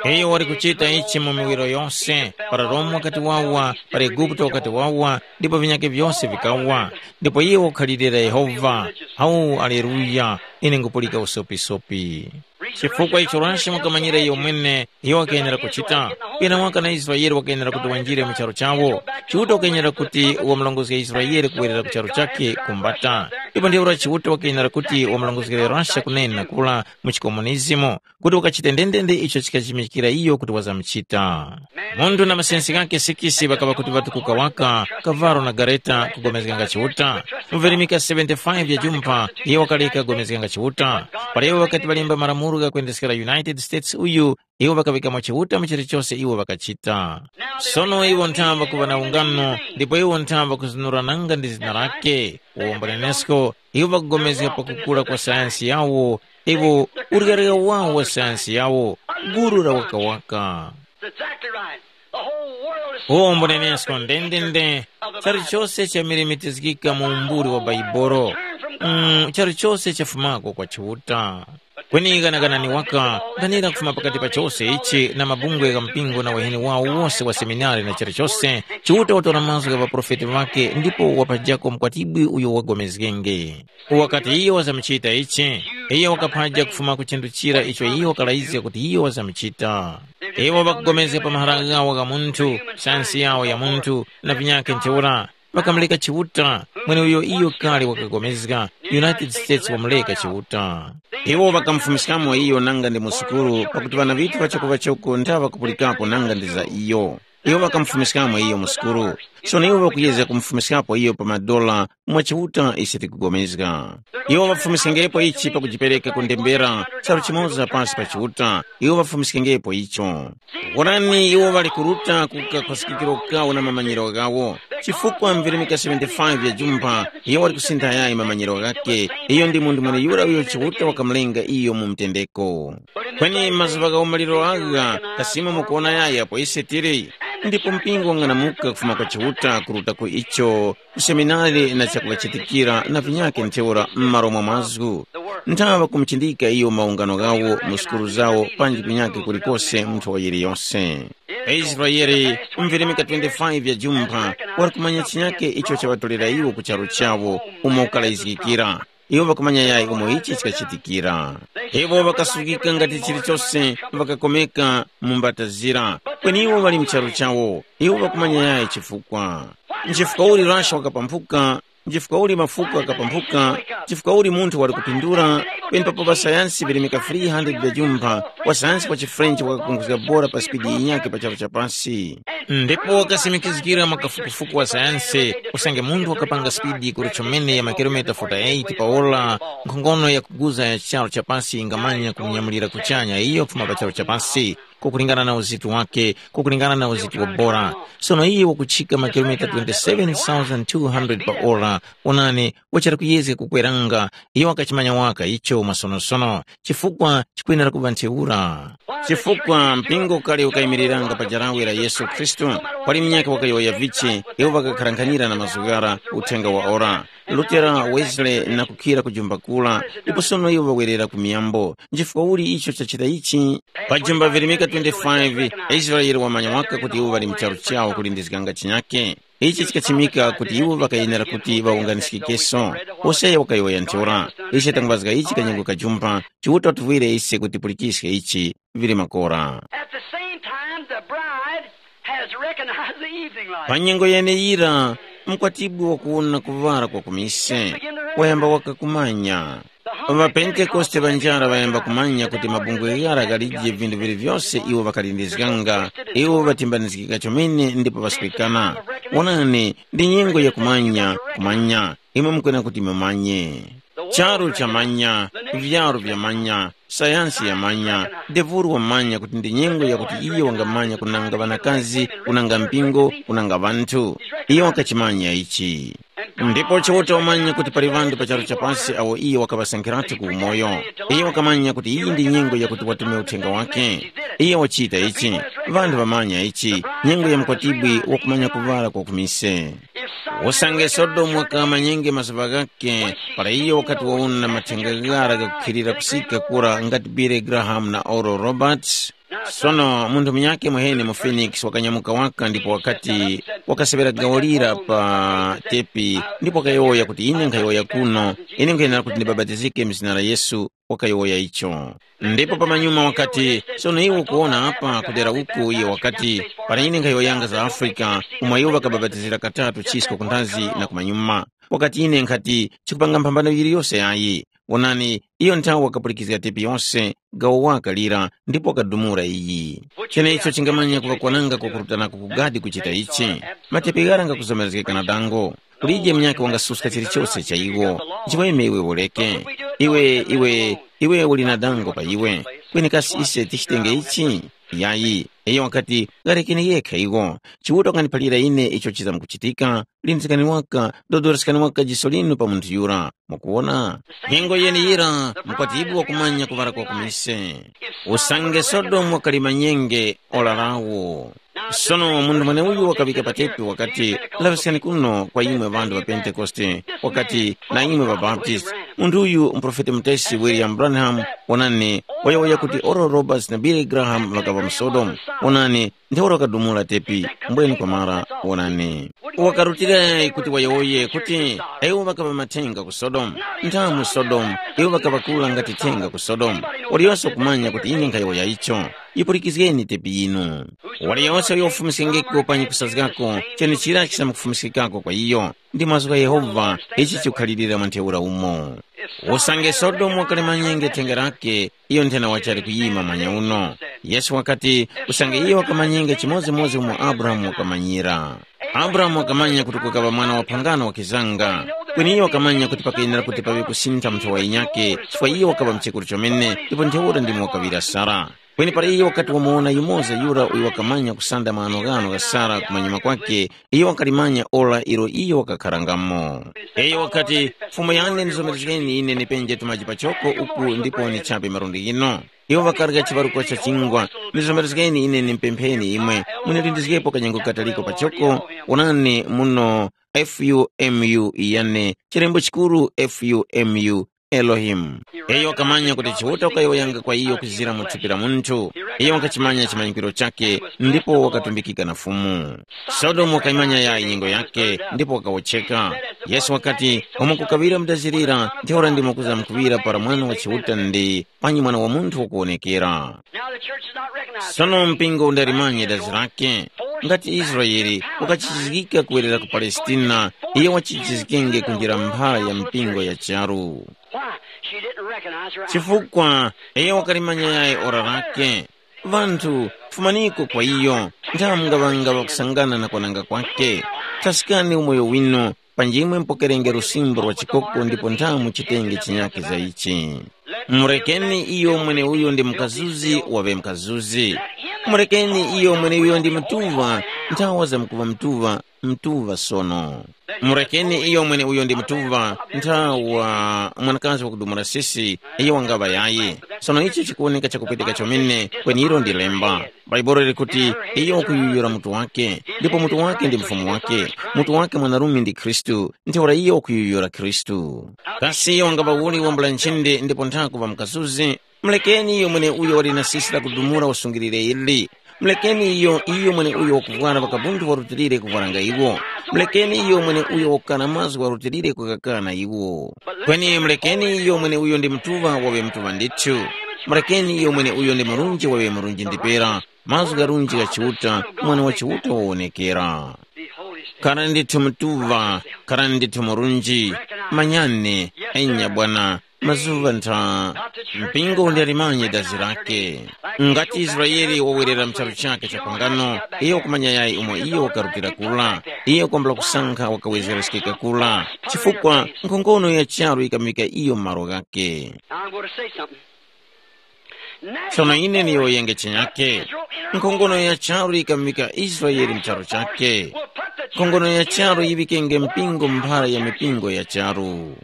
Iyo wali kuchita ichi mu miwiro yose, para Roma wakati wawa, para Eguputo wakati wawa, ndipo vinyake vyose vikawa. Ndipo iye wakukhalirira Yehova. Hau, aleluya! Ine ngupulika usopisopi. Chifukwa icho Rasha wakamanyira iyo mwene, iyo wakayenera kuchita. Pena waka na Israele wakayenera kuti wanjire mu charu chawo. Chiuta wakayenera kuti wamulongozge Israele kuwerera ku charu chake kumbata. Ndipo ntheura Chiuta wakayenera kuti wamulongozgere Rasha kunena kula mu chikomunizimu, kuti wakachite ndendende icho chikachimikira iyo kuti wazamuchita. Munthu na masensi ghakhe sikisi ŵakaŵa kuti ŵatukuka waka, kavalo na gareta kugomezganga Chiuta. Mu virimika seventy-five ya jumpha, iye wakaleka kugomezganga Chiuta. Para iwo ŵakati ŵalemba malamulo ghakwendeskera United States uyu, iwo ŵakaŵikamo Chiuta mu chilichose iwo ŵakachita. Sono iwo nthamba kuŵa na ungano, ndipo iwo nthamba kuzunura nanga ndi zina lake. Uwombo nenesko, iwo ŵakugomezga pakukula kwa sayansi yawo, iwo uryarya wawo wa sayansi yawo, guru la wakawaka. That's exactly right. The whole world is uwombo nenesko ndendende. Chalichose chamilimitizgika mu umbuli wa Baibolo. Mm, chalichose chafumako kwa Chiuta. Kweni ghanaghanani waka, ganira kufuma pakati pa chose ichi na mabungwe gha mpingo na waheni wawo wose wa seminari na chilichose. Chiuta watora mazgu gha ŵaprofeti ŵakhe ndipo wapajako mkwatibwi uyo wagomezgenge. Wakati iyo wazamuchita ichi, iyo wakaphaja kufuma ku chinthu chira icho iyo wakalayizga kuti iyo wazamuchita. Iwo ŵakugomezga pa mahara ghawo gha munthu, sayansi yawo ya munthu, na vinyakhe ntheura. Ŵakamuleka Chiuta, mweneuyo iyo kale wakagomezga. United States wamuleka Chiuta. Iwo ŵakamufumiskamo iyo nanga ndi mu sukulu, pakuti ŵana ŵithu ŵachakuŵachoko nthaŵa kupulikapo nanga ndi za iyo. Iwo ŵakamufumiskamo iyo mu sukulu. Sono iwo ŵakuyezga kumufumiskapo iyo pa madola mwa Chiuta ise tikugomezga. Iwo ŵafumiskengepo ichi pakujipereka ku ndembera, charu chimoza pasi pa Chiuta. Iwo ŵafumiskengepo icho. Wonani, iwo ŵali kuruta ku kakhwasikikiro kawo na mamanyiro ghawo. Chifukwa mvirimika seventy-five ya jumpha, iyo wali kusintha yayi mamanyiro ghakhe. Iyo ndi munthu mweneyura uyo Chiuta wakamulenga iyo mu mtendeko. Kweni mazuŵa gha umaliro agha, kasimo mukuwona yayi apo ise tili. Ndipo mpingo wang'anamuka kufuma kwa Chiuta kuruta ku icho, ku seminari na chakuŵachitikira na vinyakhe ntheura m'malo mwa mazgu. Nthaŵa kumuchindika iyo maungano ghawo mu sukulu zawo panji kunyakhe kulikose mu nthowa yiliyose. Israele, mvirimika twenty-five ya jumpha, wali kumanya chinyakhe icho chaŵatolera iwo ku charu chawo, umo ukalayizgikira. Iwo ŵakumanya yayi umo ichi chikachitikira. Iwo ŵakasukika ngati chilichose, ŵakakomeka mu mbatazira. Kweni iwo ŵali mu charu chawo. Iwo ŵakumanya yayi chifukwa. Nchifukwa uli Russia wakapampuka, nchifukwa uli mafuko akapampuka, nchifukwa uli munthu wali kupindula, penepapo ŵasayansi virimika three hundred vya jumpha, wasayansi wa chiFrench wakakunguzga bora pa spidi yinyakhe pa charu cha pasi. Ndipo wakasimikizgira mwa kafukufuku wa sayansi, usange munthu wakapanga spidi kuli chomene ya makilomita forty-eight pa ora, nkhongono yakuguza ya charu cha pasi ingamanya kumunyamulira kuchanya iyo kufuma pa charu cha pasi, kukulingana na uzitu wake, kukulingana na uzitu wa bora. Sono iye wakuchika makilomita twenty-seven thousand two hundred pa ora. Onani, wachali kuyezga kukweranga, iyo wakachimanya waka icho mwasonosono, chifukwa chikwenera kuŵa ntheura. Chifukwa mpingo kale ukayimiriranga pa jarawe la Yesu Khristu, pali munyakhe wakayowoya vichi, iwo ŵakakharankhanira na mazgu ghara, uthenga wa ora. Lutera, Wesley na kukhira kujumba kula, ndipo sono iwo ŵawerera ku miyambo. Nchifukwa uli icho chachita ichi? Pa jumba virimika twenty-five, Israele wamanya waka kuti iwo ŵali mu charu chawo kulindizganga chinyakhe. Ichi chikachimika kuti iwo ŵakayenera kuti ŵawunganiskikeso. Hoseya wakayowoya ntheura, ise tangwazga ichi kanyengo kajumba, Chiuta watuvwire ise kuti pulikiske ichi, vili makora. At the same time, the bride has recognized the evening light. Pa nyengo yeneyira, mkwatibwi wakuwona kuŵala kwa kumise, wayamba wakakumanya. །Ŵapentekoste ŵanjara ŵayamba kumanya kuti mabungwe ghara ghalije vinthu vili vyose iwo ŵakalindizganga, iwo ŵatimbanizgika chomene ndipo ŵaswekana. Wonani, ndi nyengo ya kumanya, kumanya, imwe mukwena kuti mumanye. Charu chamanya, vyaru vyamanya, sayansi yamanya, devulu wamanya kuti ndi nyengo yakuti iyo wangamanya kunanga ŵanakazi, kunanga mpingo, kunanga ŵanthu. Iyo wakachimanya ichi. Ndipo Chiuta wamanya kuti pali ŵanthu pa charu chapasi awo iyo wakaŵasankhiratu ku umoyo. Iyo wakamanya kuti iyi ndi nyengo yakuti watume uthenga wake. Iyo wachita ichi. Ŵanthu ŵamanya ichi, nyengo ya mkwatibwi wakumanya kuŵala kwa kumise. Usange Sodomu wakamanyenge mazuŵa ghakhe, para iyo wakati wawona mathenga ghara ghakukhilira kusika kura ngati Billy Graham na Oral Roberts, Sono munthu munyakhe mwahene mu Phoenix wakanyamuka waka ndipo wakati, wakaseŵera gawo lira pa tepi ndipo wakayowoya kuti, ine nkhayowoya kuno, ine nkhayenera kuti ndibapatizike mu zina la Yesu. Wakayowoya icho. Ndipo pamanyuma wakati, sono iwe ukuwona apa kudera uku, iye wakati, para ine nkhayowoyanga za Afrika, umo iwo ŵakabapatizira katatu chisko kunthazi na kumanyuma. Wakati ine nkhati, chikupanga mphambano yiliyose yayi. Wonani, iyo nthawe wakapulikizga tepi yose, gawo waka lira, ndipo wakadumula iyi. Chenecho chingamanya kuŵa kwananga kwakurutanako kugadi kuchita ichi. Matepi ghara ngakuzomerezgeka na dango. Kulije munyakhe wangasuska chilichose cha iwo. Nchiweme iwe uleke. Iwe, iwe, iwe uli na dango pa iwe. Kweni kasi ise tichitenge ichi? Yayi. Iyo wakati, gharekeni yekha iwo. Chiuta wakaniphalira ine icho chizamkuchitika. Lindiskani waka, dodoreskani waka jiso linu pa munthu yura. Mukuwona? Nyengo yeneyira, mukwatibwi wakumanya kuŵala kwa kumise. Usange Sodomu wakali manyenge, ora lawo. Sono munthu mweneuyu wakaŵika patepi wakati, laŵiskani kuno kwa imwe ŵanthu ŵa Pentekoste, wakati, na imwe ŵa Baptist, munthu uyu muprofeti mutesi William Branham, wonani, wayowoya kuti Oral Roberts na Billy Graham ŵakaŵa mu Sodomu. Wonani, ntheura wakadumula tepi, mbweni kwamara, wonani. Wakarutira kuti wayowoye kuti, iwo ŵakaŵa mathenga ku Sodomu. Nthamu Sodomu, iwo ŵakaŵa kula ngati thenga ku Sodomu. Waliyose wakumanya kuti ine nkhayowoya icho. Yipulikizgeni tepi yinu. Waliyose uyo wafumiskengeko panyi kusazgako, chenechira chisamkufumiskikako kwa iyo. Ndi mazgu gha Yehova, ichi chikukhalirira mwa ntheura umo. Usange Sodomu wakali manyenge thenga lake, iyo nthena wachali kuyima manya uno. Yesu wakati, usange iyo wakamanyenge chimodzimodzi umo Abrahamu wakamanyira. Abrahamu wakamanya kuti kukaŵa mwana wa phangano wakizanga. Kweni iyo wakamanya kuti pakayenera kuti paŵe kusintha mu nthowa yinyakhe, chifukwa iyo wakaŵa mchekuru chomene, ndipo ntheura ndimo wakaŵira Sara. Kweni para iyo wakati wamuwona yumoza yura uyo wakamanya kusanda maghanoghano gha Sara kumanyuma kwakhe, iyo wakalimanya ora ilo iyo wakakharangamo. Iyo wakati, Fumu yane ndizomerezgeni ine nipenje tumaji pachoko uku ndipo nichape malundi ghino. Iwo ŵakarya chiŵaruko cha chingwa, ndizomerezgeni ine nimpempheni imwe, munilindizgepo kanyengo kataliko pachoko, wonani muno F U M U yane, chilembo chikuru F U M U, Elohim. Iyo wakamanya kuti Chiuta wakayowoyanga kwa iyo kuzira mu thupi la munthu. Iyo wakachimanya chimanyikiro chakhe ndipo wakatumbikika na Fumu. Sodomu wakayimanya yayi nyengo yakhe ndipo wakawotcheka. Yesu wakati, umo kukaŵira mudazirira, ntheura ndimo kuzamkuŵira para Mwana wa Chiuta ndi panyi Mwana wa Munthu wakuwonekera. Now the church is not recognized. Sono mpingo undalimanye dazi lake. Ngati Israeli wakachichizgika kuwerera ku Palestina, iyo wachichizgikenge kunjira mphara ya mpingo ya charu. Why? She didn't recognize her hour. Chifukwa iyo wakalimanya yayi ora lake. Vanthu, fumaniko kwa iyo, nthamu ngaŵanga ŵakusangana na kwananga kwake. Thaskani umoyo winu, panjimwe mupokerenge lusimbo lwa chikoko ndipo nthamu chitenge chinyakhe za ichi. Murekeni iyo mweneuyo ndi mkazuzi waŵe mkazuzi. Murekeni iyo mweneuyo ndi mtuŵa, nthawa zamkuŵa mtuŵa, mtuŵa sono. Murekeni iyo mweneuyo ndi mtuŵa, nthawa mwanakazi wakudumula sisi, iyo wangaŵa yayi. Sono ichi chikuwoneka chakupweteka chomene, kweni ilo ndi lemba. Bhaibuli likuti, iyo wakuyuyura mutu wake, ndipo mutu wake ndi mfumu wake, mutu wake mwanarume ndi Khristu, ntheura iyo wakuyuyura Khristu. Kasi iyo wangapa uli wambula nchindi ndipo nthaku ŵa mkazuzi? Mulekeni iyo mweneuyo wali na sisi lakudumula usungilire ili. Mulekeni iyo, iyo mweneuyo wakuvwara ŵakabunthu warutilire kuvwaranga iwo. Mulekeni iyo mweneuyo wakukana mazgu warutilire kukakana iwo. Kweni mulekeni iyo mweneuyo ndi mtuŵa waŵe mtuŵa ndithu. Mulekeni iyo mweneuyo ndi murunji waŵe murunji ndipera. Mazgu gharunji gha Chiuta, Mwana wa Chiuta wawonekera. Kara ndithu mtuŵa, kara ndithu murunji, manyani, enya bwana, mazuŵa ntha, mpingo undalimanye dazi lake. Ngati Israele wawerera mu charu chake cha pangano, iyo wakumanya yayi umo iyo wakarutira kula, iyo kwambula kusankha wakawezereskeka kula, chifukwa nkhongono ya charu yikamuvika iyo mu malo ghake. Now I'm going to say something. Tsono ine niyowoyenge chinyakhe. Nkhongono ya charu yikamuvika Israele mu charu chakhe. Nkhongono ya charu yiŵikenge mpingo mphara ya mipingo ya charu.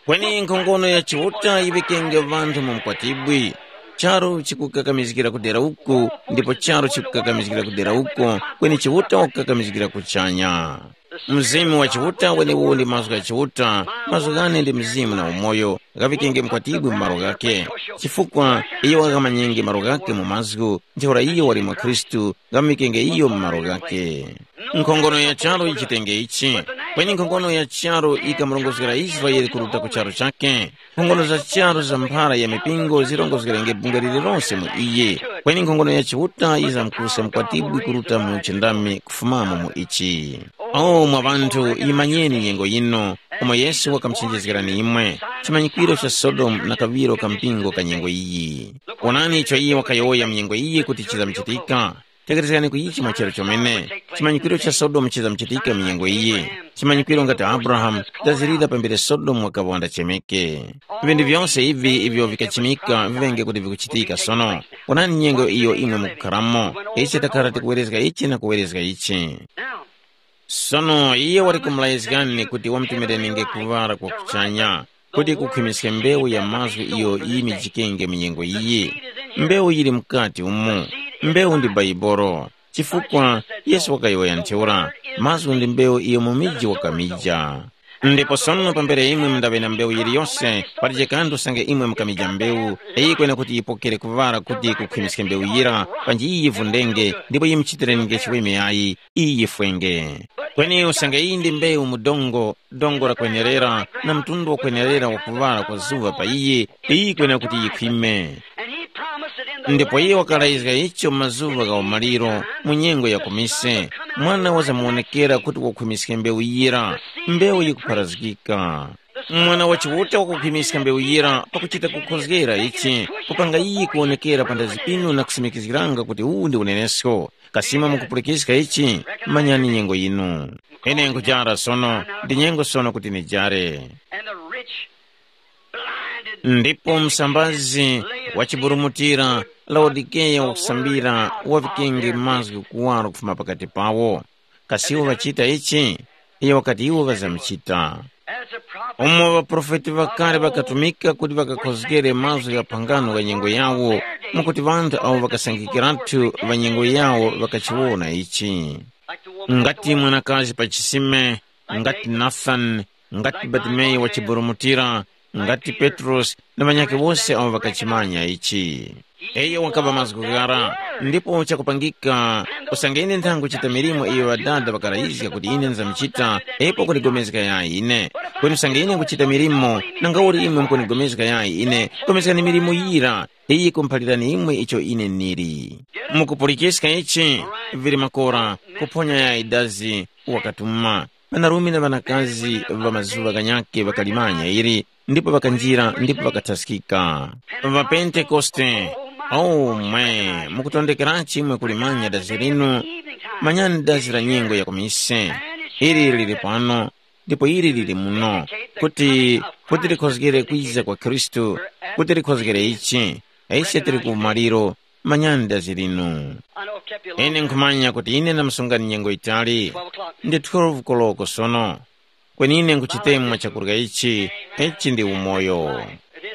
Kweni nkhongono ya Chiuta yiŵikenge ŵanthu mu mkwatibwi. Charu chikukakamizgira kudera uku, ndipo charu chikukakamizgira kudera uko, kweni Chiuta wakukakamizgira kuchanya. Mzimu wa Chiuta weneuwo ndi mazgu gha Chiuta, mazgu ghane ndi mzimu na umoyo, ghaŵikenge mkwatibwi mu malo ghakhe. Chifukwa iyo wakaghamanyenge malo ghakhe mu mazgu, ntheura iyo wali mwa Khristu, ghamuŵikenge iyo mu malo ghakhe. Nkhongono ya charu yichitenge ichi, kweni nkhongono ya charu yikamurongozgera Israele kuruta ku charu chakhe. Nkhongono za charu za mphara ya mipingo zirongozgerenge bungwe lililonse mu iye, kweni nkhongono ya Chiuta yizamkuska mkwatibwi kuruta mu uchindami kufumamo mu ichi. O mwa ŵanthu, yimanyeni nyengo yino, umo Yesu wakamuchenjezgerani imwe, chimanyikwiro cha Sodomu na kaŵiro ka mpingo ka nyengo iyi. Wonani icho iye wakayowoya mu nyengo iyi kuti chizamuchitika. Tekerezgani ku ichi mwa chero chomene, chimanyikwiro cha Sodomu chizamuchitika mu nyengo iyi. Chimanyikwiro ngati Abrahamu dazirira pambere Sodomu wakaŵa wandachemeke. Vinthu vyose ivi ivyo vikachimika vivenge kuti vikuchitika sono. Wonani nyengo iyo imwe mukukharamo. Ichi takhala tikuwerezga ichi na kuwerezga ichi. Sono iye wali kumulayizgani kuti wamutumirenenge kuŵala kwa kuchanya, kuti kukhwimiske mbewu ya mazgu iyo yimijikenge mu nyengo iyi. Mbewu yili mukati umu. Mbewu ndi Baibolo. Chifukwa Yesu wakayowoya ntheura, mazgu ndi mbewu iyo mu miji wakamija. Ndipo sono pambere imwe mundaŵe na mbewu yiliyose, palije kanthu usange imwe mukamija mbewu, iyi kwena kuti yipokere kuŵala kuti kukhwimiske mbewu yira, panji iyi yivundenge, ndipo yimuchitirenenge chiweme yayi, iyi yifwenge. Kweni usange iyi ndi mbewu mu dongo, dongo lakwenerera, na mtundu wakwenerera wakuŵala kwa zuŵa pa iyi, iyi kwena kuti yikhwime. Ndipo iye wakalayizga icho mu mazuŵa gha umaliro, mu nyengo ya kumise, mwana wazamuwonekera kuti wakhumiske mbewu yira, mbewu yikupharazgika. Mwana wa Chiuta wakukhwimiska mbewu yira pakuchita kukhozgera ichi, kupanga iyi kuwonekera pa ndazi pinu na kusimikizgiranga kuti uwu ndi unenesko. Kasima mukupulikiska ichi, manyani nyengo yinu. Ine nkujara sono, ndi nyengo sono kuti nijare. And the rich blinded Ndipo msambazi wachiburumutira Laodikeya wakusambira wavikenge mazgu kuwaro kufuma pakati pawo. Kasi iwo ŵachita ichi? Iyo wakati iwo ŵazamuchita. As a prophet, umo ŵaprofeti ŵakale ŵakatumika kuti ŵakakhozgere mazgu gha phangano gha nyengo yawo, mwakuti ŵanthu awo ŵakasangikiratu ŵa nyengo yawo ŵakachiwona ichi. Ngati mwanakazi pa chisime, ngati Nathani, ngati Batimeyu wachiburumutira, ngati Petrosi na ŵanyakhe wose awo ŵakachimanya ichi. Iyo wakaŵa mazgu ghara, ndipo chakupangika, usange ine ntha nkuchita milimo iyo Ŵadada ŵakalayizga kuti ine nzamuchita, ipo kundigomezga yayi ine. Kweni usange ine nkuchita milimo, nangauli imwe mukundigomezga yayi ine, gomezgani milimo yira, iyi kumphalirani imwe icho ine nili. Mukupulikiska ichi, vili makora, kuphonya yayi dazi, wakatuma. Ŵanarume na ŵanakazi ŵa mazuŵa ghanyakhe ŵakalimanya ili, ndipo ŵakanjira ndipo ŵakathaskika. །Ŵapentekoste, aumwe, mukutondekerachi imwe kulimanya dazi linu? Manyani dazi la nyengo ya kumise. Ili lili pano, ndipo ili lili muno, kuti, kuti likhozgere kwiza kwa Khristu, kuti likhozgere ichi, ise tili ku umaliro, manyani dazi linu. Ine nkhumanya kuti ine ndamusungani nyengo yitali. Ndi twelve koloko sono. Kweni ine nkhuchitemwa chakurya ichi, ichi ndi umoyo.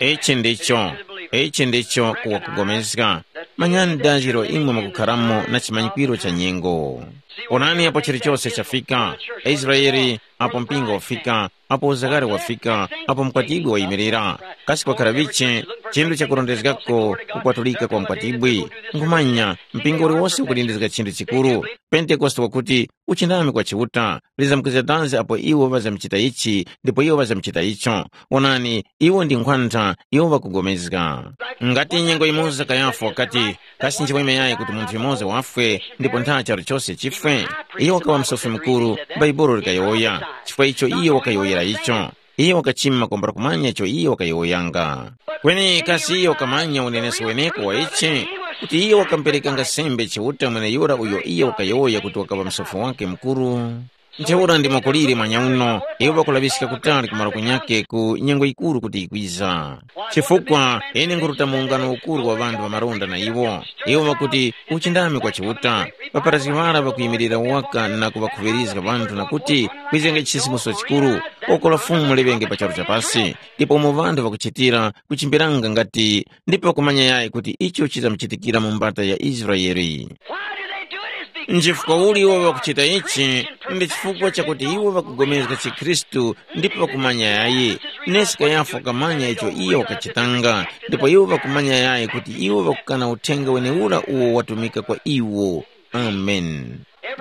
Ichi ndicho, ichi ndicho kuwa kugomezga. Manyani dazi ilo imwe mukukharamo na chimanyikwiro cha nyengo. Onani apo chilichose chafika, Israeli, apo mpingo wafika, apo uzakare wafika, apo mkwatibwi wayimirira. Kasi kwakhara vichi chinthu chakurondezgako kukwatulika kwa mkwatibwi? Nkhumanya, mpingo uliwose ukulindizga chinthu chikuru. Pentekoste wakuti, uchindami kwa Chiuta, lizamkizga danzi apo iwo ŵazamuchita ichi, ndipo iwo ŵazamuchita icho. Wonani, iwo ndi nkhwantha, iwo ŵakugomezga. Ngati nyengo yimoza Kayafa wakati, kasi nchimweme yayi kuti munthu yumoza wafwe, ndipo ntha charu chose chifwe? Iyo wakaŵa msofi mukuru, Bhaibuli likayowoya, chifukwa icho iyo wakayowoyera icho. Iyo wakachima kwambula kumanya icho iyo wakayowoyanga. Kweni kasi iyo wakamanya unenesko weneko wa ichi, kuti iyo wakamuperekanga sembe Chiuta mweneyura uyo iyo wakayowoya kuti wakaŵa msofi wake mukuru? Ntheura ndimo kuliri mwanyauno, iwo ŵakulaŵiska kutali ku malo kunyake ku nyengo yikuru kuti yikwiza. Chifukwa ine nkhuruta mu ungano ukuru wa ŵanthu ŵamalonda na iwo. Iwo ŵakuti, uchindami kwa Chiuta. Ŵaparazgi ŵara ŵakuyimirira waka na kuŵakhuŵirizga ŵanthu na kuti, kwizenge chisimuso chikuru, oko la Fumu liŵenge pa charu cha pasi. Ndipo umo ŵanthu ŵakuchitira, kuchimbiranga ngati, ndipo ŵakumanya yayi kuti icho chizamuchitikira mu mbata ya Israele. Why do they do it? Is Nchifukwa uli iwo ŵakuchita ichi? Ndi chifukwa chakuti iwo ŵakugomezga chikhristu ndipo ŵakumanya yayi. Nesi Kayafa wakamanya icho iyo wakachitanga, ndipo iwo ŵakumanya yayi kuti iwo ŵakukana uthenga wenewura uwo watumika kwa iwo. Amen.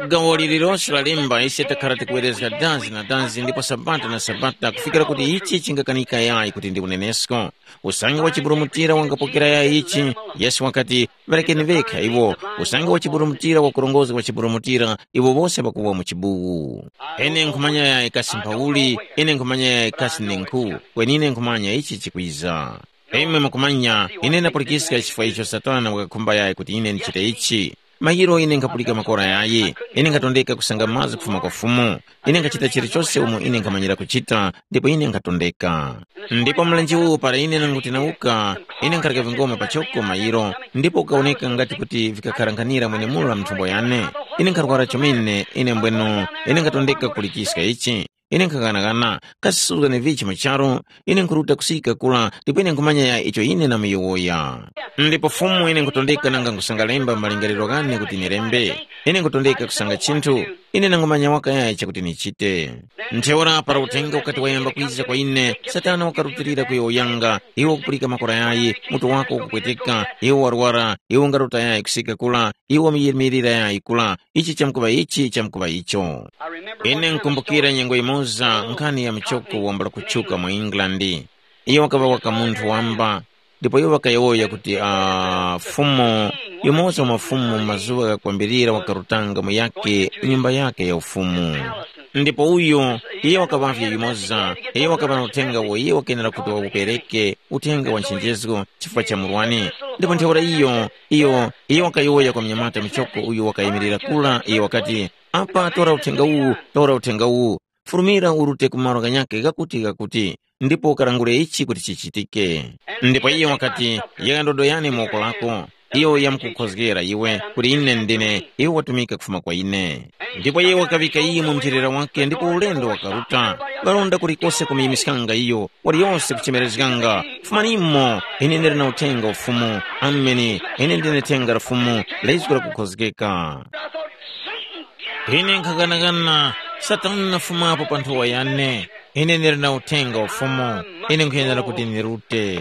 Gawo lililonse la lemba ise takhara tikuwerezga dazi na dazi ndipo sabata na sabata kufikira kuti ichi chingakanika yayi kuti ndi unenesko. Usange wachiburumutira wangapokera yayi ichi, Yesu wakati, ŵarekeni vekha iwo. Usange wachiburumutira wakurongozga wachiburumutira, iwo wose ŵakuwa mu chibuwu. Ine nkhumanya yayi kasi mphauli, ine nkhumanya yayi kasi ninkhu, kweni ine nkhumanya ichi chikwiza. Imwe mukumanya, ine ndapulikiska chifukwa icho Satana wakakhumba yayi kuti ine ndichite ichi. Mayiro ine nkhapulika makora yayi, ine nkhatondeka kusanga mazgu kufuma kwa Fumu. Ine nkhachita chilichose umo ine nkhamanyira kuchita, ndipo ine nkhatondeka. Ndipo mlenje uwu para ine nanguti nauka, ine nkhareka vingoma pachoko mayiro, ndipo kukawoneka ngati kuti vikakharankhanira mwenemulo la mthumbo yane. Ine nkharwara chomene, ine mbweno, ine nkhatondeka kulichiska ichi. Ine nkhaghanaghana, kasi suzgani vichi mu charu? Ine nkhuruta kusika kula, ndipo ine nkhumanya ya icho ine namuyowoya. Ndipo Fumu ine nkhutondeka nanga nkhusanga lemba malingaliro ghane kuti nilembe. Ine nkhutondeka kusanga chinthu, ine nangumanya waka yayi chakuti nichite. Ntheura para uthenga ukati wayamba kwiza kwa ine, Satana wakarutilira kuyowoyanga, iwe ukupulika makora yayi, mutu wako ukupweteka, iwe warwara, iwe ungaruta yayi kusika kula, iwe wamuyimilira yayi kula, ichi chamkuŵa ichi, chamkuŵa icho. Ine nkumbukira nyengo yimoza nkhani ya muchoko wambula kutchuka mu England. Iyo wakaŵa waka munthu wamba, ndipo iwo ŵakayowoya kuti, ah, Fumu, yumoza wa mafumu mu mazuŵa ghakwambirira wakarutanga mu yake nyumba yake ya ufumu. Ndipo uyo, iye wakaŵavye yumoza, iye wakaŵa na uthenga uwo iye wakenera kuti wawupereke, uthenga wa nchenjezgo chifukwa cha murwani. Ndipo ntheura iyo, iyo, iye wakayowoya kwa mnyamata muchoko uyo wakayimirira kula, iye wakati, apa tora uthenga uwu, tora uthenga uwu, furumira urute ku malo ghanyakhe ghakuti ghakuti, ndipo ukarangure ichi kuti chichitike. Ndipo iye wakati, yika ndodo yane mu woko lako, iyo yamkukhozgera iwe kuti ine ndine, iwe watumika kufuma kwa ine. Ndipo iye wakaŵika iyi mu mchilira wake ndipo ulendo wakaruta. Ŵalonda kulikose kumuyimiskanga iyo, waliyose kuchemerezganga, fumanimo, ine ndili na uthenga ufumu. Ameni, ine ndine thenga la Fumu, la izgu lakukhozgeka. Ine nkhaghanaghana, Satana nafumapo pa nthowa yane. Ine ndili na uthenga wa Fumu, ine nkhuyenera kuti ndirute.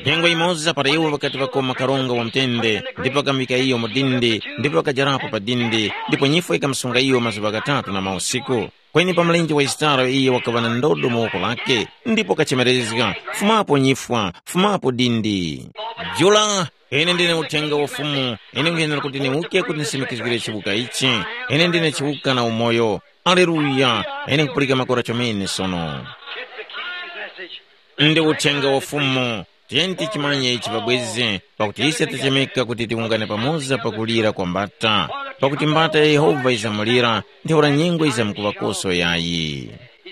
Nyengo yimoza para iwo ŵakati ŵakoma karonga wa mtende, ndipo ŵakamika iyo mu dindi, ndipo ŵakajarapo pa dindi, ndipo nyifwa yikamusunga iyo mazuŵa ghatatu na mausiku. Kweni pa mlenje wa Yisitara iyo wakaŵa na ndodo mu woko lake, ndipo kachemerezga, fumapo nyifwa, fumapo dindi. Jula, ine ndine uthenga wa Fumu, ine nkhuyenera kuti niwuke kuti ndisimikizgire chiwuka ichi. Ine ndine chiwuka na umoyo. Aleluya! Ine nkupulika makora chomene sono. Ndi uthenga wa Fumu. Tiyeni tichimanye ichi pabwezi, pakuti ise tachemeka kuti tiwungane pamoza pakulira kwa mbata, pakuti mbata ya Yehova yizamulira, ntheura nyengo yizamkuŵakoso yayi.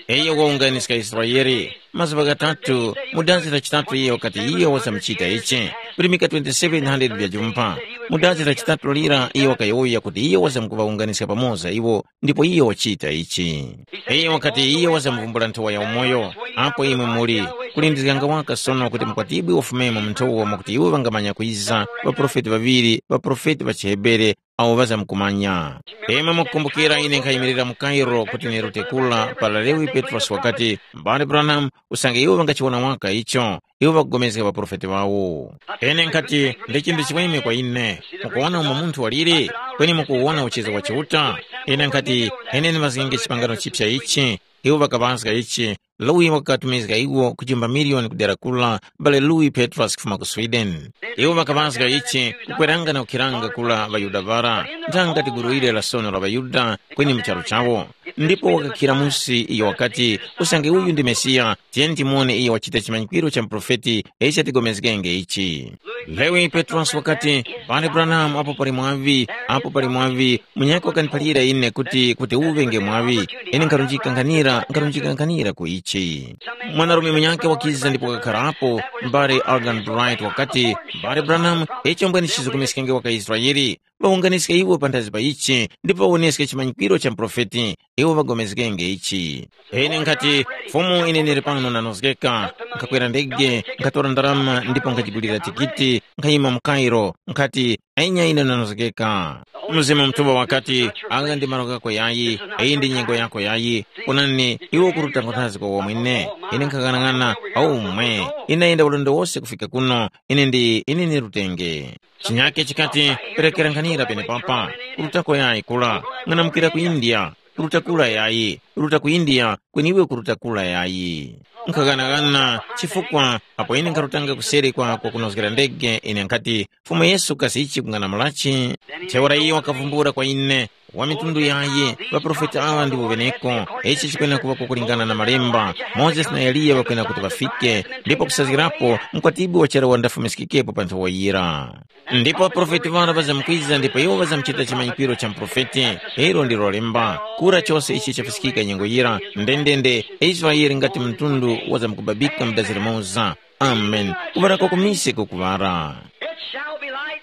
Iyo wawunganiska Israele, mazuŵa ghatatu, mu dazi la chitatu iyo wakati iyo wazamuchita ichi, virimika twenty-seven hundred vya jumpa. Mu dazi la chitatu lira iyo wakayowoya kuti iyo wazamkuŵawunganiska pamoza iwo, ndipo iyo wachita ichi. Iyo wakati iyo wazamuvumbula nthowa ya umoyo, apo imwe muli, kulindizganga waka sono kuti mukwatibwe wafumemo mu nthowa mwakuti iwo ŵangamanya kwiza, ŵaprofeti ŵaŵiri, ŵaprofeti ŵa chiHebere, awo ŵazamkumanya. Imwe mukukumbukira ine nkhayimirira mu Cairo kuti nirute kula para Lewi Petrosi wakati, M'bale Branham, usange iwo ŵangachiwona waka icho, iwo ŵakugomezga ŵaprofeti ŵawo. Ine nkhati, ndi chinthu chimweme kwa ine, mukuwona umo munthu waliri, kweni mukuwona uchizi wa Chiuta? Ine nkhati, ine ndimazgenge chipangano chipya ichi, iwo ŵakaŵazga ichi, Louis wakatumizga iwo ku chumba miliyoni kudera kula, bale Louis Petrus kufuma ku Sweden. Iwo ŵakaŵazga ichi kukweranga na kukhiranga kula ŵaYuda ŵara, nthanga tiguru ile la sono la ŵaYuda kweni mu charu chawo. Ndipo wakakhira musi iyo wakati, usange uyu ndi Mesiya, tiyeni timuwone iyo wachita chimanyikwiro cha muprofeti ichi chatigomezgenge ichi. Lewi Petrosi wakati, pali Branham apo pali mwaŵi, apo pali mwaŵi, munyakhe wakaniphalira ine kuti kuti uŵe nge mwaŵi, ine nkharunjika nkhanira nkharunjika nkhanira ku ichi. Mwanarume munyakhe wakiza ndipo wakakharapo, mbale Algan Bright wakati, mbale Branham, icho mbwene chizukumeskenge waka Israeli, ŵawunganiske iwo panthazi pa ichi ndipo ŵawoneske chimanyikwiro cha muprofeti, iwo ŵagomezgenge ichi. Ine nkhati, Fumu, ine ndili pano ndanozgeka, nkhakwera ndege, nkhatora ndarama ndipo nkhajigulira tikiti, nkhayima mu Kairo, nkhati, "Enya ine ndanozgeka." Mzimu Mutuŵa wakati, "Agha ndi malo ghako yayi, iyi ndi nyengo yako yayi. Onani, iwe ukuruta nkhonthazgi kwa wamwene. Ine nkhaghanag'ana, aumwe. Ine ndayenda ulendo wose kufika kuno, ine ndi ine ni lutenge." Chinyake chikati, "Perekera nkhanira penepapa, kurutako yayi kula, ng'anamukira ku India, kuruta kula yayi, kuruta ku India, kweni iwe kuruta kula yayi." Nkhaghanagana chifukwa apo ine nkharutanga kuseri kwa kwakunozgera ndege, ine nkhati, "Fumu Yesu kasi ichi kung'anamulachi?" Ntheura iyo wakavumbula kwa ine, "Wa mitundu yayi, ŵaprofeti aŵa ndiwo ŵeneko, ichi chikwena kuŵa kwakulingana na malemba, Mozesi na Eliya ŵakwena kuti ŵafike, ndipo kusazgirapo mkwatibwi wa charu wandafumiskikepo pa nthowa yira." Ndipo ŵaprofeti ŵara ŵazamkwiza ndipo iwo ŵazamchita chimanyikiro cha muprofeti. Ilo ndilo lemba. Kura chose ichi chafiskika nyengo yira, ndendende, Israele ngati mtundu wazamkubabika mu dazi limoza. Amen. Kuŵara kwa kumise kukuŵara. It shall be light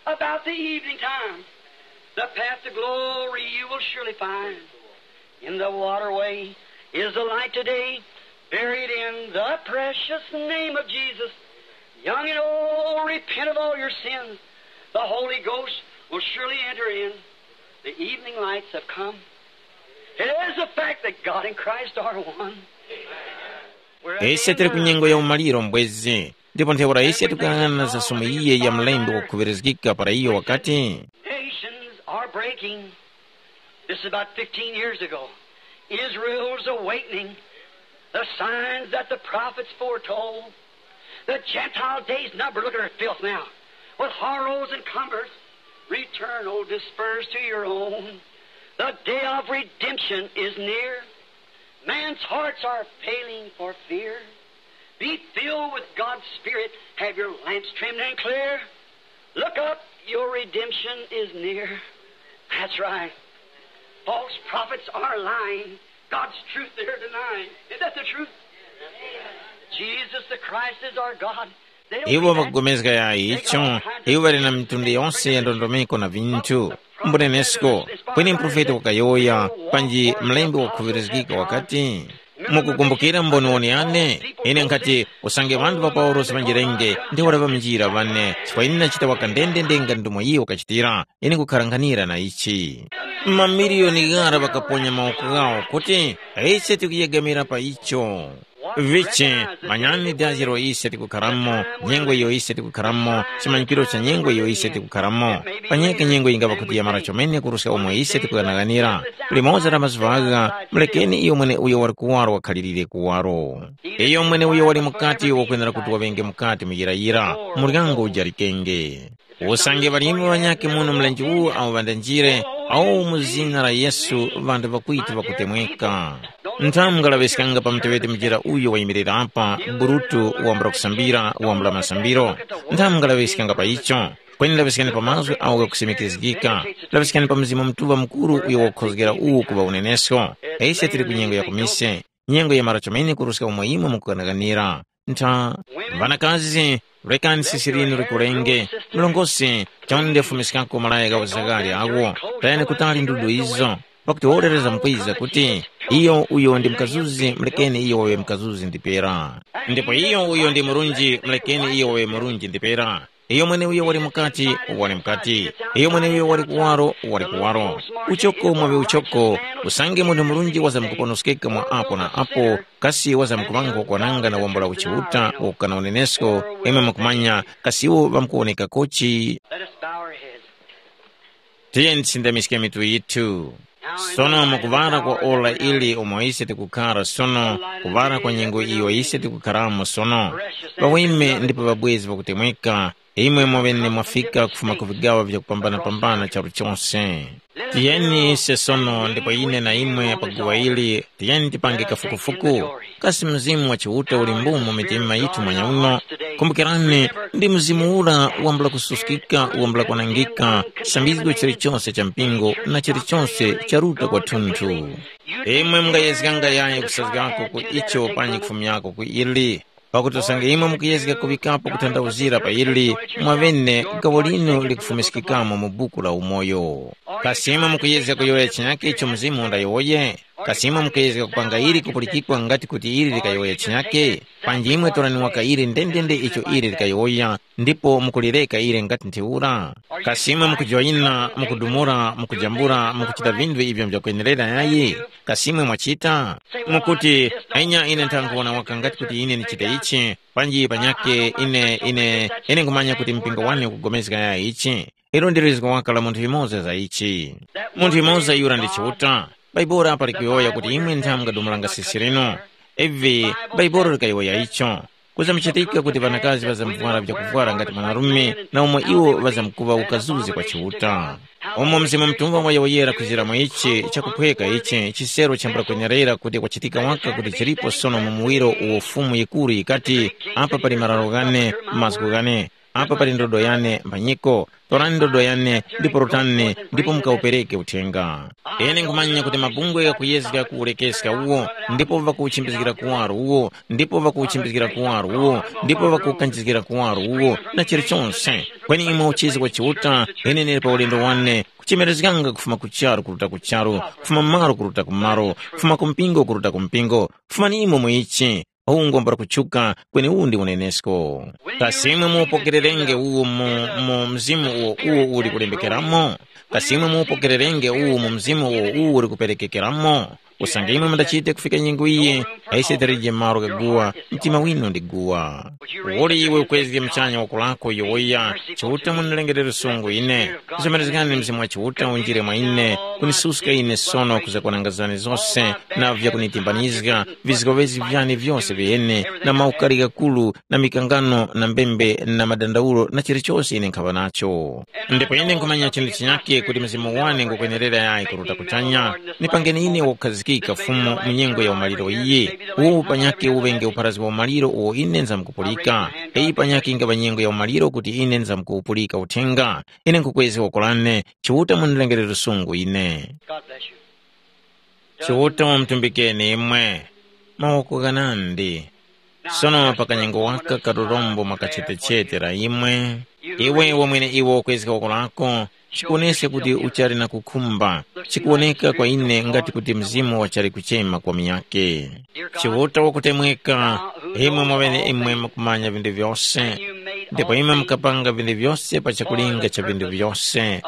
about the evening time. The path to glory you will surely find. In the waterway is the light today, buried in the precious name of Jesus. Young and old, repent of all your sins. The Holy Ghost will surely enter in. The evening lights have come. It is the fact that God and Christ are one. Ise tili ku nyengo ya umaliro mbwezi, ndipo ntheura ise tikuyang'ana za sumu iye ya mlembi wakukhuŵirizgika para iyo wakati, Nations are breaking. This is about fifteen years ago. Israel's awakening. The signs that the prophets foretold. The Gentile days numbered. Look at her filth now. With horrors and cumberth. Return, O dispersed, to your own. The day of redemption is near. Man's hearts are failing for fear. Be filled with God's Spirit. Have your lamps trimmed and clear. Look up, your redemption is near. That's right. False prophets are lying. God's truth they're denying. Isn't that the truth? Jesus the Christ is our God. They don't iwo believe that. Vakugomezga ya icho, iwo ŵali na mitundu yonse ya ndondomeko na vinthu. Mbunenesko, kweni mprofeti wakayowoya, panji mlembi wakukhuŵirizgika wakati, mukukumbukira mboniwoni yane? Ine nkhati, usange ŵanthu ŵa Paulosi ŵanjirenge, ndi wala ŵamnjira ŵane, chifukwa ine ndachita waka ndendende nga ndomwe iwo wakachitira. Ine nkukharanghanira na ichi. Mamiliyoni ghara ŵakaponya mawoko ghawo kuti, ise tikuyegamira pa icho. Vichi, manyani dazi ilo ise tikukharamo, nyengo iyo ise tikukharamo, chimanyikiro cha nyengo iyo ise tikukharamo. Panyeke nyengo yingava kuti yamara chomene kuruska umo ise tikughanaghanira. Limoza la mazuva agha, mulekeni iyo mwene uyo wali kuwaro wakhalirire kuwaro. Iyo mwene uyo wali mukati wakwenera kuti waŵenge mukati muyirayira, muryango ujarikenge. Usange ŵalimi ŵanyakhe muno mlenje uwu awo ŵandanjire, awo mu zina la Yesu ŵanthu ŵakwitu ŵakutemweka. Nthamu ngalaŵiskanga pa muteŵeti mujera uyo wayimirira apa, Burutu wambula kusambira, wambula masambiro. Nthamu ngalaŵiskanga pa icho. Kweni laŵiskani pa mazgu awo ghakusimikizgika. Laŵiskani pa Mzimu Mutuŵa Mukuru uyo wakukhozgera uwu kuŵa unenesko. Ise tili ku nyengo ya kumise. Nyengo yamara chomene kuruska umo imwe mukuganaganira. Ntha, ŵanakazi, rekani sisi linu likulenge, mlongosi, chonde fumiskako malaya gha uzaghali agho, tayani kutali ndudu izo, pakuti worereza mukwiza kuti, iyo uyo ndi mukazuzi, mulekeni iyo waŵe mukazuzi ndipera. Ndipo iyo uyo ndi murunji, mulekeni iyo waŵe murunji ndipera. Iyo mweneuyo wali mukati, wali mukati. Iyo mweneuyo wali kuwaro, wali kuwaro. Uchoko mwaŵe uchoko, usange munthu murunji wazamkuponoskeka mwa apo na apo, kasi wazamkuŵanga kwananga na wambula uchiuta wakukana unenesko, imwe mukumanya, kasi iwo ŵamkuwonekakochi? Let us bow our heads. Tiyeni tisindamiske mitu yithu. Sono mukuŵala kwa ora ili umo ise tikukhara sono, kuŵala kwa nyengo iyo ise tikukharamo sono, ŵaweme ndipo ŵabwezi ŵakutemweka, imwe mwaŵene mwafika kufuma ku vigaŵa vyakupambana-pambana charu chose. Tiyeni ise sono ndipo ine na imwe pa guwa ili, tiyeni tipange kafukufuku. Kasi Mzimu wa Chiuta uli mbu mu mitima yithu mwanyauno? Kumbukirani, ndi Mzimu ura wambula kususkika, wambula kwanangika, chisambizgo chilichonse cha mpingo na chilichonse charuta kwathunthu. Imwe mungayezganga yayi kusazgako ku icho panyi kufumyako ku ili, pakuti usange imwe mukuyezga kuŵikapo kuthandauzira pa ili, mwaŵene gawo linu likufumiskikamo mu buku la umoyo. Kasi imwe mukuyezga kuyowoya chinyakhe icho Mzimu undayowoye? Kasi imwe mukuyezga kupanga ili kupulikikwa ngati kuti ili likayowoya chinyake? Panji imwe torani waka ili ndendende icho ili likayowoya, ndipo mukulireka ili ngati ntheura. Kasi imwe mukujoyina, mukudumula, mukujambula, mukuchita vinthu ivyo nvyakwenerera yayi? Kasi imwe mwachita? Mukuti, anya ine nthankuwona waka ngati kuti ine ndichita ichi, panji panyake ine ine ine nkhumanya kuti mpingo wane ukugomezga yayi ichi. Ilo ndi lizgo waka la munthu yumoza za ichi. Munthu yumoza yura ndi Chiuta. Baibuli apa likuyowoya kuti imwe ntha mungadumulanga sisi linu. Ivi Baibuli likayowoya icho. Kuzamuchitika kuti ŵanakazi ŵazamvwara vyakuvwara ngati mwanarume, na umo iwo ŵazamkuŵa ukazuzi kwa Chiuta. Umo Mzimu Mutuŵa wayowoyera kuzira mu ichi chakuphweka ichi, chisero chambula kwenerera kuti kwachitika waka kuti chilipo sono mu muwiro uwo Fumu yikuru yikati, apa pali mararo ghane, mazgu ghane, apa pali ndodo yane mphanyiko, torani ndodo yane ndipo rutani ndipo mukawupereke uthenga. Ine nkhumanya kuti mabungwe ghakuyezga kuwurekeska uwo, ndipo ŵakuwuchimbizgira kuwaro uwo, ndipo ŵakuwuchimbizgira kuwaro uwo, ndipo ŵakuwukanjizgira kuwaro uwo, na chilichonse. Kweni imwe uchizi wa Chiuta, ine ndili pa ulendo wane, kuchemerezganga kufuma ku charu kuruta ku charu, kufuma malo kuruta ku malo, kufuma ku mpingo kuruta ku mpingo. Fumani imwe mu ichi. Uwu ngombo lakutchuka, kweni uwu ndi unenesko. Kasi imwe muupokererenge uwu mu, mu mzimu uwo uwo uli kulembekeramo? Kasi imwe muupokererenge uwu mu mzimu uwo uwo uli kuperekekeramo? Usange imwe mundachite kufika nyengo iyi, aise talije malo gha guwa, mtima winu ndi guwa. Uli iwe ukwezge muchanya woko lako yowoya, Chiuta mundilengerere sungu ine. Zomerezgani Mzimu wa Chiuta unjire mwa ine, kunisuska ine sono kuza kwanangazani zose, na vyakunitimbanizga, vizgowezi vyane vyose vyene, na maukari ghakuru, na mikangano, na mbembe, na madandaulo, na chilichose ine nkhaŵa nacho. Ndipo ine nkhumanya chinthu chinyakhe kuti mzimu wane ngukwenerera yayi kuruta kuchanya. Nipangeni ine wakukhazikika Fumu mu nyengo ya umaliro iyi. Uwu panyakhe uŵenge upharazi wa umaliro uwo ine nzamkupulika. Iyi panyakhe ingaŵa nyengo ya umaliro kuti ine nzamkuwupulika uthenga. Ine nkukwezga woko lane, Chiuta mundilengerere lusungu ine. God bless you. Chiuta wamutumbikeni imwe. Mawoko ghanandi. Sono pa kanyengo waka ka lurombo mwa kachetechete la imwe, iwe wamwene iwe ukwezga woko lako, chikuwoneska kuti uchali na kukhumba, chikuwoneka kwa ine ngati kuti mzimu wachali kuchema kwa munyakhe. Chiuta wakutemweka, imwe mwaŵene imwe mukumanya vinthu vyose, ndipo imwe mukapanga vinthu vyose pa chakulinga cha vinthu vyose,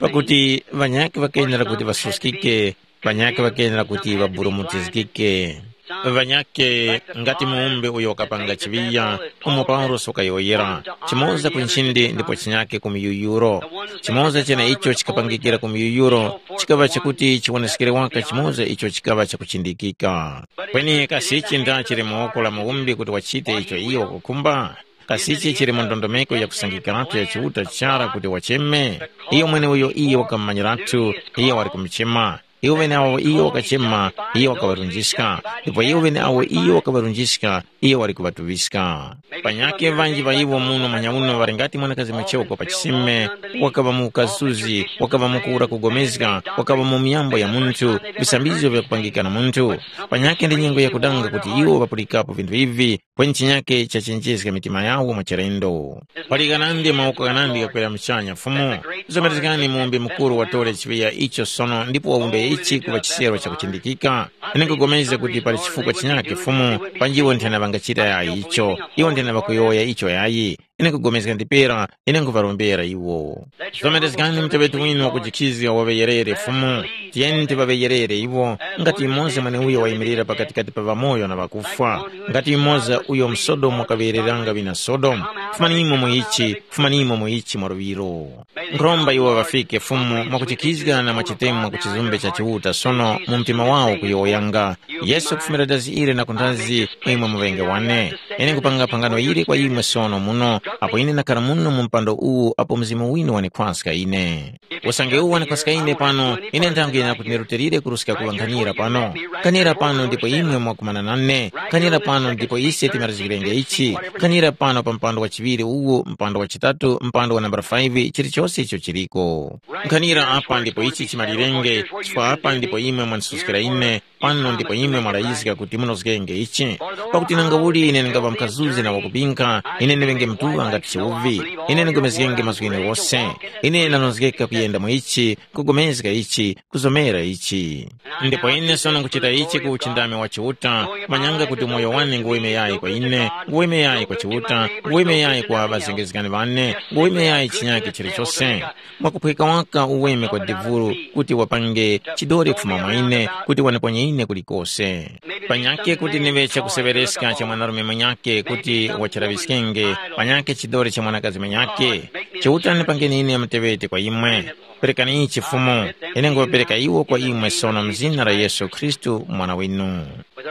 pakuti ŵanyakhe ŵakenera kuti ŵasuskike, ŵanyakhe ŵakenera kuti ŵaburumutizgike. Ŵanyakhe ngati muwumbi uyo wakapanga chiŵiya, umo Paulosi wakayowoyera, chimoza ku nchindi ndipo chinyakhe ku miyuyuro. Chimoza cheneicho chikapangikira ku miyuyuro chikaŵa chakuti chiwoneskere waka chimoza icho chikaŵa chakuchindikika. Kweni kasi ichi nda chili mu woko la muwumbi kuti wachite icho iyo wakukhumba? Kasi ichi chili mu ndondomeko yakusangikiratu ya Chiuta chara kuti wacheme? Iyo mweneuyo iyo wakamumanyiratu, iyo wali kumuchema. Iwo ŵeneawo iyo wakachema, iyo wakaŵarunjiska, ndipo iwo ŵeneawo iyo wakaŵarunjiska, iyo wali kuŵatuŵiska. Panyakhe ŵanji ŵa iwo muno manyauno ŵali ngati mwanakazi mwachoko pa chisime, wakaŵa mu ukasuzi, wakaŵa mu kuwura kugomezga, wakaŵa mu myambo ya munthu, visambizgo vyakupangika na munthu. Panyakhe ndi nyengo yakudanga kuti iwo ŵapulikapo vinthu ivi, kweni chinyakhe chachenjezga mitima yawo mwachilendo. Pali ghanandi mawoko ghanandi ghakwera muchanya Fumu. Zomerezgani muwumbi mukuru watore chiŵiya icho sono ndipo wawumbe ichi kuŵa chisero chakuchindikika. Ine nkupulikana kuti pali chifukwa chinyakhe Fumu, panji iwo nthena ŵangachita yayi icho, iwo nthena ŵakuyowoya icho yayi. Ine nkupulikana ndipera, ine nkuŵarombera iwo. Zomerezgani muteŵeti winu wakujikhizga waŵeyerere Fumu. Tiyeni tiŵaŵeyerere iwo, ngati yumoza mweneuyo wayimirira pakatikati pa ŵamoyo na ŵakufwa, ngati yumoza uyo mu Sodomu wakaŵeyereranga ŵina Sodomu. Fumanimo mu ichi, fumanimo mu ichi mwaluŵiro. Nkhuromba iwo ŵafike Fumu mwakuchikhizga na mwachitemo ku chizumbe cha Chiuta sono mu mtima wawo kuyowoyanga, Yesu kufumira dazi ili na kundazi, imwe muŵenge wane. Ine nkupanga phangano ili kwa imwe sono muno, apo ine ndakhala muno mu mpando uwu apo Mzimu winu wanikhwaska ine. Usange uwu wanikhwaska ine pano, ine nthango yenera kuti ndirutilire kuruska kuŵa nkhanira pano. Nkhanira pano ndipo imwe mwakumana nane, nkhanira pano ndipo ise timarizgirenge ichi, nkhanira pano pa mpando wa chiŵiri uwu, mpando wa chitatu, mpando wa nambala five, chilichose icho chiliko. Nkhanira apa ndipo ichi chimalirenge, chifukwa apa ndipo imwe mwanisuskira ine, Pano ndipo imwe mwarayizga kuti munozgenge ichi. Pakuti nanga uli ine ndingaŵa mkazuzi na wakupinkha, ine ndiŵenge mtuŵa ngati chiwuvi. Ine ndingomezgenge mazgu gheneghose. Ine ndanozgeka kuyenda mu ichi, kugomezga ichi, kuzomera ichi. Ndipo ine sono nkuchita ichi ku uchindami wa Chiuta, manyanga kuti umoyo wane nguweme yayi kwa ine, nguweme yayi kwa Chiuta, nguweme yayi kwa ŵazengezgani ŵane, nguweme yayi chinyakhe chilichose. Mwakuphweka waka uweme kwa devulu kuti wapange chidore kufuma mwa ine, kuti waniponye ine kulikose. Panyakhe kuti niŵe chakuseŵereska cha mwanarume mwenyakhe kuti wachiraŵiskenge, panyakhe chidore cha mwanakazi mwenyakhe. Chiuta nipangeni ine muteŵeti kwa imwe. Perekani ichi Fumu, ine nguŵapereka iwo kwa imwe sono mu zina la Yesu Khristu Mwana winu.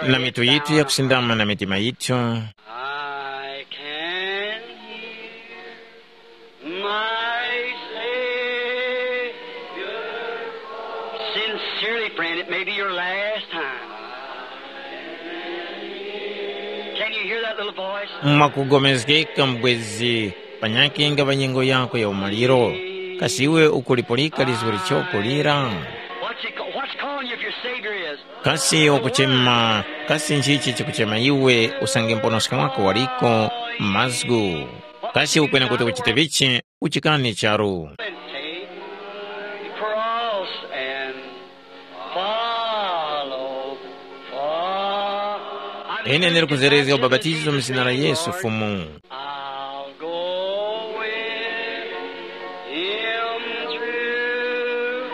Na mitu yithu yakusindama na mitima yithu. I can hear my Savior. Sincerely, friend, it may be your last time. Can you hear that little voice? Mwakugomezgeka mbwezi, panyake ngava nyengo yako ya umaliro. Kasi iwe ukulipulika lizgu lichoko lira? What's, he, ca- what's calling you if your Savior is? Kasi wakuchema, kasi nchichi chikuchema iwe usange mponoski wako waliko mazgu? Kasi ukwena kuti uchite vichi? Uchikani charu. And take the cross and follow, follow. Ine ndiri kuzerezga ubapatizo mu zina la Yesu Fumu. I'll go with him through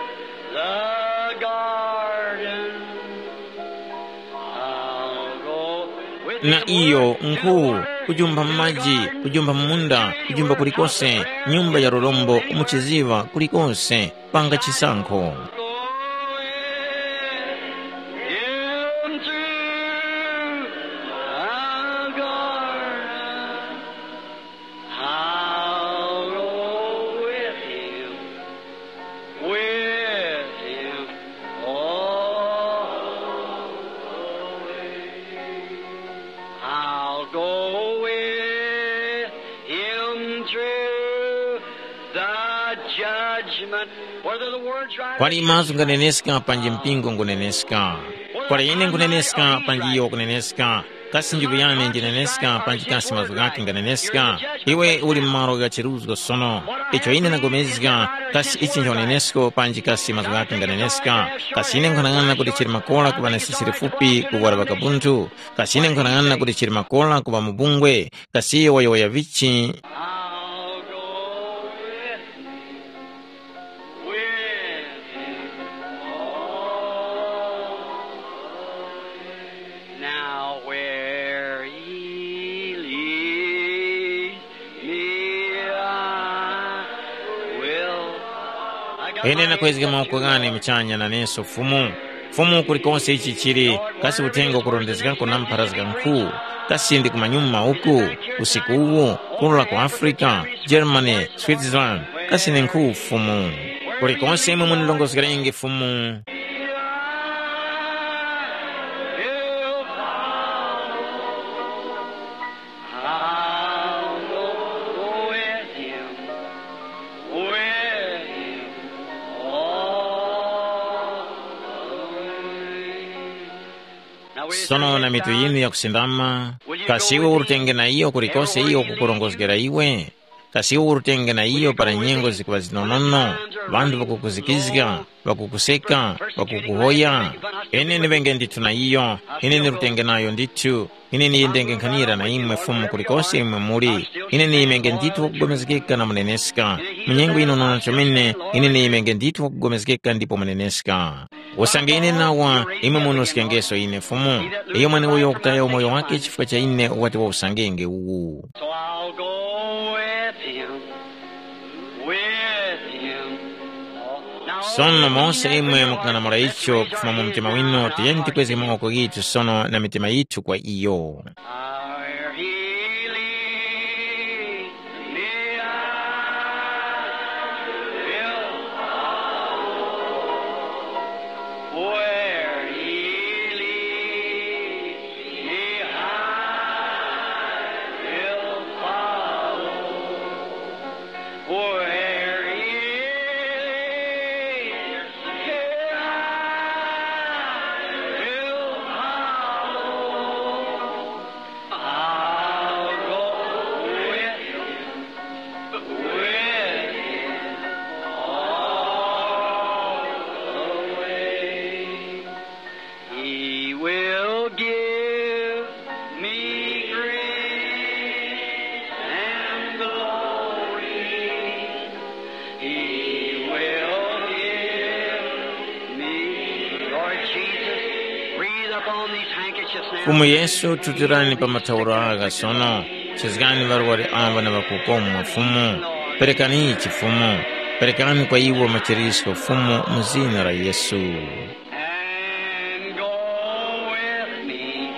the garden. I'll go with Na him iyo nkhu, kujumpha mu maji, kujumpha mu munda, kujumpha kulikose, nyumba ya lurombo, mu chiziŵa, kulikose, panga chisankho. I'll go with him, with him all the way. I'll go with him through the judgment. Whether the words right Kwali mazgu nganeneska panji mpingo nguneneska. Kwali ine nguneneska panji iyo kuneneska. Kasi njiku yane njineneska panji kasi mazgu ghake nganeneska? Iwe uli mu malo gha chiruzgo sono. Icho ine ndagomezga, kasi ichi nchanenesko panji kasi mazgu ghake nganeneska? Kasi ine nkhanang'ana kuti chili makora kuŵa na sisi lifupi kuwara ŵakabunthu? Kasi ine nkhanang'ana kuti chili makora kuŵa mubungwe? Kasi iyo wayowoya vichi? I'll go with him, with him all the way. Now where he leads me, I will. I got Ine my nakwezga hands mawoko up to ghane you. Muchanya naneso Fumu. Fumu, kulikonse ichi chili, kasi uthenga ukurondezgako na mpharazga nkhu, kasi ndi kumanyuma uku, usiku uwu, kurula ku Africa, Germany, Switzerland, kasi ndi nkhu Fumu. Kulikonse imwe munilongozgerenge Fumu. I'll go with him, with him all the way. Now, we Sono na mitu yinu yakusindama, kasi iwe urutenge na iyo kulikose iyo kukurongozgera iwe? Kasi iwe urutenge na iyo para nyengo zikuŵa zinonono, ŵanthu ŵakukuzikizga, ŵakukuseka, ŵakukuhoya? Ine ndiŵenge ndithu na iyo, ine ndirutenge nayo ndithu. Ine ndiyendenge nkhanira na imwe Fumu kulikose imwe muli. Ine ndiyimenge ndithu wakugomezgeka na muneneska. Mu nyengo ino nona chomene, ine ndiyimenge ndithu wakugomezgeka ndipo muneneska. Usange ine nawa, imwe munusikengeso ine Fumu. Iyo mweneuyo wakutaya umoyo wake chifukwa cha ine wati wawusangenge uwu. So I'll go with him, with him. Now, Sono mose imwe mukung'anamula icho kufuma mu mtima winu, tiyeni tikwezge mawoko ghitu sono na mitima yithu kwa iyo. Where he leads me, I will follow. Where he leads me, I will follow. Where he leads me, I will Fumu Yesu, tutirani pa mathauro agha sono. Chizgani ŵarwari amba na ŵakukomwa, Fumu. Perekani chifumu. Perekani kwa iwo machirisko, Fumu, mu zina la Yesu. And go with me,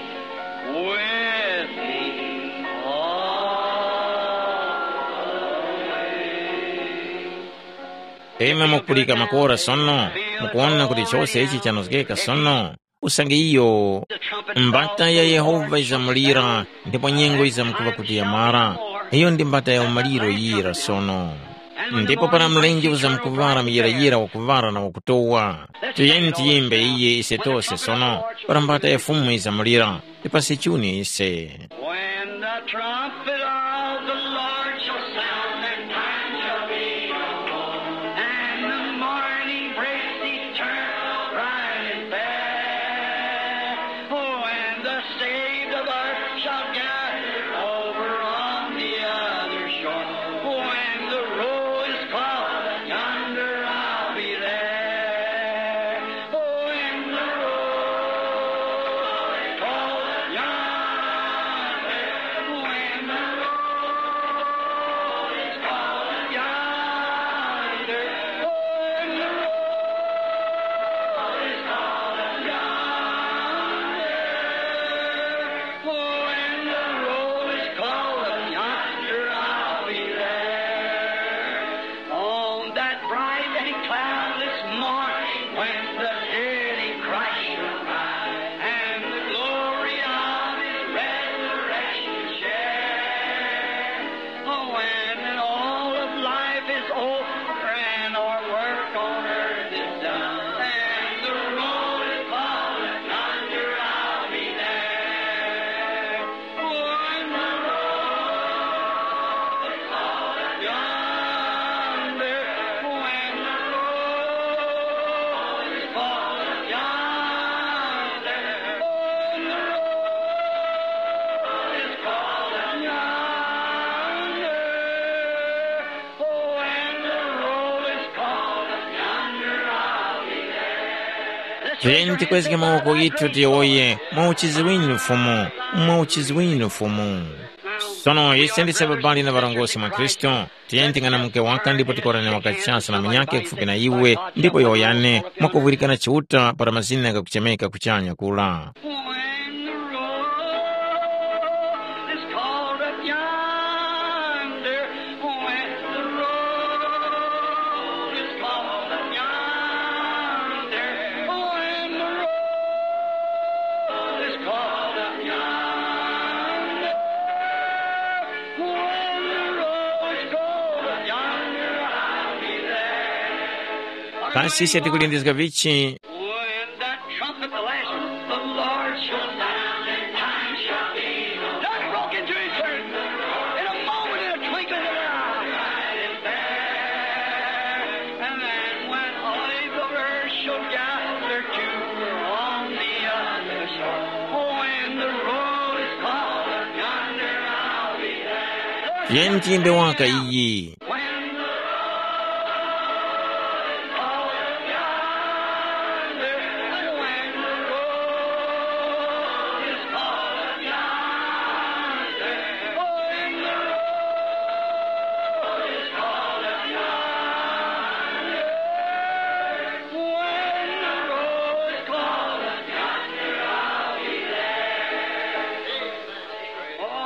with me all the way. Imwe mukupulika makora sono, mukuwona kuti chose ichi chanozgeka sono? Usange iyo mbata ya Yehova izamulira, ndipo nyengo izamkuŵa kuti yamara. Iyo ndi mbata ya umaliro yira sono. Ndipo para mlenje uzamkuŵara muyirayira wakuŵara na wakutowa, tiyeni tiyimbe iye ise tose sono, para mbata ya Fumu izamulira. Tipase chuni ise. When the trumpet of the Lord shall sound, that time shall be no more, and the morning breaks eternal bright and fair. Oh, and the saved of earth shall gather over on the other shore. When the roll is called, yonder I'll be there. When the roll is called, yonder, when the roll is called, yonder, when the roll is called, yonder, when the roll is called, yonder I'll be there. On that bright and cloudless morning, when the dead in Christ shall rise, and the glory of his resurrection share, when all of life is over and our work on earth is done, and the roll is called, yonder I'll be there. When the roll is called, yonder, when the roll is called, yonder, when the roll is called, yonder, when the roll is called, yonder, I'll be there. Tiyeni tikwezge mawoko ghithu tiyowoye, mwa uchizi winu Fumu, mwa uchizi winu Fumu. Sono ise ndise babali na ŵarongozgi mwa Khristu, tiyeni ting'anamuke waka ndipo tikorane waka chasa na munyakhe kufupi na iwe, ndipo yowoyane, mwakuvulikana Chiuta para mazina ghakuchemeka kuchanya kura. When the roll is called up yonder, when the roll is called up yonder, when the roll is called up yonder, when the roll is called up yonder, I'll be there. Kasi ise tikulindizga vichi? When that trumpet, the last one, the Lord shall sound, and time shall be no more. Not broken to eternity. In a moment, in a twinkling of an eye. And then when all of earth shall gather to on the other shore, when the roll is called, yonder I'll be there. Tiyeni tiyimbe waka iyi.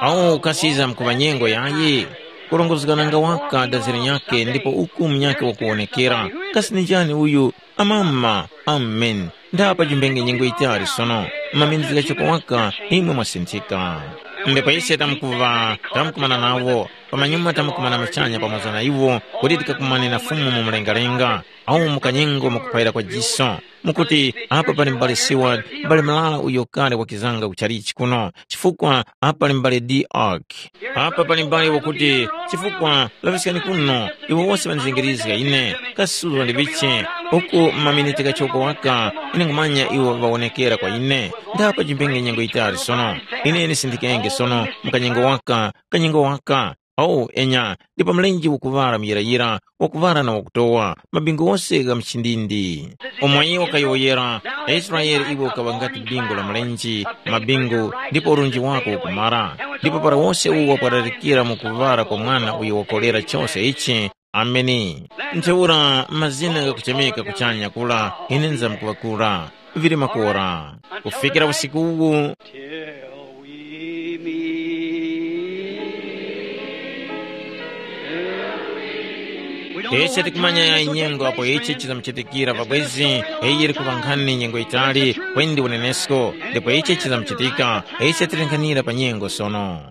Awo ukasiza mkuŵa nyengo yayi, kurongozgananga waka daziri nyakhe ndipo uku munyakhe wakuwonekera. Kasi ni njani uyu? Amama, amen. Ndapa chimbenge nyengo yitali sono, maminizika choko waka imwe mwasinthika. Ndipo ise tamkuva tamkumana nawo, pamanyuma tamkumana machanya pamoza na iwo, kuti tikakumane na Fumu mu mlengalenga, awu mukanyengo mukupayira kwa jiso. Mukuti, apa pali m'bale Seward, m'bale Malala uyo kale wakizanga ku chalichi kuno, chifukwa apa pali m'bale D Ark. Apa pali m'bale wakuti, chifukwa laŵiskani kuno, iwo wose ŵandizengerizga ine, kasuzga ndiŵiche, uku maminiti ghachoko waka, ine nkhumanya iwo ŵawonekera kwa ine. Ndapa chimbenge nyengo yitali sono, ine ndisindikenge sono, mkanyengo waka, kanyengo waka. Awo enya, ndipo mlenje ukuŵala muyirayira, wakuŵala na wakutowa, mabingu ghose gha mchindindi. Umo iwo kayowoyera, Israele iwe ukaŵa ngati bingu la mlenje, mabingu, ndipo urunji wako ukumara. Ndipo para wose uwo wakwararikira mu kuŵala kwa mwana uyo wakolera chose ichi, Ameni. Ntheura mazina ghakuchemeka kuchanya kura, ine nzamkuŵakura, vili makora. Kufikira usiku uwu, Till we meet. Ise tikumanya ya nyengo apo ichi chizamuchitikira pabwezi, iyi yiri kuŵa nkhani nyengo yitali, kwendi unenesko, ndipo ichi chizamuchitika, ise tilenkhanira pa nyengo sono.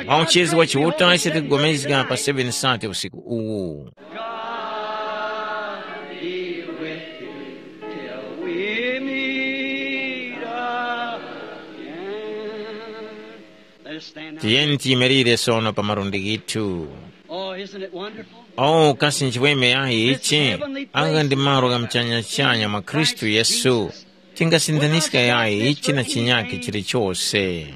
Mwa uchezi wa Chiuta ise tikugomezga pa seven sate usiku uwu. God be with you till we meet again. Let us stand now. Tiyeni tiyimirire sono pa malundi ghithu. Oh, isn't it wonderful? Oh, kasi nchiweme yayi ichi, anga ndi malo gha mchanya-chanya mwa Khristu Yesu. Tingasindaniska yayi ichi na chinyakhe chilichose.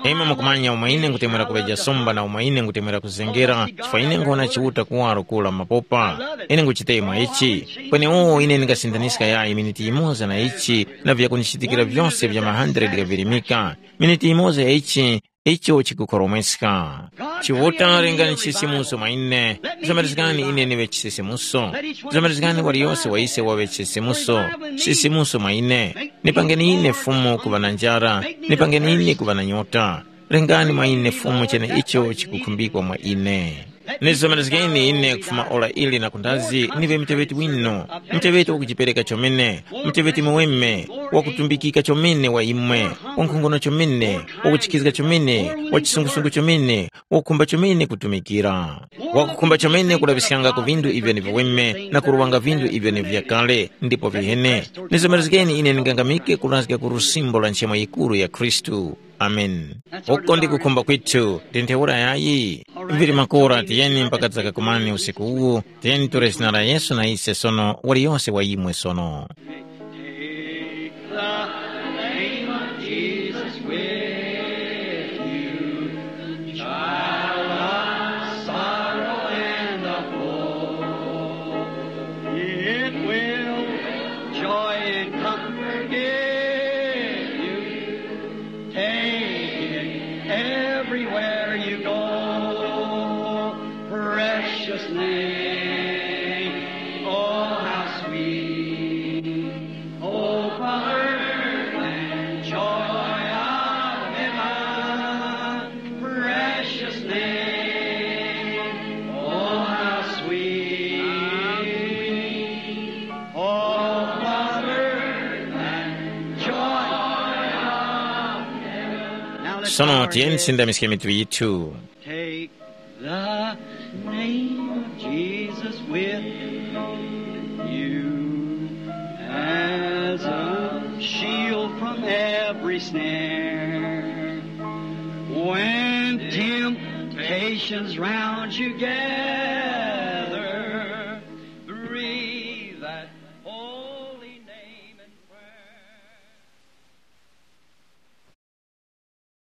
Imwe mukumanya umo ine ngutemwera kuŵeja sumba na umo ine ngutemwera kuzengera, chifukwa ine nkhona Chiuta kuwaro kula mapopa. Ine nguchitemwa ichi. Kwenewo ine ndingasindaniska yayi miniti yimoza na ichi na vyakundichitikira vyose vya ma hundred ghavirimika. Miniti yimoza ya ichi, icho chikukhoromweska. Chiuta lengani chisisimuso mwa ine. Zomerezgani ine niŵe chisisimuso. Zomerezgani waliyose wa ise waŵe chisisimuso. Sisimuso mwa ine. Nipangeni ine Fumu kuŵa na njara. Nipangeni ine kuŵa na nyota. Lengani mwa ine Fumu chene icho chikukhumbikwa mwa ine. Nizomerezgeni ine kufuma ora ili na kundazi niŵe muteŵeti winu, muteŵeti wakujipereka chomene, muteŵeti muweme, wakutumbikika chomene wa imwe, wankhongono chomene, wakuchikizga chomene, wachisungusungu chomene, wakukhumba chomene kutumikira, wakukhumba chomene kulaŵiskanga ku vindu ivyo ni viweme na kuruwanga vindu ivyo ni vyakale ndipo vihene. Nizomerezgeni ine ndingangamike kurazga ku lusimbo la nchemo yikuru ya Khristu. Amen. Uko ndi kukhumba kwithu ndi ntheura yayi. Mbiri makora tiyeni mpaka dzakakumani usiku uwu. Tiyeni ture zina la Yesu na ise sono waliyonse wa imwe sono. Take the name of Jesus with you, child of sorrow and of woe. It will joy and comfort give you. Take it everywhere you go. Precious name, oh, how sweet. Oh, comfort and joy of heaven. Precious name, oh, how sweet. Oh, comfort and joy of heaven. Now let's Sono bow our tiyeni heads. Sindamiske mitu yithu. Take the name of Jesus with you as a shield from every snare. When temptations round you gather,